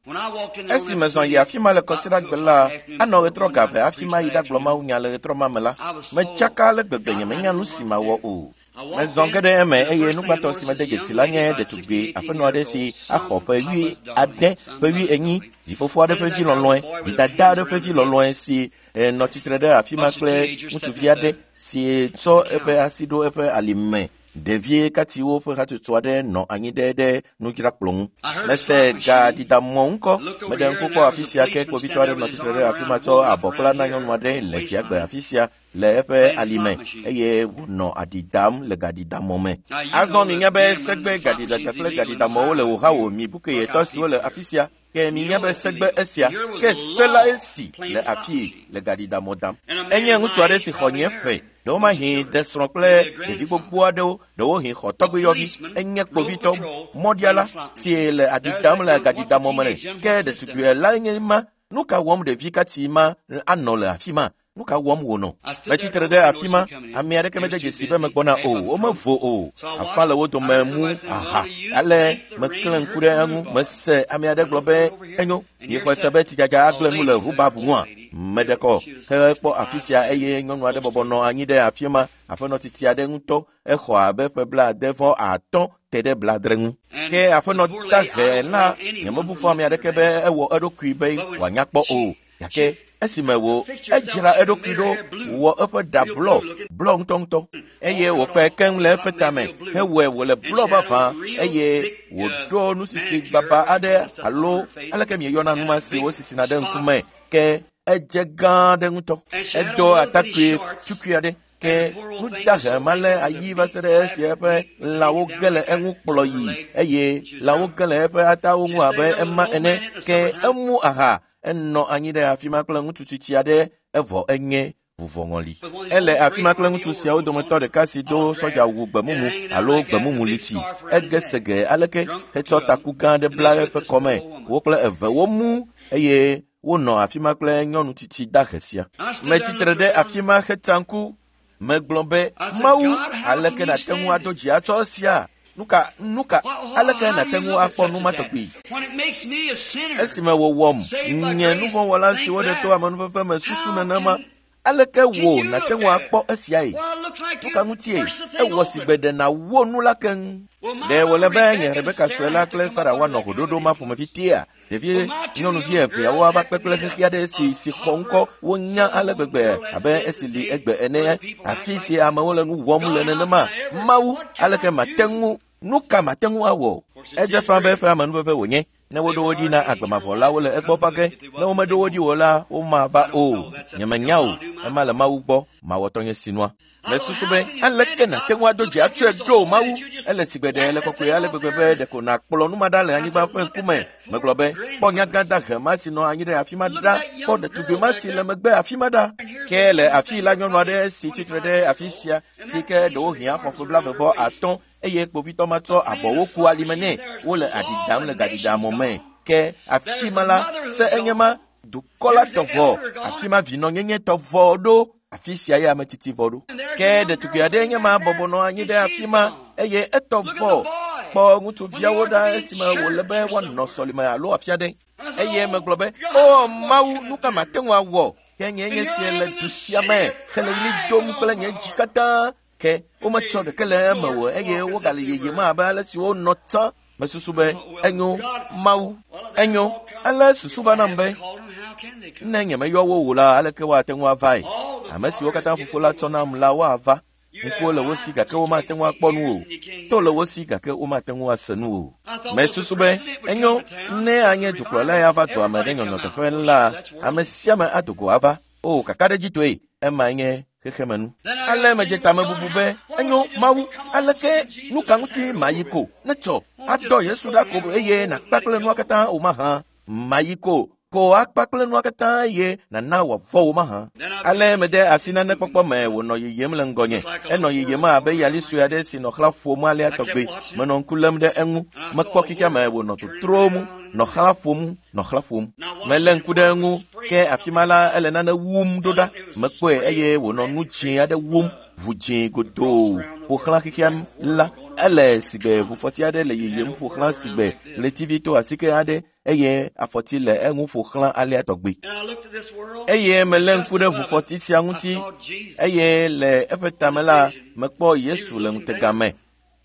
Esi mezɔ yi afi ma le kɔsiɖagbe la, anɔ ɣetrɔ ga eve hafi mayi ɖagblɔ mawunya le ɣetrɔ ma me la, metsaka ale gbegbe nyemenya nu si mawɔ o. Mezɔ ge ɖe eme eye nu gbãtɔ si mede dzesi la nye ɖetugbi aƒenɔ aɖe si axɔ ƒe 70, ƒe 80, vifofo aɖe ƒe vi lɔlɔ̃e, vidada aɖe ƒe vi lɔlɔ̃e si nɔ tsitre ɖe afi ma kple ŋutsuvi aɖe si tsɔ eƒe asi ɖo eƒe alime. Ɖevi katiwo ƒe hatsotso aɖe nɔ anyi ɖe ɖe nudzrakplɔ ŋu. Mese gaɖiɖamɔ ŋkɔ. Meɖe ŋku kpɔ afi sia ke kpovitɔ aɖe nɔ tsitre ɖe afi ma tsɔ abɔ kpla na nyɔnu aɖe le dziagbe afi sia le eƒe alime eye wònɔ aɖi dam le gaɖiɖamɔ me. Azɔ minya be segbe gaɖidada kple gaɖiɖamɔwo le Ohio mi bukeyetɔ siwo le afi sia. Ke minya be segbe esia ke se la esi le afii le gaɖiɖamɔ dam. Enye ŋutsu aɖe si xɔ nye ƒe. Ɖewomahi de srɔ̃ kple ɖevi gbogbo aɖewo, ɖewohĩ xɔ tɔgbuiyɔvi. Enye kpovitɔ mɔɖiala si le aɖi dam le gaɖiɖamɔ me. Ke ɖetugbui lae nye ma. Nu ka wɔm ɖevi kati ma anɔ le afi ma? Nu ka wɔm wònɔ? Metsitre ɖe afi ma. Ame aɖeke mede dzesi be megbɔna o. Womevo o. Afa le wo dome mu aha. Ale meklẽ ŋku ɖe eŋu. Mese ame aɖe gblɔ be, “Enyo, miexɔe se be tsidzadza agblẽ nu le rhubarb ŋua?” Meɖe kɔ hekpɔ afi sia eye nyɔnu aɖe bɔbɔ nɔ anyi ɖe afi ma. Aƒenɔ tsitsi aɖe ŋutɔ. Exɔ abe ƒe 75 te ɖe 70 ŋu. Ke aƒenɔ dahe la, nyemebu fɔ ame aɖeke be ewɔ eɖokui be wòanya kpɔ o. Gake esime wò edzra eɖokui ɖo wɔ eƒe ɖa blɔ, blɔ ŋutɔŋutɔ eye wòkpe keŋ le eƒe tame hewɔe wòle blɔ vavã eye wòɖo nusisi gbaba aɖe alo aleke mieyɔna nu ma si wosisina ɖe ŋkume ke edze gã aɖe ŋutɔ. Edo atakpui tukui aɖe ke nudahe ma le ayi va se ɖe esi eƒe lãwo ge le eŋu kplɔ yi eye lãwo ge le eƒe atawo ŋu abe ema ene ke emu aha. Enɔ anyi ɖe afi ma kple ŋutsu tsitsi aɖe evɔ enye vuvɔŋɔli. Ele afi ma kple ŋutsu siawo dometɔ ɖeka si do sɔdzawu gbemumu alo gbemumu litsi. Ege sege aleke hetsɔ taku gã aɖe bla eƒe kɔme. Wo kple eve womu eye wonɔ afi ma kple nyɔnu tsitsi dahe sia. Metsitre ɖe afi ma hetsa ŋku. Megblɔ be, “Mawu, aleke nàte ŋu ado dzi atsɔ esia? Nuka, nuka, aleke nàte ŋu akpɔ nu ma tɔgbi?” Esime wòwɔm nye nuvɔ̃wɔla si woɖe to amenuveve me susu nenema, aleke wò nàte ŋu akpɔ esiae? Nuka ŋutie ewɔ si gbe ɖe nàwɔ nu la keŋ? Ɖe wòle be nye Rebeka sue la kple Sara woanɔ hoɖoɖo ma ƒomevi tea? Ɖevi nyɔnuvi eveawo ava kpe kple xexi aɖe si si xɔ ŋkɔ wonya ale gbegbe abe esi li egbe ene. Afi si amewo le nu wɔm le nenema. Mawu, aleke mate ŋu, nu ka mate ŋu awɔ? Edze ƒã be eƒe amenuveve wònye. Ne woɖo wo ɖi na agbemavɔ la, wole egbɔ va ge. Ne womeɖo wo ɖi o la, womava o. Nyemenya o. Ema le Mawu gbɔ. Mawɔ tɔnye sinua. Mesusu be aleke nàte ŋu ado dzi atsɔe ɖo Mawu? Ele sigbe ɖe le kɔkɔe ale gbegbe be ɖeko nàkplɔ nu ma ɖa le anyigba ƒe ŋkume. Megblɔ be, kpɔ nyagã dahe ma si nɔ anyi ɖe afi ma ɖa, kpɔ ɖetugbi ma si le megbe afi ma ɖa. Ke le afii la nyɔnu aɖe si tsitre ɖe afi sia si ke ɖewohĩ axɔ ƒe 45 eye kpovitɔ ma tsɔ abɔwo ku alime nɛ wole aɖi dam le gaɖiɖamɔ me. Ke afi ma la se enye ma dukɔ la tɔ vɔ, afi ma vinɔnyenye tɔ vɔ ɖo. Afi sia ye ame tsitsi vɔ ɖo. Ke ɖetugbi aɖe nye ma bɔbɔ nɔ anyi ɖe afi ma eye etɔ vɔ. Kpɔ ŋutsuviawo ɖa esime wòle be woanɔ sɔlime alo afi aɖe. Eye megblɔ be, o Mawu, nu ka mate ŋu awɔ? Ke nye nye sie le du sia me hele ɣli dom kple nye dzi katã. Ke wometsɔ ɖeke le eme o eye wogale yeyem abe ale si wonɔ tsã. Mesusu be enyo Mawu, enyo. Ale susu va nam be ne nyemeyɔ wo o la, aleke woate ŋu avae? Ame siwo katã fofo la tsɔ nam la woava. Ŋkuwo le wo si gake womate ŋu akpɔ nu o. To le wo si gake womate ŋu ase nu o. Mesusu be enyo ne anye dukplɔla ya va dua me ɖe nyɔnyɔteƒe la, ame sia ame ado go ava. O, kakaɖedzitɔe, ema nye xexemenu. Ale medze tamebubu be enyo Mawu, aleke nu ka ŋuti mayi ko ne tsɔ adɔ Yesu ɖa ko eye nàkpa kple nua katã o mahã? Mayi ko ko akpa kple nua katã eye nàna wòavɔ wo mahã? Ale mede asi nane kpɔkpɔ me wònɔ yiyim le ŋgɔnye. Enɔ yiyim abe yali sue aɖe si nɔ xlã ƒom alea tɔgbe. Menɔ ŋku lém ɖe eŋu. Mekpɔ xexea me wònɔ totrom, nɔ xlã ƒom, nɔ xlã ƒom. Melé ŋku ɖe eŋu, ke afi ma la ele nane wum ɖo ɖa. Mekpɔe eye wònɔ nu dzĩ aɖe wum, ʋu dzĩ godoo ƒo xlã xexea la. Ele sigbe ʋufɔti aɖe le yiyim ƒo xlã sigbe ɣletivi to asike aɖe eye afɔti le eŋu ƒo xlã alea tɔgbe. Eye melé ŋku ɖe ʋufɔti sia ŋuti eye le eƒe tame la mekpɔ Yesu le ŋutega me.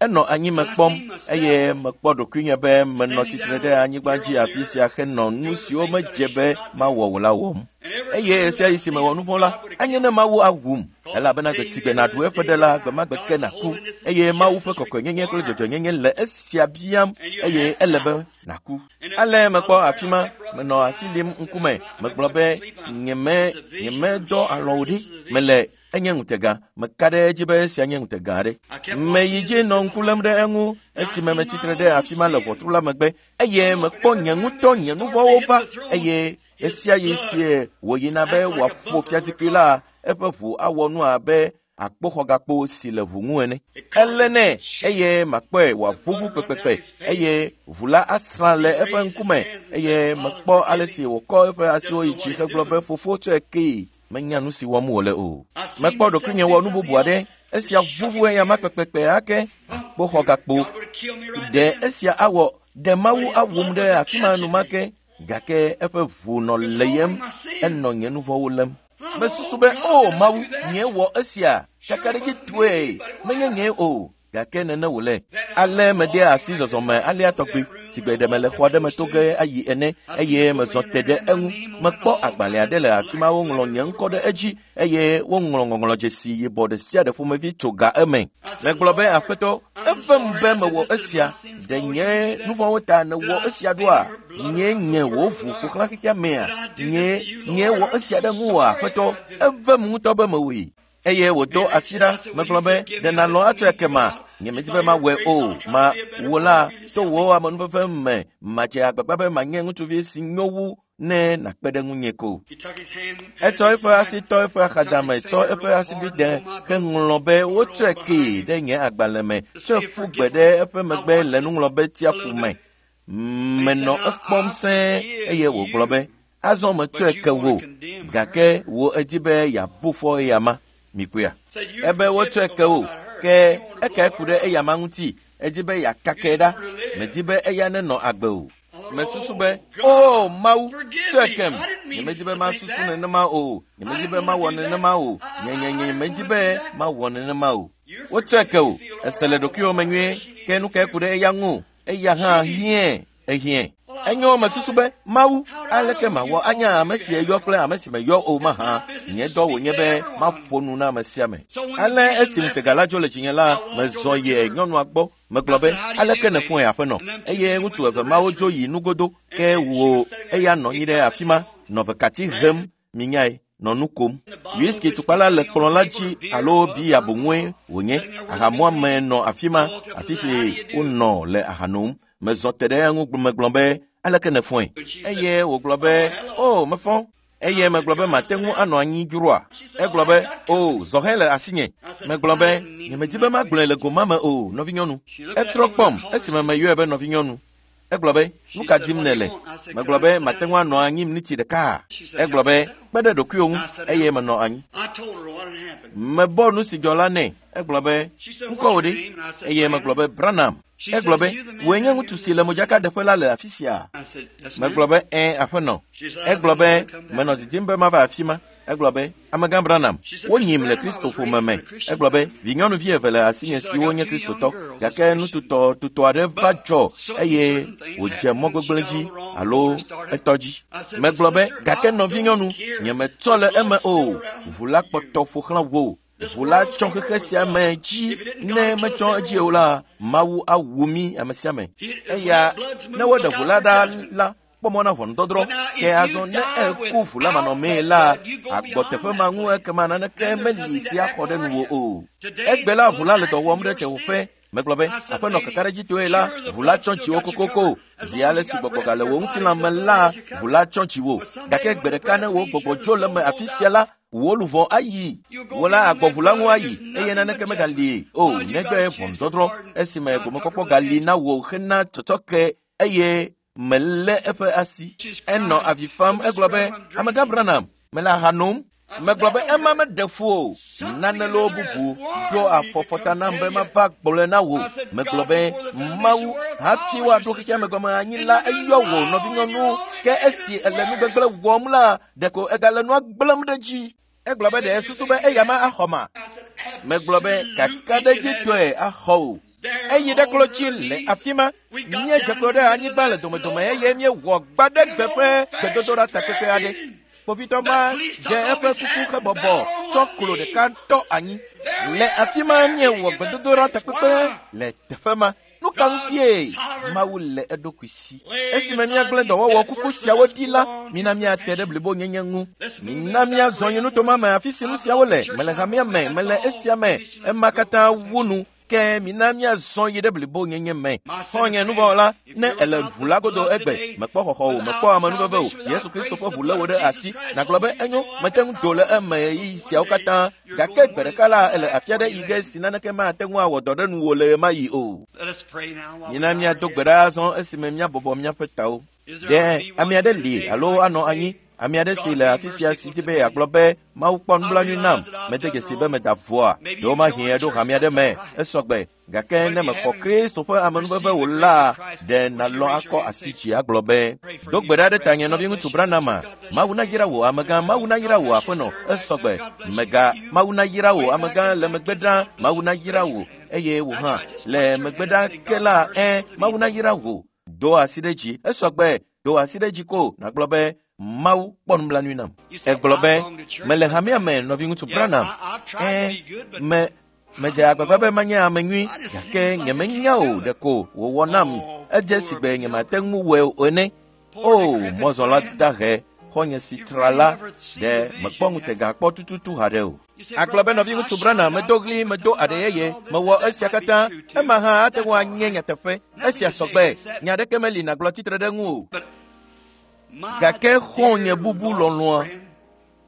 Enɔ anyi me kpɔm eye mekpɔ ɖokuinye be menɔ tsitre ɖe anyigba dzi afi sia henɔ nu siwo medze be mawɔ o la wɔm. Eye ɣesiaɣi si mewɔ nu vɔ̃ la, anye ne Mawu awum, elabena gbe si gbe nàɖu eƒe ɖe la, gbe ma gbe ke nàku. Eye Mawu ƒe kɔkɔenyenye kple dzɔdzɔenyenye le esia biam eye ele be nàku. Ale mekpɔ afi ma, menɔ asi lim ŋkume, megblɔ be nyemedɔ alɔ̃ o ɖi, mele enye ŋutega. Meka ɖe edzi be esia nye ŋutega aɖe. Meyi dzi nɔ ŋku lém ɖe eŋu esime metsitre ɖe afi ma le ʋɔtru la megbe eye mekpɔ nye ŋutɔ nye nu vɔ̃wo va eye ɣesiaɣi sie wòyina be wòaƒo fiazikpui la, eƒe ʋu awɔ nu abe akpoxɔgakpo si le ʋu ŋu ene. Elé nɛ eye makpɔe wòaʋuʋu kpekpekpe eye ʋu la asrã le eƒe ŋkume eye mekpɔ ale si wòkɔ eƒe asiwo yi dzi hegblɔ be fofo tsɔe kee. Menya nu si wɔm wòle o. Mekpɔ ɖokuinye wɔ nu bubu aɖe. Esia ʋuʋu eya ma kpekpekpe ake akpoxɔgakpo. Ɖe esia awɔ ɖe Mawu awum ɖe afi ma enumake gake eƒe ʋu nɔ leyem, enɔ nye nu vɔ̃wo lém. Mesusu be o Mawu, nye wɔ esia kakaɖedzitɔe, menye nye o. Gake nene wòle. Ale mede asi zɔzɔme alea tɔgbe si gbe ɖe mele xɔ aɖe me to ge ayi ene eye mezɔ te ɖe eŋu. Mekpɔ agbalẽ aɖe le afi ma woŋlɔ nye ŋkɔ ɖe edzi eye woŋlɔ ŋɔŋlɔdzesi yibɔ ɖe sia ɖe ƒomevi tso ga eme. Megblɔ be aƒetɔ, evem be mewɔ esia. Ɖe nye nu vɔ̃wo ta nèwɔ esia ɖoa? Nye nye wò ʋu ƒo xlã xexea mea? Nye nye wɔ esia ɖe ŋuwòa aƒetɔ? Evem ŋutɔ be mewɔe. Eye wòdo asi ɖa, megblɔ be, ɖe nàlɔ̃ atsɔe kema? Nyemedi be mawɔe o. Ma wò la, to wò amenuveve me, madze agbagba be manye ŋutsuvi si nyo wu ne nàkpe ɖe ŋunye ko. Etsɔ eƒe asi tɔ eƒe axadame, tsɔ eƒe asibide heŋlɔ be wotsɔe kee ɖe nye agbalẽ me, tsɔe ƒu gbe ɖe eƒe megbe le nuŋlɔbetiaƒu me. Menɔ ekpɔm sẽe eye wògblɔ be, azɔ metsɔe ke wò, gake wò edi be yeabu fɔ eya ma. Mikpɔea? Ebe wotsɔe ke wò, ke ekae ku ɖe eya ma ŋuti, edi be yeakakae ɖa, medi be eya nenɔ agbe o. Mesusu be, o Mawu, tsɔe kem. Nyemedi be masusu nenema o, nyemedi be mawɔ nenema o, nye medi be mawɔ nenema o. Wotsɔe ke wò, ese le ɖokuiwò me nyuie, ke nu kae ku ɖe eya ŋu? Eya hã hiãe, ehiãe. Enyo mesusu be, Mawu, aleke mawɔ anya ame si eyɔ kple ame si meyɔ o mahã? Nye dɔ wònye be maƒo nu na ame sia ame. Ale esi ŋutega la dzo le dzinye la, mezɔ yi nyɔnua gbɔ. Megblɔ be, aleke nèfɔe aƒenɔ? Eye ŋutsu eve mawo dzo yi nugodo, ke wò eya nɔ anyi ɖe afi ma, nɔ vekati hem, minyae, nɔ nu kom. Whisky tukpa la le kplɔ̃ la dzi alo biya boŋue wònye. Ahamuame nɔ afi ma, afi si wonɔ le aha nom. Mezɔ te ɖe eŋu megblɔ be, aleke nèfɔe? Eye wògblɔ be, o, mefɔ. Eye megblɔ be mate ŋu anɔ anyi dzroa? Egblɔ be, o, zɔhɛ le asinye. Megblɔ be, nyemedi be magblɔe le goma me o, nɔvinyɔnu. Etrɔ kpɔm esime meyɔe be nɔvinyɔnu. Egblɔ be, nu ka dim nèle? Megblɔ be, mate ŋu anɔ anyi miniti ɖeka. Egblɔ be, kpe ɖe ɖokuiwò ŋu eye menɔ anyi. Mebɔ nu si dzɔ la nɛ. Egblɔ be, ŋkɔ wò ɖe? Eye megblɔ be, Branham. Egblɔ be, wòe nye ŋutsu si le modzakaɖeƒe la le afi sia? Megblɔ be, ɛ̃, aƒenɔ. Egblɔ be, menɔ didim be mava afi ma. Egblɔ be, amegã Branham, wonyim le Kristo ƒome me. Egblɔ be, vinyɔnuvi eve le asinye siwo nye Kristotɔ, gake nututɔ tutɔ aɖe va dzɔ eye wòdze mɔ gbegblẽ dzi alo etɔ dzi. Megblɔ be, gake nɔvinyɔnu, nyemetsɔ le eme o. Ʋu la kpɔtɔ ƒo xlã wò. Ʋu la tsɔ xexe sia me dzi. Ne metsɔ edzi o la, Mawu awu mí ame sia ame. Eya, ne woɖe ʋu la ɖa la, kpɔ mɔ na ʋɔnudɔdrɔ̃. Ke azɔ ne eku ʋu la manɔmee la, agbɔ teƒe ma ŋu ekema naneke meli si axɔ ɖe nuwò o. Egbe la ʋu la le dɔ wɔm ɖe tewòƒe. Megblɔ be, aƒenɔ kakaɖedzitɔe la, ʋu la tsɔ dziwò kokoko. Zi ale si gbɔgbɔ gale wò ŋutilã me la, ʋu la tsɔ dziwò. Gake gbe ɖeka ne wò gbɔgbɔ dzo le me afi sia la, wò luʋɔ ayi. Wò la agbɔ ʋu la ŋu ayi eye naneke megali o negbe ʋɔnudɔdrɔ̃ esime gomekpɔkpɔ gali na wò hena tsɔtsɔke eye melé eƒe asi. Enɔ avi fam egblɔ be, amegã Branham, mele aha nom. Megblɔ be ema meɖe fu o. Nane loo bubu ɖo afɔfɔta nam be mava gblɔe na wò. Megblɔ be, Mawu, hafi woaɖo xexea me gɔme anyi la, eyɔ wò nɔvinyɔnu. Ke esi ele nugbegblẽ wɔm la, ɖeko egale nua gblẽm ɖe dzi. Egblɔ be ɖe susu be eya ma axɔ ma. Megblɔ be kakaɖedzitɔe axɔ o. Eyi ɖe klotsi le afi ma. Míedze klo ɖe anyigba le domedome eye míewɔ gbaɖegbe ƒe gbedodoɖa takpekpe aɖe. Kpovitɔ ma dze eƒe kuku hebɔbɔ tsɔ klo ɖeka tɔ anyi. Le afi ma míewɔ gbedodoɖa takpekpe le teƒe ma. Nu ka ŋutie Mawu le eɖokui si? Esime míagblẽ dɔwɔwɔ kuku siawo ɖi la, mina míate ɖe blibonyenye ŋu. Mina míazɔ yi nutoma me afi si nu siawo le. Mele hamea me, mele esia me. Ema katã wu nu. Ke mina míazɔ yi ɖe blibonyenye me. Xɔ̃nye nuvɔ̃wɔla, ne ele ʋu la godo egbe, mekpɔ xɔxɔ o, mekpɔ amenuveve o. Yesu Kristo ƒe ʋu lé wò ɖe asi. Nàgblɔ be enyo, mete ŋu do le eme ɣeyiɣi siawo katã. Gake gbe ɖeka la, ele afi aɖe yi ge si naneke mate ŋu awɔ dɔ ɖe nuwò le ɣemaɣi o. Mina míado gbe ɖa azɔ esime míabɔbɔ míaƒe tawo. Ɖe ame aɖe li alo anɔ anyi? Ame aɖe si le afi sia si di be yeagblɔ be Mawu kpɔ nublanui nam, mede dzesi be meda voa. Ɖewomahi eɖo hame aɖe me, esɔgbe. Gake ne mexɔ Kristo ƒe amenuveve wò la, ɖe nàlɔ̃ akɔ asi dzi agblɔ be, do gbe ɖa ɖe tanye nɔviŋutsu Branham. Mawu nayra wò amegã, Mawu nayra wò aƒenɔ, esɔgbe. Mega, Mawu nayra wò amegã le megbe ɖa, Mawu nayra wò eye wò hã le megbe ɖa ke la, ẽ, Mawu nayra wò. Do asi ɖe dzi, esɔgbe. Do asi ɖe dzi ko nàgblɔ be, Mawu kpɔ nublanui nam. Egblɔ be, mele hamea me nɔviŋutsu Branham. Ẽ, medze agbagba be manye ame nyui, gake nyemenya o ɖeko wòwɔ nam. Edze si gbe nyemate ŋu wɔe o ene. O, mɔzɔla dahe, xɔ̃nye si tra la, ɖe mekpɔ ŋutega kpɔ tututu haɖe o. Agblɔ be nɔviŋutsu Branham, medo ɣli, medo aɖe yeye, mewɔ esia katã. Ema hã ate ŋu anye nyateƒe. Esia sɔgbe. Nya aɖeke meli nàgblɔ tsitre ɖe ŋu o. Gake xɔ̃nye bubu lɔlɔ̃a,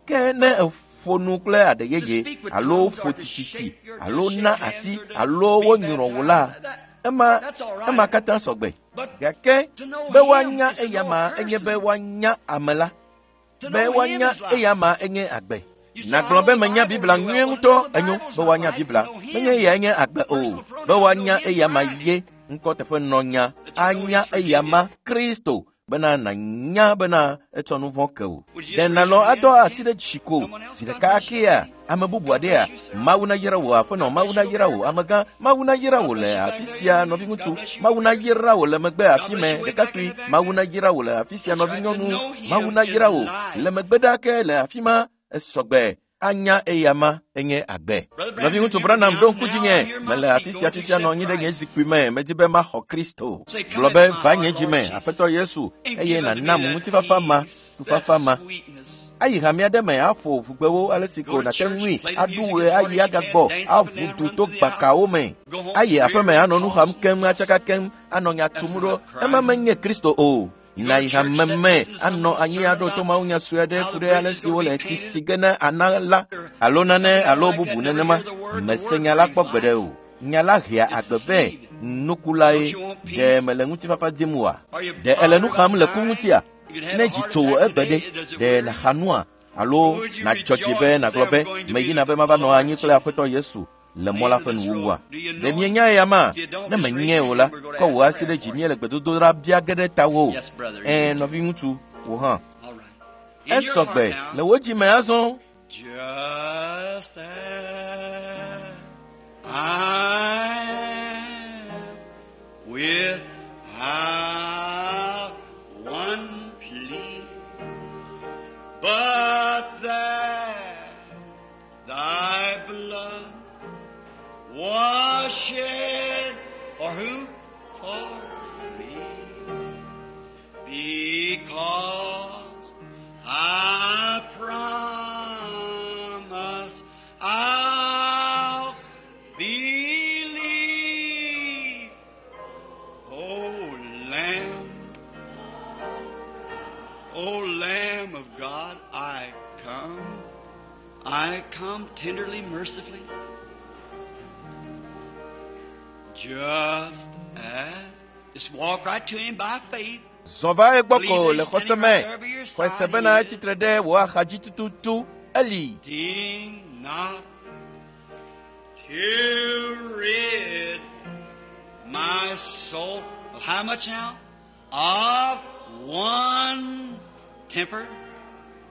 ke ne eƒo nu kple aɖe yeye alo ƒo tititi alo na asi alo wonyrɔ wò la, ema katã sɔgbe. Gake be woanya eyama enye be woanya ame la. Be woanya eyama enye agbe. Nàgblɔ be menya Biblia nyuie ŋutɔ, enyo be woanya Biblia. Menye eyae nye agbe o. Be woanya eyama ye ŋkɔ teƒe nɔnya anya eyama Kristo bena nànya bena etsɔ nu vɔ̃ ke o. Ɖe nàlɔ̃ adɔ asi ɖe dzi ko zi ɖeka akea ame bubu aɖea? Mawu nayra wò aƒenɔ, Mawu nayra wò amegã, Mawu nayra wò le afi sia nɔviŋutsu, Mawu nayra wò le megbe afi me ɖekakpui, Mawu nayra wò le afi sia nɔvinyɔnu, Mawu nayra wò le megbe ɖa ke le afi ma esɔgbe. Anya eyama enye agbe. Nɔviŋutsu Branham ɖo ŋku dzinye. Mele afi sia fifia nɔ anyi ɖe nye zikpui me. Medi be maxɔ Kristo. Gblɔ be va nye dzi me, Aƒetɔ Yesu, eye nànam ŋutifafa ma, tufafa ma. Ayi hame aɖe me aƒo ʋugbewo ale si ko nàte ŋui, aɖu ɣe ayi agagbɔ, aʋu du to gbakawo me. Ayi aƒeme anɔ nu xam keŋ, atsaka keŋ, anɔ nya tum ɖo. Ema menye Kristo o. Nayi hame me anɔ anyi aɖo to mawunya sue aɖe ku ɖe ale si wole tsi si ge ne ana la alo nane alo bubu nenema. Mese nya la kpɔ gbeɖe o. Nya la hea agbe vɛ. Nukulae. Ɖe mele ŋutifafa dim oa? Ɖe ele nu xam le ku ŋutia? Ne dzi tso wò egbe ɖe, ɖe nàxa nua alo nàdzɔ dzi be nàgblɔ be meyina be mava nɔ anyi kple Aƒetɔ Yesu? le mɔ la ƒe nuwuwua. Ɖe mienya eya ma? Ne menyae o la, kɔ wò asi ɖe dzi míele gbedodoɖa bia ge ɖe tawò. Ɛ̃, nɔviŋutsu, wò hã. Esɔ gbe le wò dzi me azɔ. Just as I am without one plea, but that thy blood was shed for who? For me. Because I promise I'll believe. O Lamb, O Lamb of God, I come. I come tenderly, mercifully. Just as, just walk right to Him by faith. Zɔ va egbɔ ko le xɔse me. Xɔe se bena etsitre ɖe wò axadzi tututu. Eli. Think not to rid my soul of how much now? Of one temper,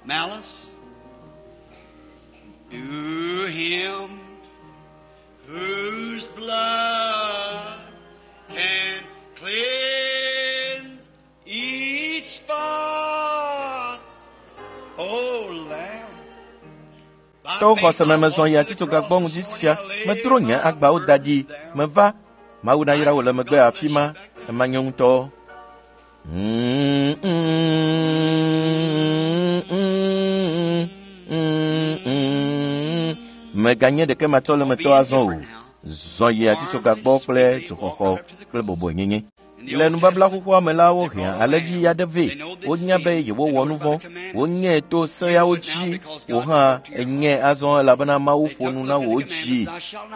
malice. To him whose blood can cleanse each spot. O Lamb. To xɔse me mezɔ yi atitsoga gbɔ ŋdi sia. Medro nye agbawo da ɖi. Meva. Mawu nayra wò le megbe afi ma. Ema nye ŋutɔ. Meganye ɖeke matsɔ le metɔ azɔ o. Zɔ yi atitsoga gbɔ kple dzoxɔxɔ kple bɔbɔenyenye. Le nubabla xoxoa me la, wohea alẽvi aɖe vɛ. Wonya be yewowɔ nu vɔ̃. Wonyae to seawo dzi. Wò hã ènyae azɔ elabena Mawu ƒo nu na wò dzi.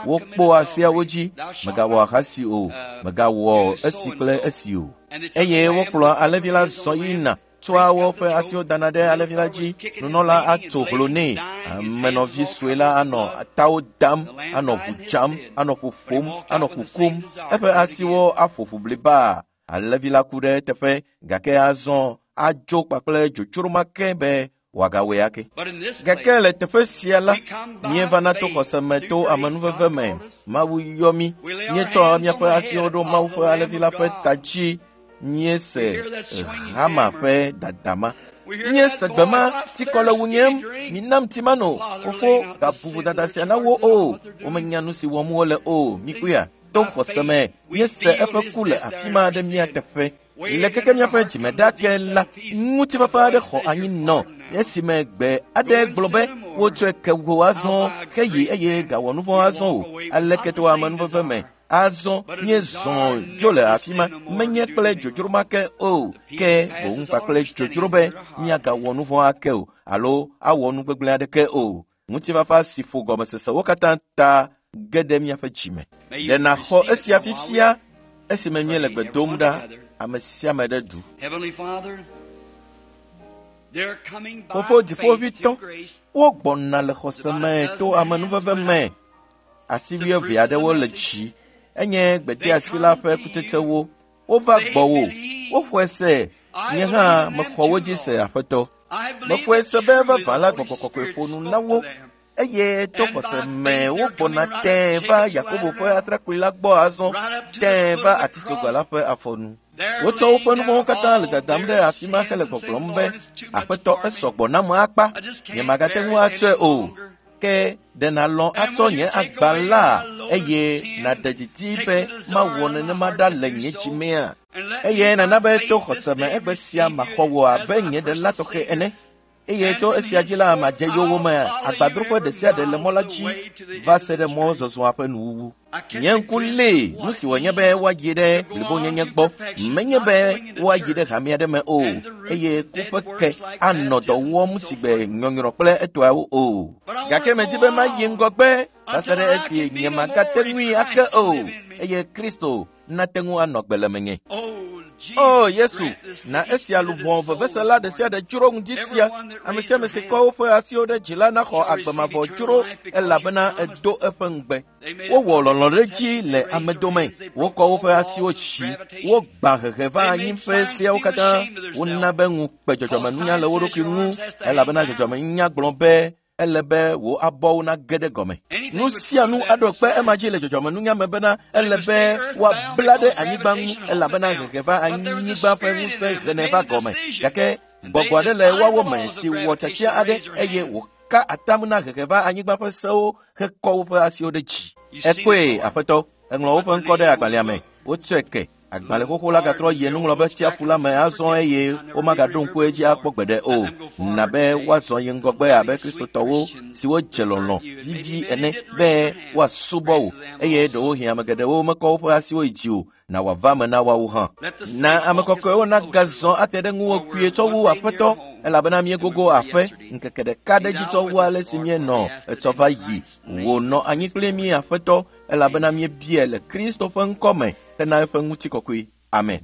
Wokpɔa seawo dzi. Mègawɔ ahasi o. Mègawɔ esi kple esi o. Eye wokplɔa alẽvi la zɔ yina tsɔa woƒe asiwo dana ɖe alẽvi la dzi. Nunɔla atso hlo nɛ. Amenɔvi sue la anɔ tawo dam, anɔ ʋu dzam, anɔ ƒoƒom, anɔ kukum. Eƒe asiwo aƒo ƒu bliba. Alẽvi la ku ɖe eteƒe gake azɔ adzo kpakple dzodzro ma ke be wòagawɔe ake. But in this Gake place, le teƒe sia la, míevana to xɔse me to amenuveve me. Mawu yɔ mí. Míetsɔ míaƒe asiwo ɖo Mawu ƒe alẽvi la ƒe ta dzi. Míese hama ƒe dadama. Míese gbe ma, tsikɔ le wunyem. Minam tsi mano. Fofo, gabu vodada sia na wo o. Womenya nu si wɔm wole o. Mikpɔea? To xɔse me, míese eƒe ku le afi ma ɖe mía teƒe. Le keke míaƒe dzime ɖa ke la, ŋutifafa aɖe xɔ anyi nɔ esime gbe aɖe gblɔ be wotsɔe ke wò azɔ heyi eye gawɔ nu vɔ̃ azɔ o. Aleke to amenuveve me azɔ míezɔ dzo le afi ma menye kple dzodzro ma ke o ke boŋ kpakple dzodzro be míagawɔ nu vɔ̃ ake o alo awɔ nu gbegblẽ aɖeke o. Ŋutifafa si ƒo gɔmesesewo katã ta ge ɖe míaƒe dzime. May you Ɖe nàxɔ receive it esia now while we fifia esime míele gbe dom ɖa ame sia ame ɖe du. Heavenly Father, they're coming by Fofo faith dziƒoʋĩtɔ, through grace. wogbɔna le xɔse me to amenuveve me. Asi wuieve aɖewo le dzi. Enye gbedeasi la ƒe kutsetsewo. Wova gbɔwò. Woxɔe se. Nye hã mexɔ wo dzi se, Aƒetɔ. I believe Mexɔe that se be truly vavã the la Holy Gbɔgbɔ Kɔkɔe Spirit ƒo nu spoke na wo to them. eye to And by xɔse me faith they're wogbɔna coming right tẽe up va Jacob's Yakobo ladder ƒe now, atrakpui la gbɔ azɔ, right up to the tẽe foot va of the atitsoga la cross. ƒe afɔnu. They're Wotsɔ woƒe laying nu vɔ̃wo down katã le all dadam ɖe their afi ma hele sins and saying, gbɔgblɔm be, Lord, it's too much Aƒetɔ, for me. esɔ gbɔ nam akpa. I just Nye can't magate bear ŋu it atsɔe any o. longer. Ke ɖe nàlɔ̃ And atsɔ will you nye take agba away la my load of eye sin nàɖe and didi take be the desire mawɔ out of my nenema heart ɖa to le do nye so? dzimea? And let Eye me by nana be to faith this xɔse me day egbe sia receive maxɔ you wò as abe my nye ɖela personal tɔxɛ Savior. ene. Eye And tso from esia dzi la henceforth madze yowòme I'll follow you agbadroƒe ɖe every sia ɖe le mile mɔ la of the dzi way to the va end se of ɖe this mɔ journey. zɔzɔa ƒe nuwuwu. I catch Nye a ŋku glimpse lée of nu what si it wònye be means woayi ɖe to go on blibonyenye to gbɔ. perfection, Menye not be going into woayi ɖe church hame aɖe me o and the roots eye of ku dead ƒe ke works like anɔ dɔ baptism wɔm and so si gbe forth. nyɔnyrɔ kple etɔawo o. But I want Gake to medi go be mayi on ŋgɔgbe va se until ɖe I esi can be nye no magate more and ŋui ake Christ o can live in me. eye Kristo nate ŋu anɔ gbe le menye. Oh, O Yesu, na esia luʋɔ vevesela ɖe sia ɖe dzro ŋdi sia. Ame sia ame si kɔ woƒe asiwo ɖe dzi la naxɔ agbe mavɔ dzro elabena edo eƒe ŋugbe. Wowɔ lɔlɔ̃ ɖe dzi le ame dome. Wokɔ woƒe asiwo dzi. Wogbã hehe va anyi ƒe seawo katã. Wona be ŋukpe dzɔdzɔmenunya le wo ɖokui ŋu elabena dzɔdzɔmenunya gblɔ be ele be wò abɔwo nage ɖe gɔme. Nu sia nu aɖo kpe ema dzi le dzɔdzɔmenunya me bena ele be woabla ɖe anyigba ŋu elabena hehe va anyigba ƒe ŋusẽ henɛ va gɔme. Gake gbɔgbɔ aɖe le woawo me si wɔ tiatia aɖe eye wòka atam na hehe va anyigba ƒe sewo hekɔ woƒe asiwo ɖe dzi. Ekpɔe, Aƒetɔ, eŋlɔ woƒe ŋkɔ ɖe agbalẽa me. Wotsɔe ke. Agbalẽ xoxo la gatrɔ yi nuŋlɔbe tsiaƒu la me azɔ eye womagaɖo ŋku edzi akpɔ gbeɖe o. Na be woazɔ yi ŋgɔgbe abe Kristotɔwo siwo dze lɔlɔ̃ vivi ene be woasubɔ wò eye ɖewohĩ ame geɖewo mekɔ woƒe asiwo yi dzi o na wòava me na woawo hã. Na ame kɔkɔewo nagazɔ ate ɖe ŋuwò kpuie tsɔ wu Aƒetɔ elabena míegogo aƒe ŋkeke ɖeka ɖe dzi tsɔ wu ale si míenɔ etsɔ va yi. Wò nɔ anyi kpli mí Aƒetɔ elabena míebiae le Kristo ƒe ŋkɔ me hena eƒe ŋutikɔkɔe. Amen.